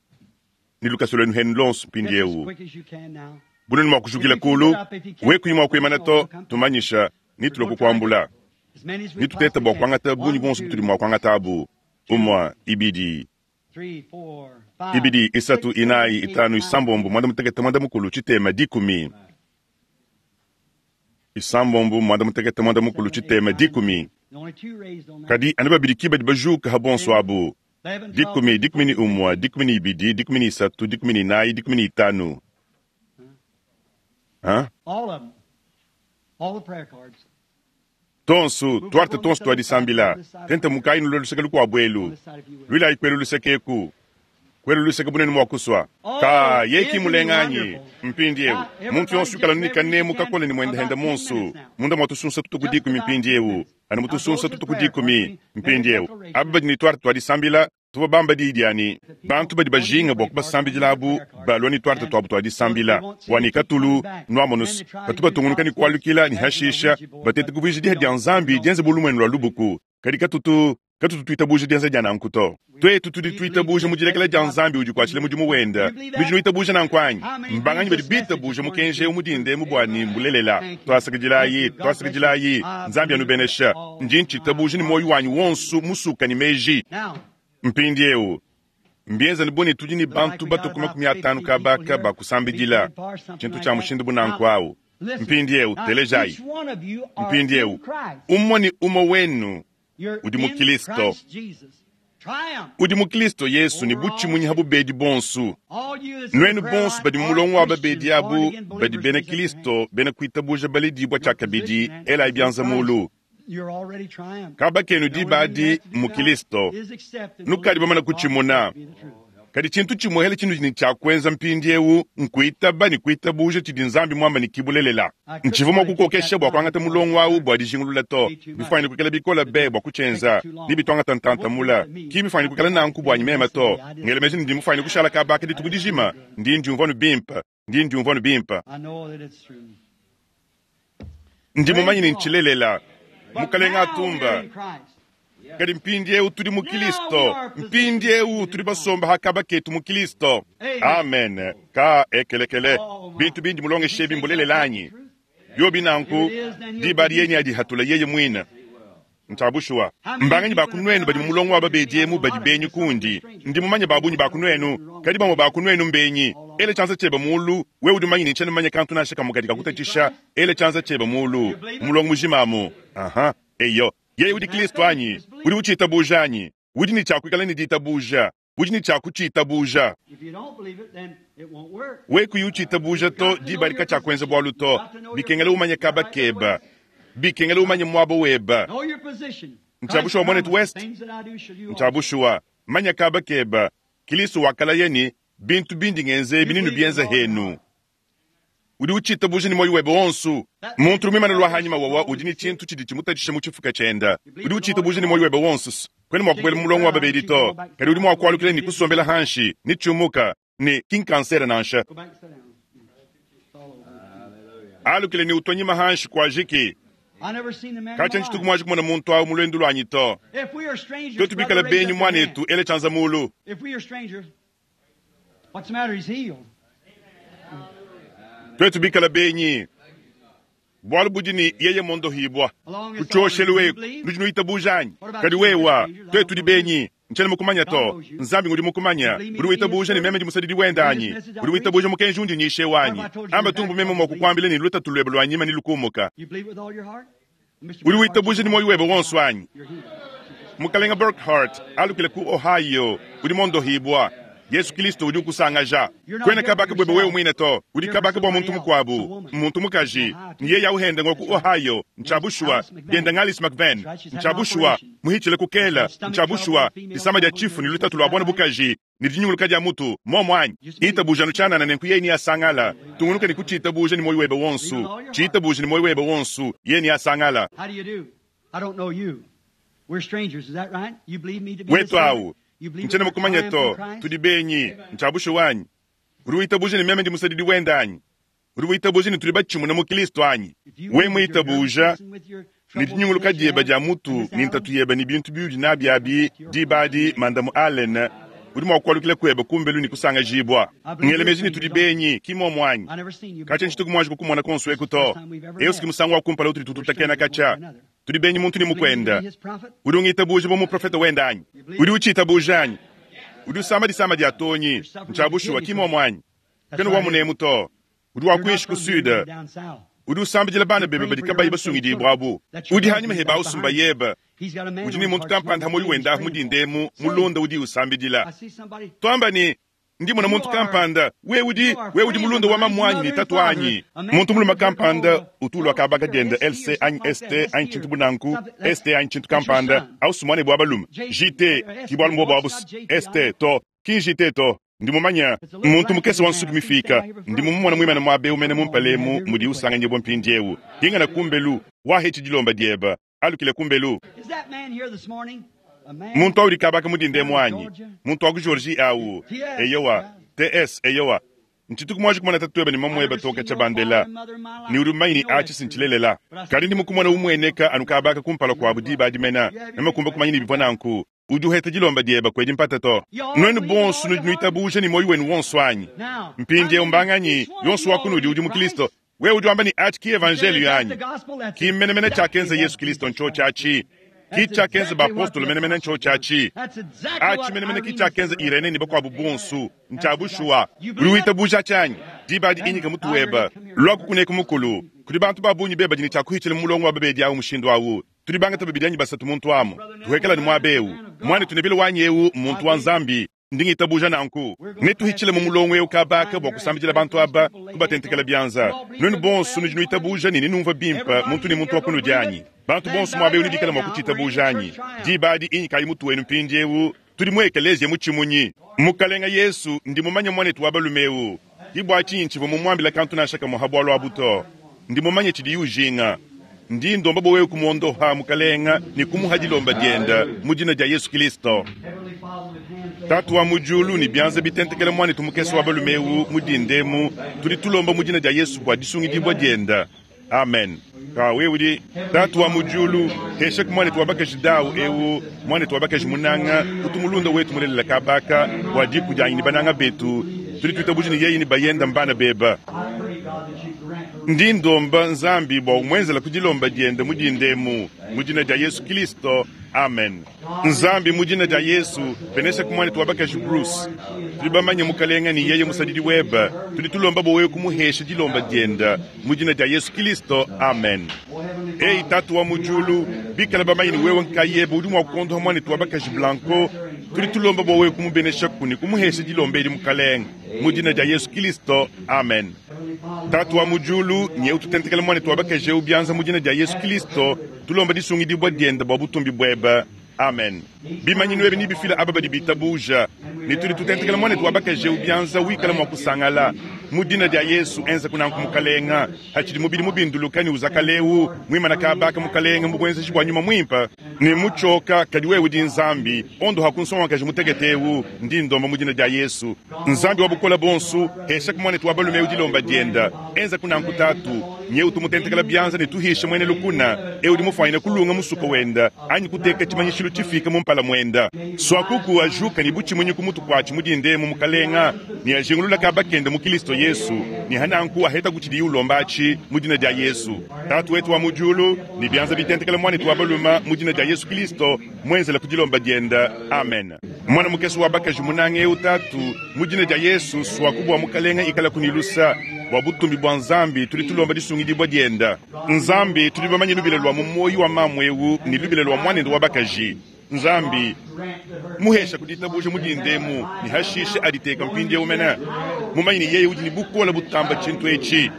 ne lukasa luenu henu lonso mpindieu. Bunenu mua kujukila kulu, we kuyi mua kuimana to, tumanyisha ne tulua kukuambula. Ne tuteta bua kuangata bungi buonso butudi mua kuangata abu, umua, ibidi, ibidi, isatu, inayi, itanu, isambombo, muanda mutekete, muanda mukulu, tshitema, dikumi. Isambombo, muanda mutekete, muanda mukulu, tshitema, dikumi. Kadi anu babidi ki badi bajuka ha bonso abu. Dikumi, dikumi ne umue, dikumi ne ibidi, dikumi ne isatu, dikumi ne inayi, dikumi ne itanu. Ha? Tonsu, tuarte tonsu tua disambila, tente mukayi nulue luseke lukuabu elu, luilayi kuelu luseke eku, kuelu luseke bunene mua kusua. Ka, yeye ki mulenga anyi? Mpindieu, muntu yonso ikala ne kanemu kakole ne muendehende monsu, munda mua tusunsa tutuku dikumi mpindieu, anu mu tusunsa tutuku dikumi mpindieu. Aba badi ne tuarte tua disambila, tuvua bamba diyi dia ne, bantu badi bajinga bua kubasambidilabu balua ne tuarte tuabu tua disambila, bua ne katulu nuamonus batu batungunuka ne kualukila ne hashisha batete kuvuija diha dia Nzambi dienze bu lumuenu lua lubuku, kadi katutu. Katutu twitabuuja dyenza dya nanku to. Twetu tudi twitabuuja mu dilekela dya Nzambi udikwacila mudimu wenda. Nudi nwitabuuja nanku anyi? Mbanganyi badi bitabuuja mukenji ewu mu dinda emu bwa ne mbulelela? Twasakidilayi, twasakidilayi. Nzambi anubenesha. Ndi ncitabuuja ne mwoyi wanyi wonso musuka ne meeji. Mpindyewu, mbyenzane bu ne tudi ne bantu batwe ku 50 kabaaka ba kusambidila, cintu cya mushindu bu nanku awu. Mpindyewu, telejayi. Mpindyewu, umwe ne umwe wenu udi mu Kilisto. Udi mu Kilisto Yesu ne butshimunyi ha bubedi bonsu. Nwenu bonsu badi mu mulongo wa babedi abu badi bena Kilisto bena kwitabuja baledibwa tshiakabidi, elayi byanza mulu. Kaba kenu diba adi mu Kilisto. Nukadi bamana kutshimuna. Kadi tshintu tshimuehele tshinudi ne tshia kuenza mpindiewu nkuitaba ne kuitabuja tshidi Nzambi muamba ne ki bulelela. Ntshivua mua kukokesha bua kuangata mulongo awu bua dijingulula to. Bifuanyine kuikala bikola be bua kutshienza, ne bituangata ntanta mula. Ki bifuanyine kuikala nanku buanyi mema to. Ngela meji ne ndi mufuanyine kushala kaba aka dituku dijima. Ndi ndiumvua anu bimpe. Ndi ndiumvua anu bimpe. Ndi mumanye ne ntshilelela. Mukalenga atumba. Kadi mpindiewu tudi mu Kilisto. Mpindiewu tudi basomba ha kaba ketu mu Kilisto. Amen. Ka ekelekele. Bintu bindi mulongesha ebi mbulelela anyi? Biobi nanku, diba adi yeye neadihatula yeye muine. Ntshia bushuwa. Mbanganyi ba ku nuenu badi mu mulongo wa babedi emu badi benyi kundi? Ndi mumanye ba bungi ba ku nuenu, kadi bamue ba ku nuenu mbenyi. Ela tshianza tshiebe muulu, wewe udi mumanye ne tshiena mumanye kantu nansha kamue kadi kakutatshisha. Ela tshianza tshiebe muulu, mu mulongo mujima amu. Aha. Eyo. Yeye udi Kilisto anyi? Udi utshitabuja anyi? Udi ne tshia kuikala ne ditabuja. Udi ne tshia kutshiitabuja. Wewe kuyi utshitabuja to, diba adi katshiakuenza bualu to. Bikengela umanye kaba keba. Bikengela umanye muaba weba. Ntshia bushuwa, Muanetu West? Ntshia bushuwa. Manya kaba keba. Kilisto wakalaya ne, Bintu bindi ngenza ebi nenubienze henu. Udi utshitabuja ne muoyo webe wonso. Muntu udi muimane lua hanyima wawa udi ne tshintu tshidi tshimutatshisha mu tshifuka tshienda. Udi utshitabuja ne muoyo webe wonso. Kuena mua kubuela mu mulongo wa babedi to, kadi udi mua kualukila ne kusombela hanshi ne tshiumuka ne ki nkansere nansha. Alukile ne utua nyima hanshi kuajiki. Katshia ntshituku muanji kumona muntu awu mu luendu luanyi to. Tuetu bikale benyi muanetu, ela tshianza mulu. Tuetu bikale benyi, bualu budi ne yeye mondohibua ku tshioshelu eku, nudi nuitabuja anyi? Kadi wewa, tuetu tudi benyi, ntshiena mukumanya to. Nzambi ngudi mukumanya. Udi witabuja ne meme ndi musadidi wende anyi? Udi witabuja mukenji undi nyisha eu anyi? Amba tumbu meme mua kukuambila ne lutatu luebe lua nyima nelukumuka. Udi witabuja ne muoyo webe wonso anyi? Mukalenga Burkhart, alukile ku Ohio, udi mondohibua. Yesu Kilisto udi ukusangaja. Kuena kabaka buebe wewe muine to, udi kabaka bua muntu mukuabu, muntu mukaji. Ne yeye au hende ngua ku Ohio, ntshia bushuwa, dienda ng'Alice McVeigh, ntshia bushuwa, muhitshile ku Kela, ntshia bushuwa, disama dia tshifu ne lutatu lua buana bukaji, ne dinyunguluka dia mutu, muomu anyi? Itabuja anu tshianana nenku yeye neasangala. Tungunuka ne kutshiitabuja ne muoyo webe wonso. Tshiitabuja ne muoyo webe wonso, yeye neasangala. Wetu awu, ntshiena mukumanye to, tudi benyi. Ntshia bushuwa anyi? Udi witabuja ne meme ndi musadidi wende anyi? Udi witabuja ne tudi batshimune mu Kilisto anyi? Wewe muitabuja, ne dinyunguluka diebe dia mutu ne ntatu yebe ne bintu biudi nabi abi, diba adi, Mandamu Allen, udi mua kualukila kuebe kumbelu ne kusangajibua. Ngela meji ne tudi benyi, ki mmuomu anyi? Katshia ntshituku muanji kukumona kuonso eku to. Eu si ki musangu wa kumpala utudi tututakena katshia. Tudi benyi muntu ne mukuende. Udi ungitabuja bu muprofete wende anyi? Udi utshitabuja anyi? Udi usama disama dia tonyi. Ntshia bushuwa, ki mmuomu anyi? Kena wa munemu to. Udi wa kuinshi ku sud. Udi usambidila bana bebe badi kabayi basungidibue abu. Udi hanyima hebe awu sumba yebe. Udi ne muntu kampanda ha muoyo wende ahu mu dinda emu, mulunda udi usambidila. Tuamba ne, Ndi mona muntu kampanda. Wewe udi, wewe udi mulunda wa mamuanyi ne tatuanyi. Muntu mulume kampanda utu ulua kaba ka diende LC anyi ST anyi tshintu bu nanku, ST anyi tshintu kampanda, au si muanebe wa balume. JT, ki bualu mbuobu abu, ST to, ki JT to. Ndi mumanye muntu mukese wa nsuki mifiika. Ndi mumumona muimane muaba eu mene mu mpala emu mudiye usanganyibua mpindieu. Pingana kumbelu, wahetshi dilomba diebe. Alukile kumbelu. Muntu au udi kabaka mu dinda emu anyi? Muntu wa ku Georgie au? Eyowa. TS, eyowa. Ntshituku muanji kumona tatuebe ne mamuebe to katshia bandela, ne udi mumanye ne atshi si ntshilelela. Kadi ndi mukumona umueneka anu kaba aka kumpala kuabu diba adi mena, meme kumba kumanya ne bivua nanku. Udi uheta dilomba diebe, kuedi mpata to. Nuenu bonso nudi nuitabuja ne muoyo wenu wonso anyi? Mpindieu mbanganyi yonso wa kunudi udi mu Kristo? Wewe udi wamba ne atshi ki evanjeliyo anyi? Ki mmenemene tshiakenza Yesu Kristo ntshiotshi atshi. Ki tshiakenza bapostolo menemene ntshiotshi atshi. Atshi menemene ki tshiakenza Irene ne bakuabu bonso. Ntshia bushuwa. Udi witabuja atshi anyi? Diba adi inyika mutu webe. Luaku kuneku mukulu. Kudi bantu ba bungi be badi ne tshia kuhitshila mu mulongo wa babedi au mushindu au. Tudi bangata babidi anyi basatu muntu amu. Tuhekela ne muaba eu. Muanetu Neville wanyi eu mmuntu wa Nzambi. Ndi ngitabuja nanku. Netuhitshile mu mulongo eu kaba aka bua kusambidila bantu aba, kubatentekela bianza. Nuenu bonso nudi nuitabuja ne nenumvue bimpe muntu ne muntu wa kunudi anyi? Bantu bonso muaba eu nebikale mua kutshitabuja anyi? Diba adi inyikayi mutu wenu mpindieu. Tudi mu ekeleziya mutshimunyi. Mukalenga Yesu, ndi mumanye muanetu wa balume eu. Ke bua tshinyi ntshivua mumuambile kantu nansha kamue ha bualu abu to. Ndi mumanye tshidiye ujinga. Ndi ndomba bua wewe kumuondoha, Mukalenga, ne kumuha dilomba diende mu dina dia Yesu Kilisto. Tatu wa mu diulu, ne bianza bitentekela muanetu mukese wa balume eu mu dinda emu, tudi tulomba mu dina dia Yesu bua disungidibua diende. Amen. Ka wewe udi Tatu wa mu diulu, heshaku muanetu wa bakaji Dau eu, muanetu wa bakaji munanga, utu mulunda wetu mulelela kabaka bua diku dianyi ne bananga betu. Tudi tuitabuja ne yeye ne bayenda mbana beba. Ndi ndomba Nzambi bua umuenzela ku dilomba diende mu dinda emu, mu dina dia Yesu Kilisto. Amen. Nzambi, mu dina dia Yesu, beneshaku muanetu wa bakaji Bruce. Tudi bamanye, Mukalenga, ne yeye musadidi webe. Tudi tulomba bua wewe kumuhesha dilomba diende, mu dina dia Yesu Kilisto. Amen. Eyi Tatu wa mu diulu, bikala bamanye ne wewe nkayebe udi mua kuondoha muanetu wa bakaji Blanco, tudi tulomba bua wewe kumubeneshaku ne kumuhesha dilomba edi, Mukalenga, mu dina dia Yesu Kilisto. Amen. Tatu wa mu diulu, nyeu tutentekela muanetu wa bakaji eu bianza mu dina dia Yesu Kilisto, tulomba disungidibua diende bua butumbi buebe. Amen. Bimanyinu ebi nebifile aba badi bitabuja, ne tudi tutentekela muanetu wa bakaji eu bianza wikala mua kusangala. Mu dina dia Yesu, enza kunanku Mukalenga, hatshidi mubidi mubinduluka ne uzakala eu, muimana kaba aka Mukalenga mu buenzeji bua Nyuma Muimpe. Ne mutshioka, kadi wewe udi Nzambi, ondoha ku nsongakaji mutekete eu, ndi ndomba mu dina dia Yesu. Nzambi wa bukole buonso, heshaku muanetu wa balume eu dilomba diende, enza kunanku Tatu. Nyeu tumutentekela bianza ne tuhishe muena lukuna eu udi mufuanyine kulunga musuka wenda anyi kuteka tshimanyishilu tshifike mu mpala muenda. Suakuku ajuka ne butshimunyi ku mutu kuatshi mu dinda emu, Mukalenga, ne ajingulula kaba kende mu Kilisto Yesu, ne hananku ahetaku tshidiye ulomba atshi mu dina dia Yesu. Tatu wetu wa mu diulu, ne bianza bitentekela muanetu wa balume mu dina dia Yesu Kilisto, muenzela ku dilomba diende. Amen. Muana mukese wa bakaji munanga eu, Tatu, mu dina dia Yesu, suaku bua Mukalenga ikalaku ne lusa bua butumbi bua Nzambi. Tudi tulomba disungidibua diende. Nzambi, tudi bamanye lubila lua mu muoyo wa mamu eu ne lubila lua muanende wa bakaji. Nzambi, muhesha ku ditabuja mu dinda emu, ne hashishe aditeka mpindieu mene, mumanye ne yeye udi ne bukole butamba tshintu etshi.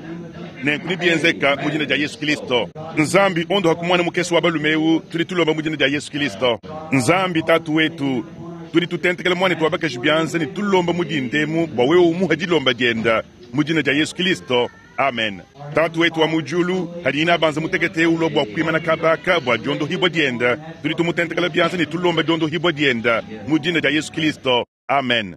Nenku nebienzeka mu dina dia Yesu Kilisto. Nzambi, ondoha ku muana mukese wa balume eu, tudi tulomba mu dina dia Yesu Kilisto. Nzambi Tatu wetu, tudi tutentekela muanetu wa bakaji bianza ne tulomba mu dinda emu bua wewe umuhe dilomba diende mu dina dia Yesu Kilisto. Amen. Tatu wetu wa mu diulu, hadi inabanza mutekete eu ulua bua kuimana kaba aka bua diondohibua diende, tudi tumutentekela bianza ne tulomba diondohibua diende mu dina dia Yesu Kilisto. Amen.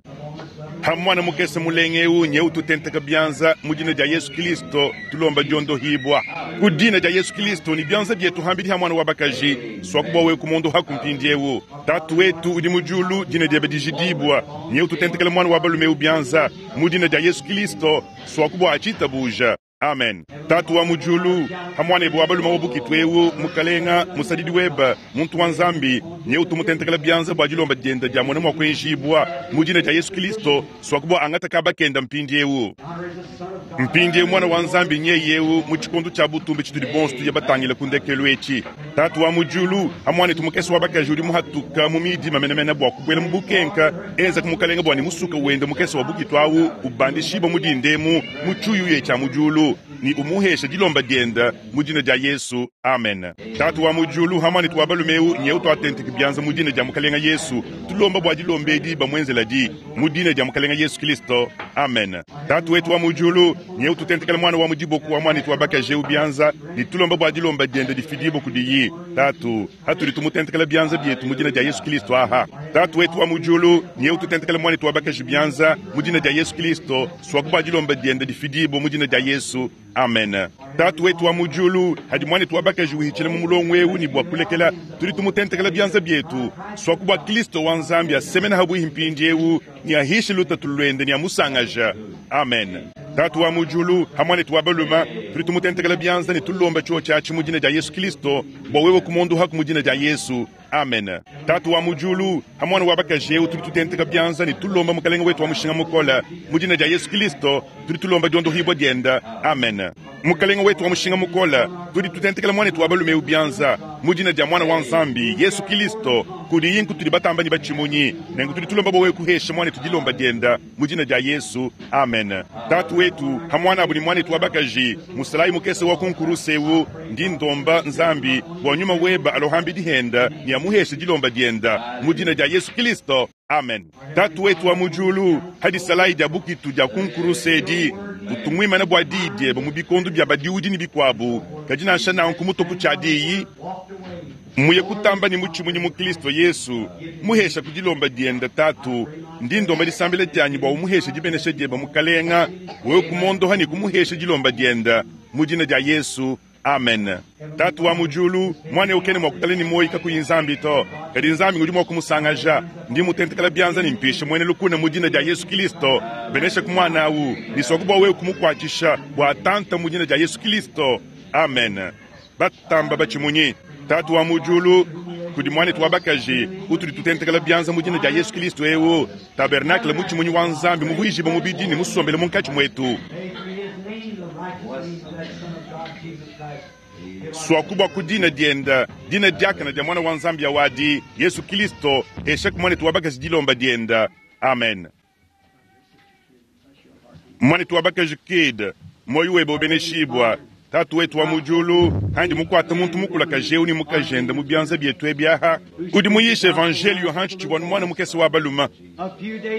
Ha muana mukese mulenge eu nyeu tutenteka bianza mu dina dia Yesu Kilisto, tulomba diondohibua ku dina dia Yesu Kilisto ne bianza bietu hambidi ha muana wa bakaji, suaku bua wewe kumondohaku mpindieu. Tatu wetu udi mu diulu, dina diebe dijidibua, nyeu tutentekela muana wa balume eu bianza mu dina dia Yesu Kilisto, suaku bua atshitabuja. Amen. Tatu wa mu diulu, ha muanebe wa balume wa bukitu eu, Mukalenga, musadidi webe, muntu wa Nzambi, nyeu tumutentekela bianza bua dilomba diende dia mona mua kuenjibua mu dina dia Yesu Kilisto, suaku bua angata kaba kenda mpindieu. Mpindieu muana wa Nzambi nyeye eu mu tshikondo tshia butumbi tshitudi bonso tuya batangile ku ndekelu etshi. Tatu wa mu diulu, ha muanetu mukese wa bakaji udi muhatuka mu midima menemene bua kubuela mu bukenka, enza ku Mukalenga bua ne musuka wende mukese wa bukitu au ubandishibua mu dinda emu mu tshiuyuya tshia mu diulu. Ne umuhesha dilomba dienda mu dina dia Yesu. Amen. Tatu wa mu diulu, ha muanetu wa balume eu nyeu tuatenteke bianza mu dina dia Mukalenga Yesu. Tulomba bua dilomba edi bamuenzela di mu dina dia Mukalenga Yesu Kristo. Amen. Tatu wetu wa mu diulu, nyeu tutentekela muana wa mu diboko wa muanetu wa bakaji eu bianza ne tulomba bua dilomba diende difidibue kudiyi. Tatu, hatudi tumutentekela bianza bietu mu dina dia Yesu Kristo aha. Tatu wetu wa mu diulu, nyeu tutentekela muanetu wa bakaji bianza mu dina dia Yesu Kristo, suaku bua dilomba diende difidibue mu dina dia Yesu. Amen. Tatu wetu wa mu diulu, hadi muanetu wa bakaji uhitshila mu mulongo eu ne bua kulekela, tudi tumutentekela bianza bietu, suaku bua Kristo wa Nzambi asemena habuihi mpindieu ne ahishe lutatu luende ne amusangaja. Amen. Tatu wa mu diulu, ha muanetu wa balume, tudi tumutentekela bianza ne tulomba tshio tshiatshi mu dina dia Yesu Kristo, bua wewe kumondohaku mu dina dia Yesu. Amen. Tatu wa mu diulu, ha muana wa bakaji eu tudi tutenteka bianza ne tulomba Mukalenge wetu wa mushinga mukole mu dina dia Yesu Kristo, tudi tulomba diondohibua dienda. Amen. Mukalenge wetu wa mushinga mukole, tudi tutentekela muanetu wa balume eu bianza mu dina dia muana wa Nzambi Yesu Kristo, kudiyi nkutudi batamba ne batshimunyi, nenku tudi tulomba bua wewe kuhesha muanetu dilomba dienda mu dina dia Yesu. Amen. Tatu wetu, ha muanabu ne muanetu wa bakaji musalayi mukese wa kunkuruse eu, ndi ndomba Nzambi bua nyuma weba alohambi dihenda ne amuheshe dilomba dienda mu dina dia Yesu Kristo. Amen. Tatu wetu wa mu diulu, hadi salayi dia bukitu dia kunkuruse edi utunguimana bua diyi diebe mu bikondo bia badiudi ne bikuabu, kadi nansha nanku mutoku tshia diyi muye kutamba ne mutshimunyi mu Kristo Yesu, muhesha ku dilomba dienda. Tatu, ndi ndomba disambila dianyi bua umuheshe dibenesha diebe Mukalenga, wewe kumondoha ne kumuhesha dilomba dienda mu dina dia Yesu. Amen. Tatu wa mu diulu, muana eu kena mua kutala ne muoyo kakuyi Nzambi to, kadi Nzambi ngudi mua kumusangaja. Ndi mutentekela bianza ne mpisha muena lukuna mu dina dia Yesu Kristo. Benesha ku muana au ne suaku bua wewe kumukuatshisha bua atanta mu dina dia Yesu Kristo. Amen. Batamba batshimunyi. Tatu wa mu diulu, kudi muanetu wa bakaji utudi tutentekela bianza mu dina dia Yesu Kristo eu, tabernacle mutshimunyi wa Nzambi muvuijibue mubidi ne musombele munkatshi muetu. Suaku bua ku dina dienda, dina diakane dia muana wa Nzambi awadi Yesu Kristo, hesha ku muanetu wa bakaji dilomba dienda. Amen. Muanetu wa bakaji Kid, muoyo webe ubeneshibua. Tatu wetu wa mu diulu, handi mukuata muntu mukulakaje eu ne mukajende mu bianza bietu ebi aha, udi muyisha evangelio hanshi tshivua muana mukese wa balume.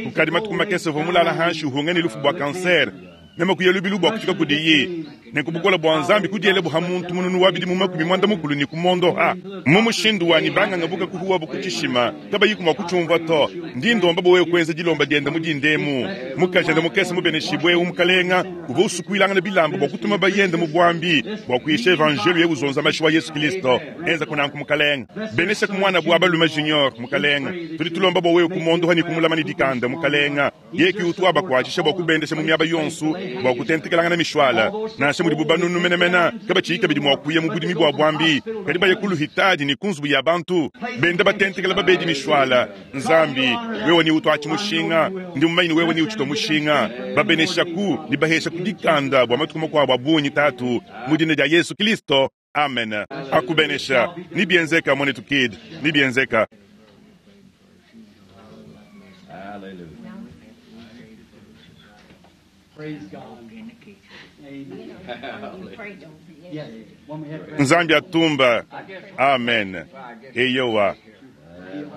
Kukadi matuku makese uvua mulala hanshi uhunga ne lufu bua kanser. Meme kuya lubilu bua kufika kudiyi, nenku bukole bua Nzambi kudiela buha muntu mununu wa bidimu 80 ne kumondoha mu mushindu wanyi banganga buka kuhuwa bu kutshishima kabayiku mua kutshiumvua to. Ndi ndomba bua wewe kuenza dilomba dienda mu dindemu. Mukajende mukese mubeneshibue eu Mukalenga uvua usukuilangana bilamba bua kutuma bayende mu buambi bua kuyisha evangelio ye uzonza mashi wa Yesu Kristo. Enza kunanku Mukalenga, benesha ku muana bua balume Junior. Mukalenga, tudi tulomba bua wewe kumondoha ne kumulama ne dikanda. Mukalenga, yeki utu wabakuatshisha bua kubendesha mu miaba yonso bua kutentekelangana mishwala, nansha mudibu banunu menemene kabatshiyi kabidi mua kuya mu budimi bua buambi, kadi baya ku luhitadi ne ku nzubu ya bantu benda batentekela babedi mishwala. Nzambi, wewe ni utuatshi mushinga, ndi mumanyi ne wewe ni utshitwa mushinga. Babeneshaku ne bahesha ku dikanda bua matuku makuabu a bungi. Tatu, mu dina dia Yesu Kristo, amen. Akubenesha ni bienzeka muanetu Kid, ni bienzeka. Praise God. Amen. Yes. When we have Nzambi atumba. Amen. Eyowa,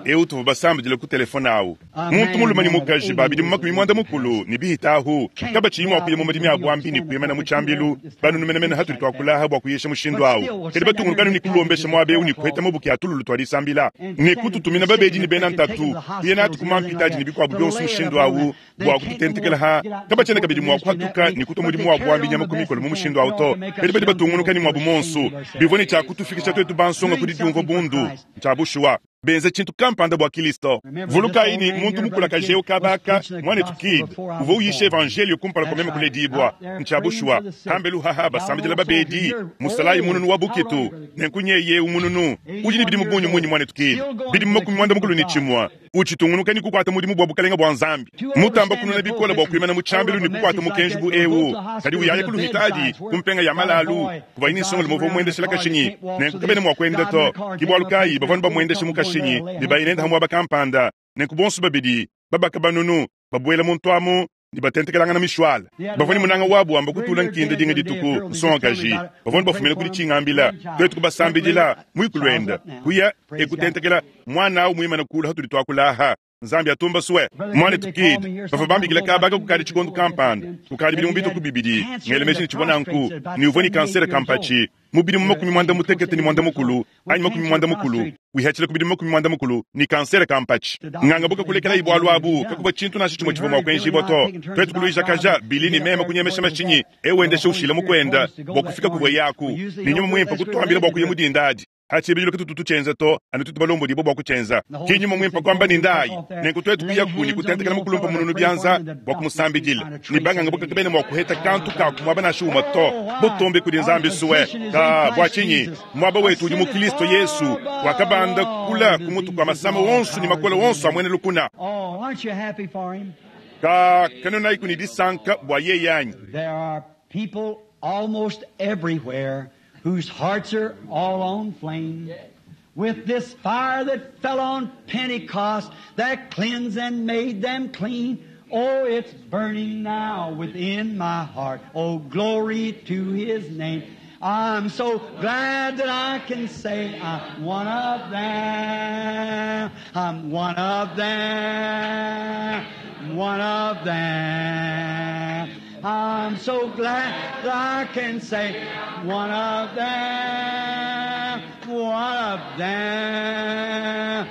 eu tuvua basambidile ku telefone awu muntu mulume ne mukaji babidi mu 90 ne bihitahu kabatshiyi mua kuya mu madimi a buambi ne kuyemena mu tshiambilu banunu menemene hatudi tuakulaha bua kuyisha mushindu awu, kadi batungunukanu ne kulombesha muaba eu ne kuheta mabuki a tululu tua disambila ne kututumina babedi ne bena ntatu kuya natu ku mampitaji ne bikuabu bionso mushindu awu bua kututentekela ha kabatshiena kabidi mua kuhatuka ne kutua mudimu wa buambi nyama ku mikolo mu mushindu awu to, kadi badi batungunuka ne muabu monso bivua ne tshiakutufikisha tuetu bansonga ku didiumvua bundu ntshia bushuwa benza tshintu kampanda bua Kristo. Vulukayi ne muntu mukulakaje eu kabaka muanetu Kid uvua uyisha evangelio kumpala kua meme kuledibua. Ntshia bushuwa hambelu haha basambidila babedi musalayi mununu wa bukitu nenku nyeye eu mununu udi ne bidimu bungi munyi muanetu Kid bidimu 91 utshitungunuka ne kukuata mudimu bua bukalenga bua Nzambi mutamba kununa bikole bua kuimana mu tshiambilu ne kukuata mukenji bu eu, kadi uyaya ku luhitadi ku mpenga ya malalu kuvayi ne nsongolo muvua muendeshela kashinyi nenku kabena mua kuenda to. Ke bualu kayi bavua bamuendesha mu kashinyi ne bayi nenda muaba kampanda, nenku bonso babidi babaka banunu babuela muntu amu. ne batentekelangana mishwala. Bavua ne munanga wabu wamba kutula nkinda dinga dituku, nsongakaji. Bavua ne bafumina kudi tshingambila. Tuetu kubasambidila, muikulu wenda kuya e kutentekela mwana awu muimane kulu hatudi tuakula aha. Nzambi atumba sue. Mwanetu Kidd, bavua bambikila kaba aka kukadi tshikondo kampanda, kukadi bidimu bitue ku bibidi, ngela meji ne tshivua nanku, ne uvua ne kansere ka mpatshi mu bidimu makumi muanda mutekete ne muanda mukulu, anyi makumi muanda mukulu, wihatshila ku bidimu makumi muanda mukulu ne kansere ka mpatshi. Nganga buka kulekelayi bualu abu, kakuvua tshintu nansha tshimue tshivua mua kuenjibua to. Tuetu kuluijakaja, Billy ne meme kunyemesha mashinyi, eu wendesha ushila mukuenda bua kufika kuvua yaku, ne nyuma muimpe kutuambila bua kuya mu dinda adi. Ha tshibidilu katutu tutshienza to, anu tutu balombodibue bua kutshienza. Ki nyuma muimpe kuamba ne ndayi. Nenku tuetu kuyaku ne kutentekela mukulumpe mununu bianza bua kumusambidila. Ne banganga buka kabena mua kuheta kantu ka ku muaba nansha umue to. Butumbi kudi Nzambi sue. Ka bua tshinyi? Muaba wetu udi mu Kristo Yesu, wakabanda kula ku mutu kua masama wonso ne makole wonso a muena lukuna. Oh, aren't you happy for him? Ka kanunayiku ne disanka bua yeye anyi? There are people almost everywhere whose hearts are all on flame with this fire that fell on Pentecost that cleansed and made them clean. Oh, it's burning now within my heart. Oh, glory to His name. I'm so glad that I can say I'm one of them. I'm one of them. One of them. I'm so glad that I can say one of them, one of them,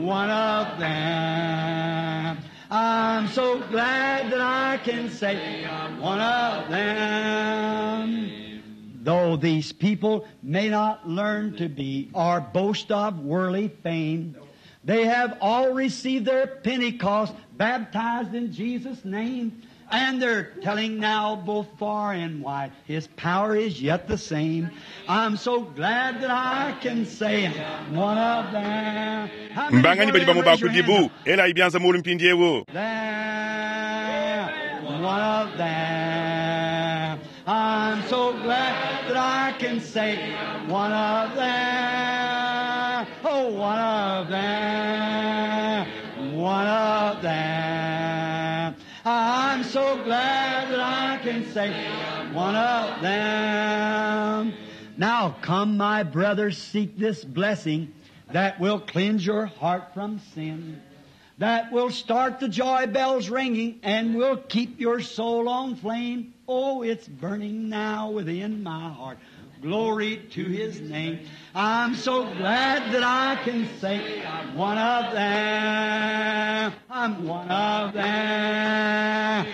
one of them. I'm so glad that I can say one of them. Though these people may not learn to be or boast of worldly fame, they have all received their Pentecost, baptized in Jesus' name. And they're telling now both far and wide, His power is yet the same. I'm so glad that I can say I'm one of them. How many Mbanganyi one badi of them? bamue Raise your hand. bakudibu, elayi bianza mulu mpindiewu. Them, one of them. I'm so glad that I can say one of them. Oh, one of them. One of them. I'm so glad that I can say one of them. Now come, my brothers, seek this blessing that will cleanse your heart from sin, that will start the joy bells ringing and will keep your soul on flame. Oh, it's burning now within my heart. Glory to His name. I'm so glad that I can say I'm one of them. I'm one of them.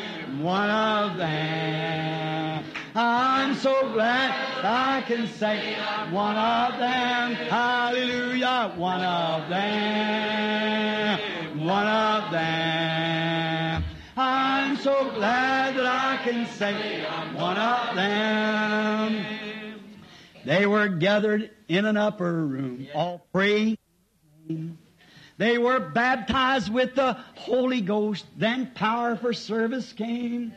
One of them. I'm so glad I can say one of them. Hallelujah. One of them. One of them. I'm so glad that I can say I'm one of them. They were gathered in an upper room, all praying. They were baptized with the Holy Ghost. Then power for service came.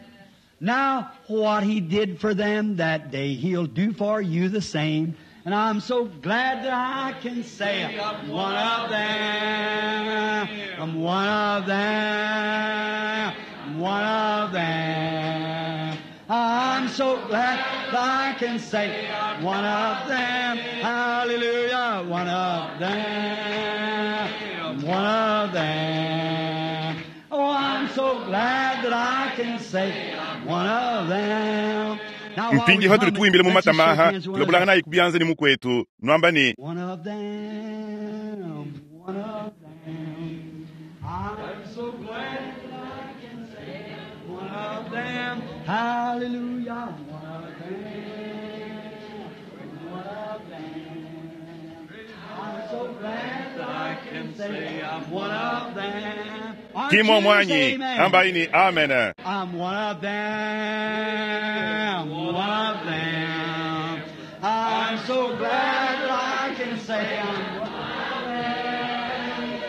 Now, what He did for them that day, He'll do for you the same. And I'm so glad that I can say I'm one of them. I'm one of them. One of them. I'm so glad that I can say one of them. Hallelujah. One of them. One of them. Oh, I'm so glad that I can say one of them. Now, while we Mpindiewu hatudi hum it, tuimbila mu let's just shake matamaha, hands with one another. tulobulanganayi ku bianza ne mukwetu, nuamba ne One of them, one of them. I'm so glad that I can say one of them. Hallelujah, one of them, one of them. I'm so glad that I can say I'm one of them. Aren't ki you? muomu Say anyi, amen. ambayi ne amen. I'm one of them, one of them. I'm so glad that I can say I'm one of them.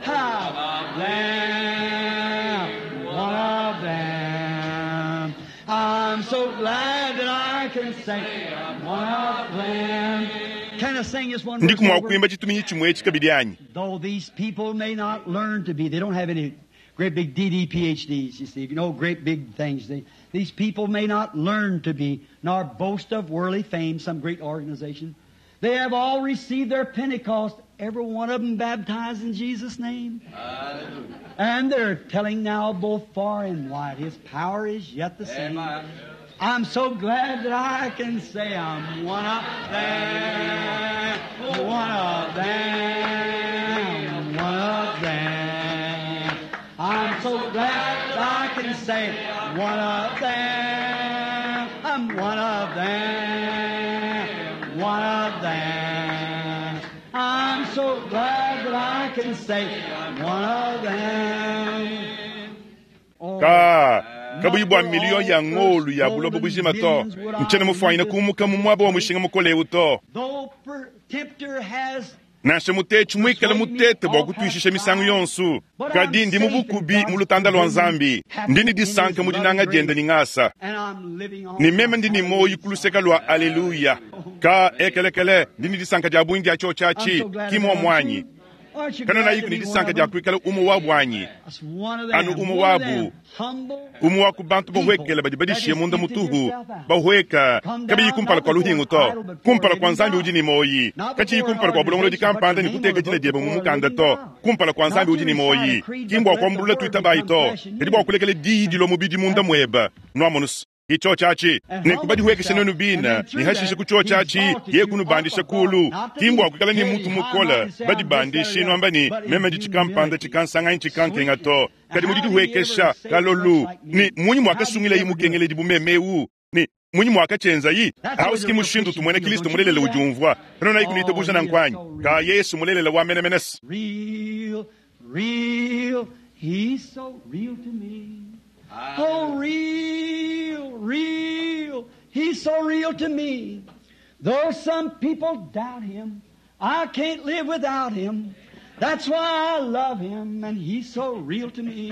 I'm of them, one of them. I'm so glad that I can say I'm one of them. Can I sing this one Ndiku verse mua over? kuimba tshituminyi tshimue etshi kabidi anyi? Though these people may not learn to be, they don't have any Great big DD PhDs, you see, you know, great big things. These people may not learn to be, nor boast of worldly fame, some great organization. They have all received their Pentecost, every one of them baptized in Jesus' name. Hallelujah. And they're telling now both far and wide, His power is yet the same. Amen. I'm so glad that I can say I'm one of them, one of them, one of them. I'm so glad that I can say one of them, I'm one of them, one of them. I'm so glad that I can say one of them. Oh, Ka kabuyi bua miliyo ya ngolu ya bulobo bujima to nchene mufwanyina kumuka mu mwaba wa mushinga mukolewu to though per- tempter has nansha mutetshi mwikala mutete bua kutwishisha misangu yonsu kadi ndi mu bukubi mu lutanda lwa nzambi ndi ni disanka mu dinanga dienda ni ngasa and I'm living on ni meme ndi ni moyi kuluseka lwa aleluya ka ekelekele ndi ni disanka dia bungi dia cho I'm tshiatshi so glad kimwa about mwanyi you. Aren't you kana glad nayi to ni be one disanka of dia them? kuikala umu wa bwanyi That's one of them. Anu umu One of wabu. them. Humble umu wa ku bantu bahwekela badi badishiye munda mutuhu bahweka kabiyi kumpala kwa luhingu to kumpala kwa nzambi udi ni moyi kachiyi kumpala kwa bulongolodi kampanda ni kuteka dina diebe mu mukanda to kumpala kwa nzambi udi ni moyi kimbwa kwa mbulula tuitabayi to kadi bua kulekela diyi dilo mubidi munda mweba nwamonusu icho chachi nekubadihwekesha nenu bina nihashishe kucho chachi ye kunubandisha kulu kimbwa kwikala ni mutu mukola badibandishi nwamba ni meme ndi chikampanda chikansanganyi chikankenga to kadi mudidihwekesha kalolu ni munyi mwakasungila mukengeledi bumemewu ni munyi mwakachenzayi ausiki mushindu tumwene kristu mulelele ujumvwa pano nayi kunitabuja na nkwanyi ka yesu mulelele wa menemenesi Real, real, he's so real to me. Oh, real, real, he's so real to me. Though some people doubt him, I can't live without him. That's why I love him, and he's so real to me.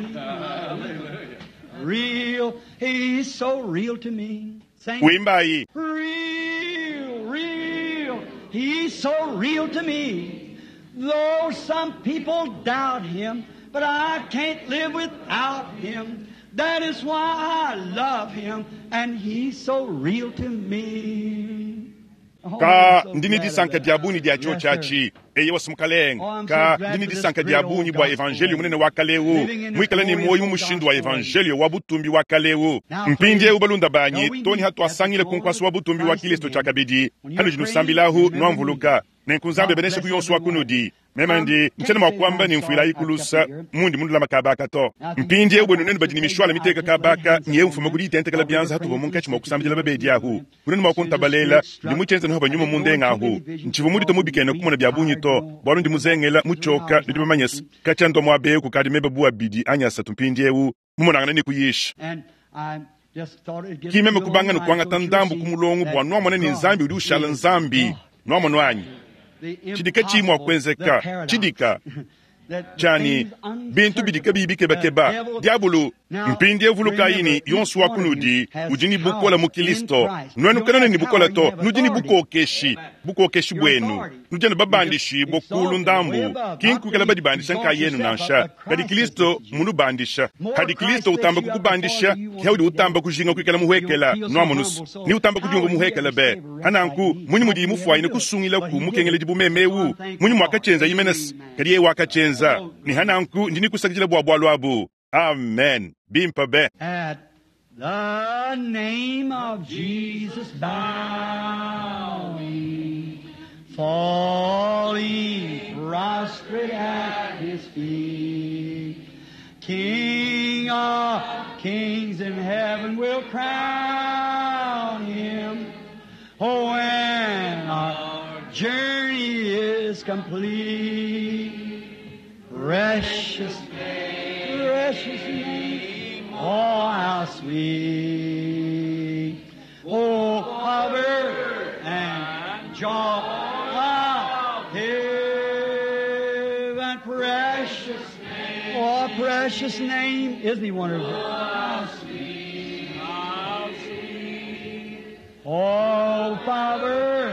Real, he's so real to me. Sing. wimbayi Real, real, he's so real to me. Though some people doubt him, but I can't live without him. That is why I love him, and he's so real to me. Oh, ka I'm so ndini glad of disanka that. dia bungi dia cho Yes, sir. tshiatshi eye wasimukalenga Oh, I'm so ka glad ndini for this disanka dia great old bungi bua gospel. evangelio munene wa kalewu Living in this mwikala ni glorious moyi mu old mushindu wa gospel. evangelio wa butumbi wa kalewu Now, mpindiewu balunda banyi now we toni meet hatu at the asangile throne kunkwasi wa of butumbi wa Christ kilisto again. tshiakabidi When you're hanu praying, jinusambilahu remember me. nwamvuluka nenkunzambe God beneshe bless kuyonso wa everyone. kunudi mema ndi Um, ntsena mwa can't say kuamba I'm ni mfuila sorry, ikulusa I've kept you here. mundi mundulama kabaka to Now, if you mpindiewu bwenu want nenu to badi ni take mishwala I miteka just lay kabaka hands niye upon mfuma them kudi itentekela while we were byanza hatuva praying for munkatshi the mwa sick kusambila and babedi the ahu healed. kunenu mwa As soon as the kuntabalela Spirit ndi struck, muchenza niho I banyuma didn't go munde into ngahu many visions nchivu mudito because mubikene we kumona bya bunyi tired, to you know. bwalu ndi muzengela muchoka Hours ndi now. bamanyesa kachandwa mwabeyo kukadi mebe buwa bidi anyasa tumpindiewu mumonangana ni kuyisha And I just thought it'd get kimeme a little kubanga night nukuangata so you'll ndambu see kumulongo that bwa nwamone ni God nzambi udi ushala is nzambi God. nwamone wanyi The chidika chimwa impossible, the kwenzeka paradox. chidika That the chani things bintu bidika unsearchable, bibikebakeba the devil- diabulu Now, mpindie vuluka remember, ini each yonsu wa one of you kunudi has udi ni power bukola mu in kilisto Christ. You nwenu don't kanone have ni bukola power, to you have nudi ni authority. bukokeshi bukokeshi Your bwenu authority. nudi ni babandishibwa You just kulu exalted way ndambu above, not kinkukela to badibandisha exalt nkayenu yourself, nansha but kadi Christ kilisto has lifted you. munubandisha More hadi Christ kilisto lifts utamba you up kukubandisha before you want kihaudi to be utamba down. kujinga kuikala muhwekela You'll feel so nwamunusu humble, so ni utamba how kujunga would he muhwekela ever be save a wretch hananku like me? munyi How mudi could he ever mufwaine do it? kusungila But ku he did mukengele it. dibumemewu I'm munyi thankful for it. mwakachenza imenesi Amen. kadi ye wakachenza Oh, ni hananku ndini kusakijila bwa bwalu abu amen bimpa be At the name of Jesus bowing, falling prostrate at his feet, King of kings in heaven will crown him. Oh, when our journey is complete, precious precious name, oh how sweet, oh cover and joy of heaven, precious, oh precious name, isn't he wonderful? How sweet, how sweet, oh power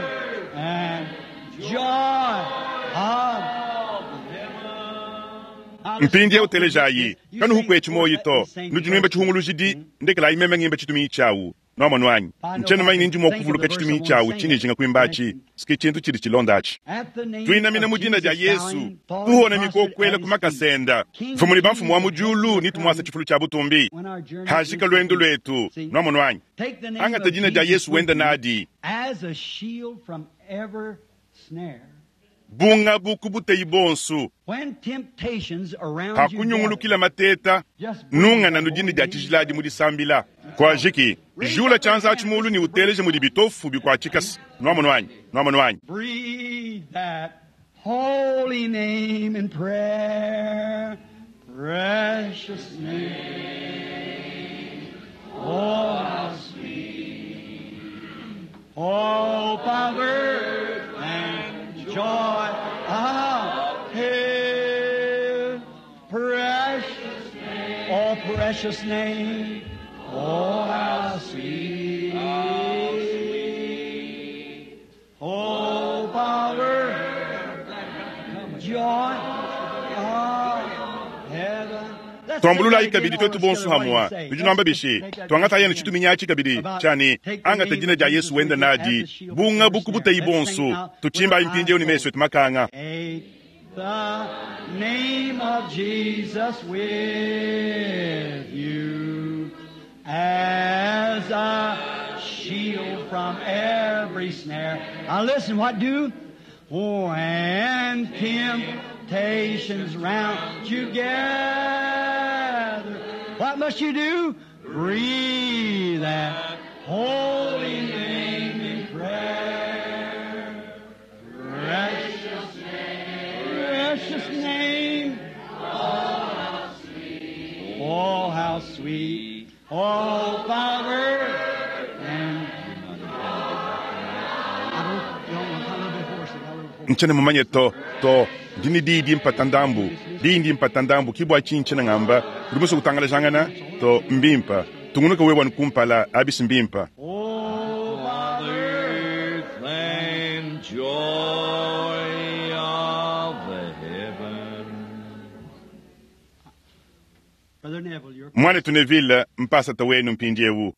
and joy of Mpindieu telejayi, kanuhu kwetshi muoyi to. Nudi nuimba tshihungulujidi, ndekelayi meme ngimba tshituminyi tshiawu. Nwamonu anyi? Ntshiena mumanye ni ndi mua kuvuluka tshituminyi tshiawu tshindi njinga kuimba atshi, s'ke tshintu tshidi tshilonda atshi. Tuinamina mu dina dia Yesu, tuhona mikokuela ku makasa enda. Mfumu ne bamfumu wa mu diulu, ne tumuasa tshifulu tshia butumbi. Hajika luendu luetu. Nwamonu anyi? Angata dina dia Yesu wenda nadi. Bungabu ku buteyi bonsu. Hakunyungulukila mateta, nungana nu dina dia tshijila adi mu disambila. Kuajiki, jula tshianza atshi mulu ne uteleje mudi bitofu bikuatshikasa. Nwamonu anyi? Nwamonu anyi? Breathe that holy name in prayer, precious name. Oh, how sweet. Hope of earth and joy of heaven. Precious name. Oh, precious name. Oh, how sweet. Hope of earth, joy of heaven. Tuambululayi kabidi twetu bonso hamwa. Nudi nuamba bishi? Tuangatayi anu tshituminyi atshi kabidi tshia ne, angata dina dia Yesu wenda nadi, bungabu ku buteyi bonso. Tutshimbayi mpindieu ne mesu etu makanga. Take the name of Jesus with you as a shield from every snare. Now listen, what do? When temptations round you gather, what must you do? Breathe that holy name in prayer. Precious name, precious name. Oh, how sweet. Oh, Father. And I don't, don't, a little bit hoarse. I got a little hoarse. Ntshiena mumanye to, to, ndi ne diyi dimpata ndambu, diyi ndimpata ndambu, ke bua tshinyi ntshiena ngamba, udi musue kutangalajangana? To, mbimpa. Tungunuka wewe wanu kumpala, abisi mbimpa. Oh, Father. Earth and joy of the heaven. Brother Neville, you're Mwanetu Neville, mpasata wenu mpindieu.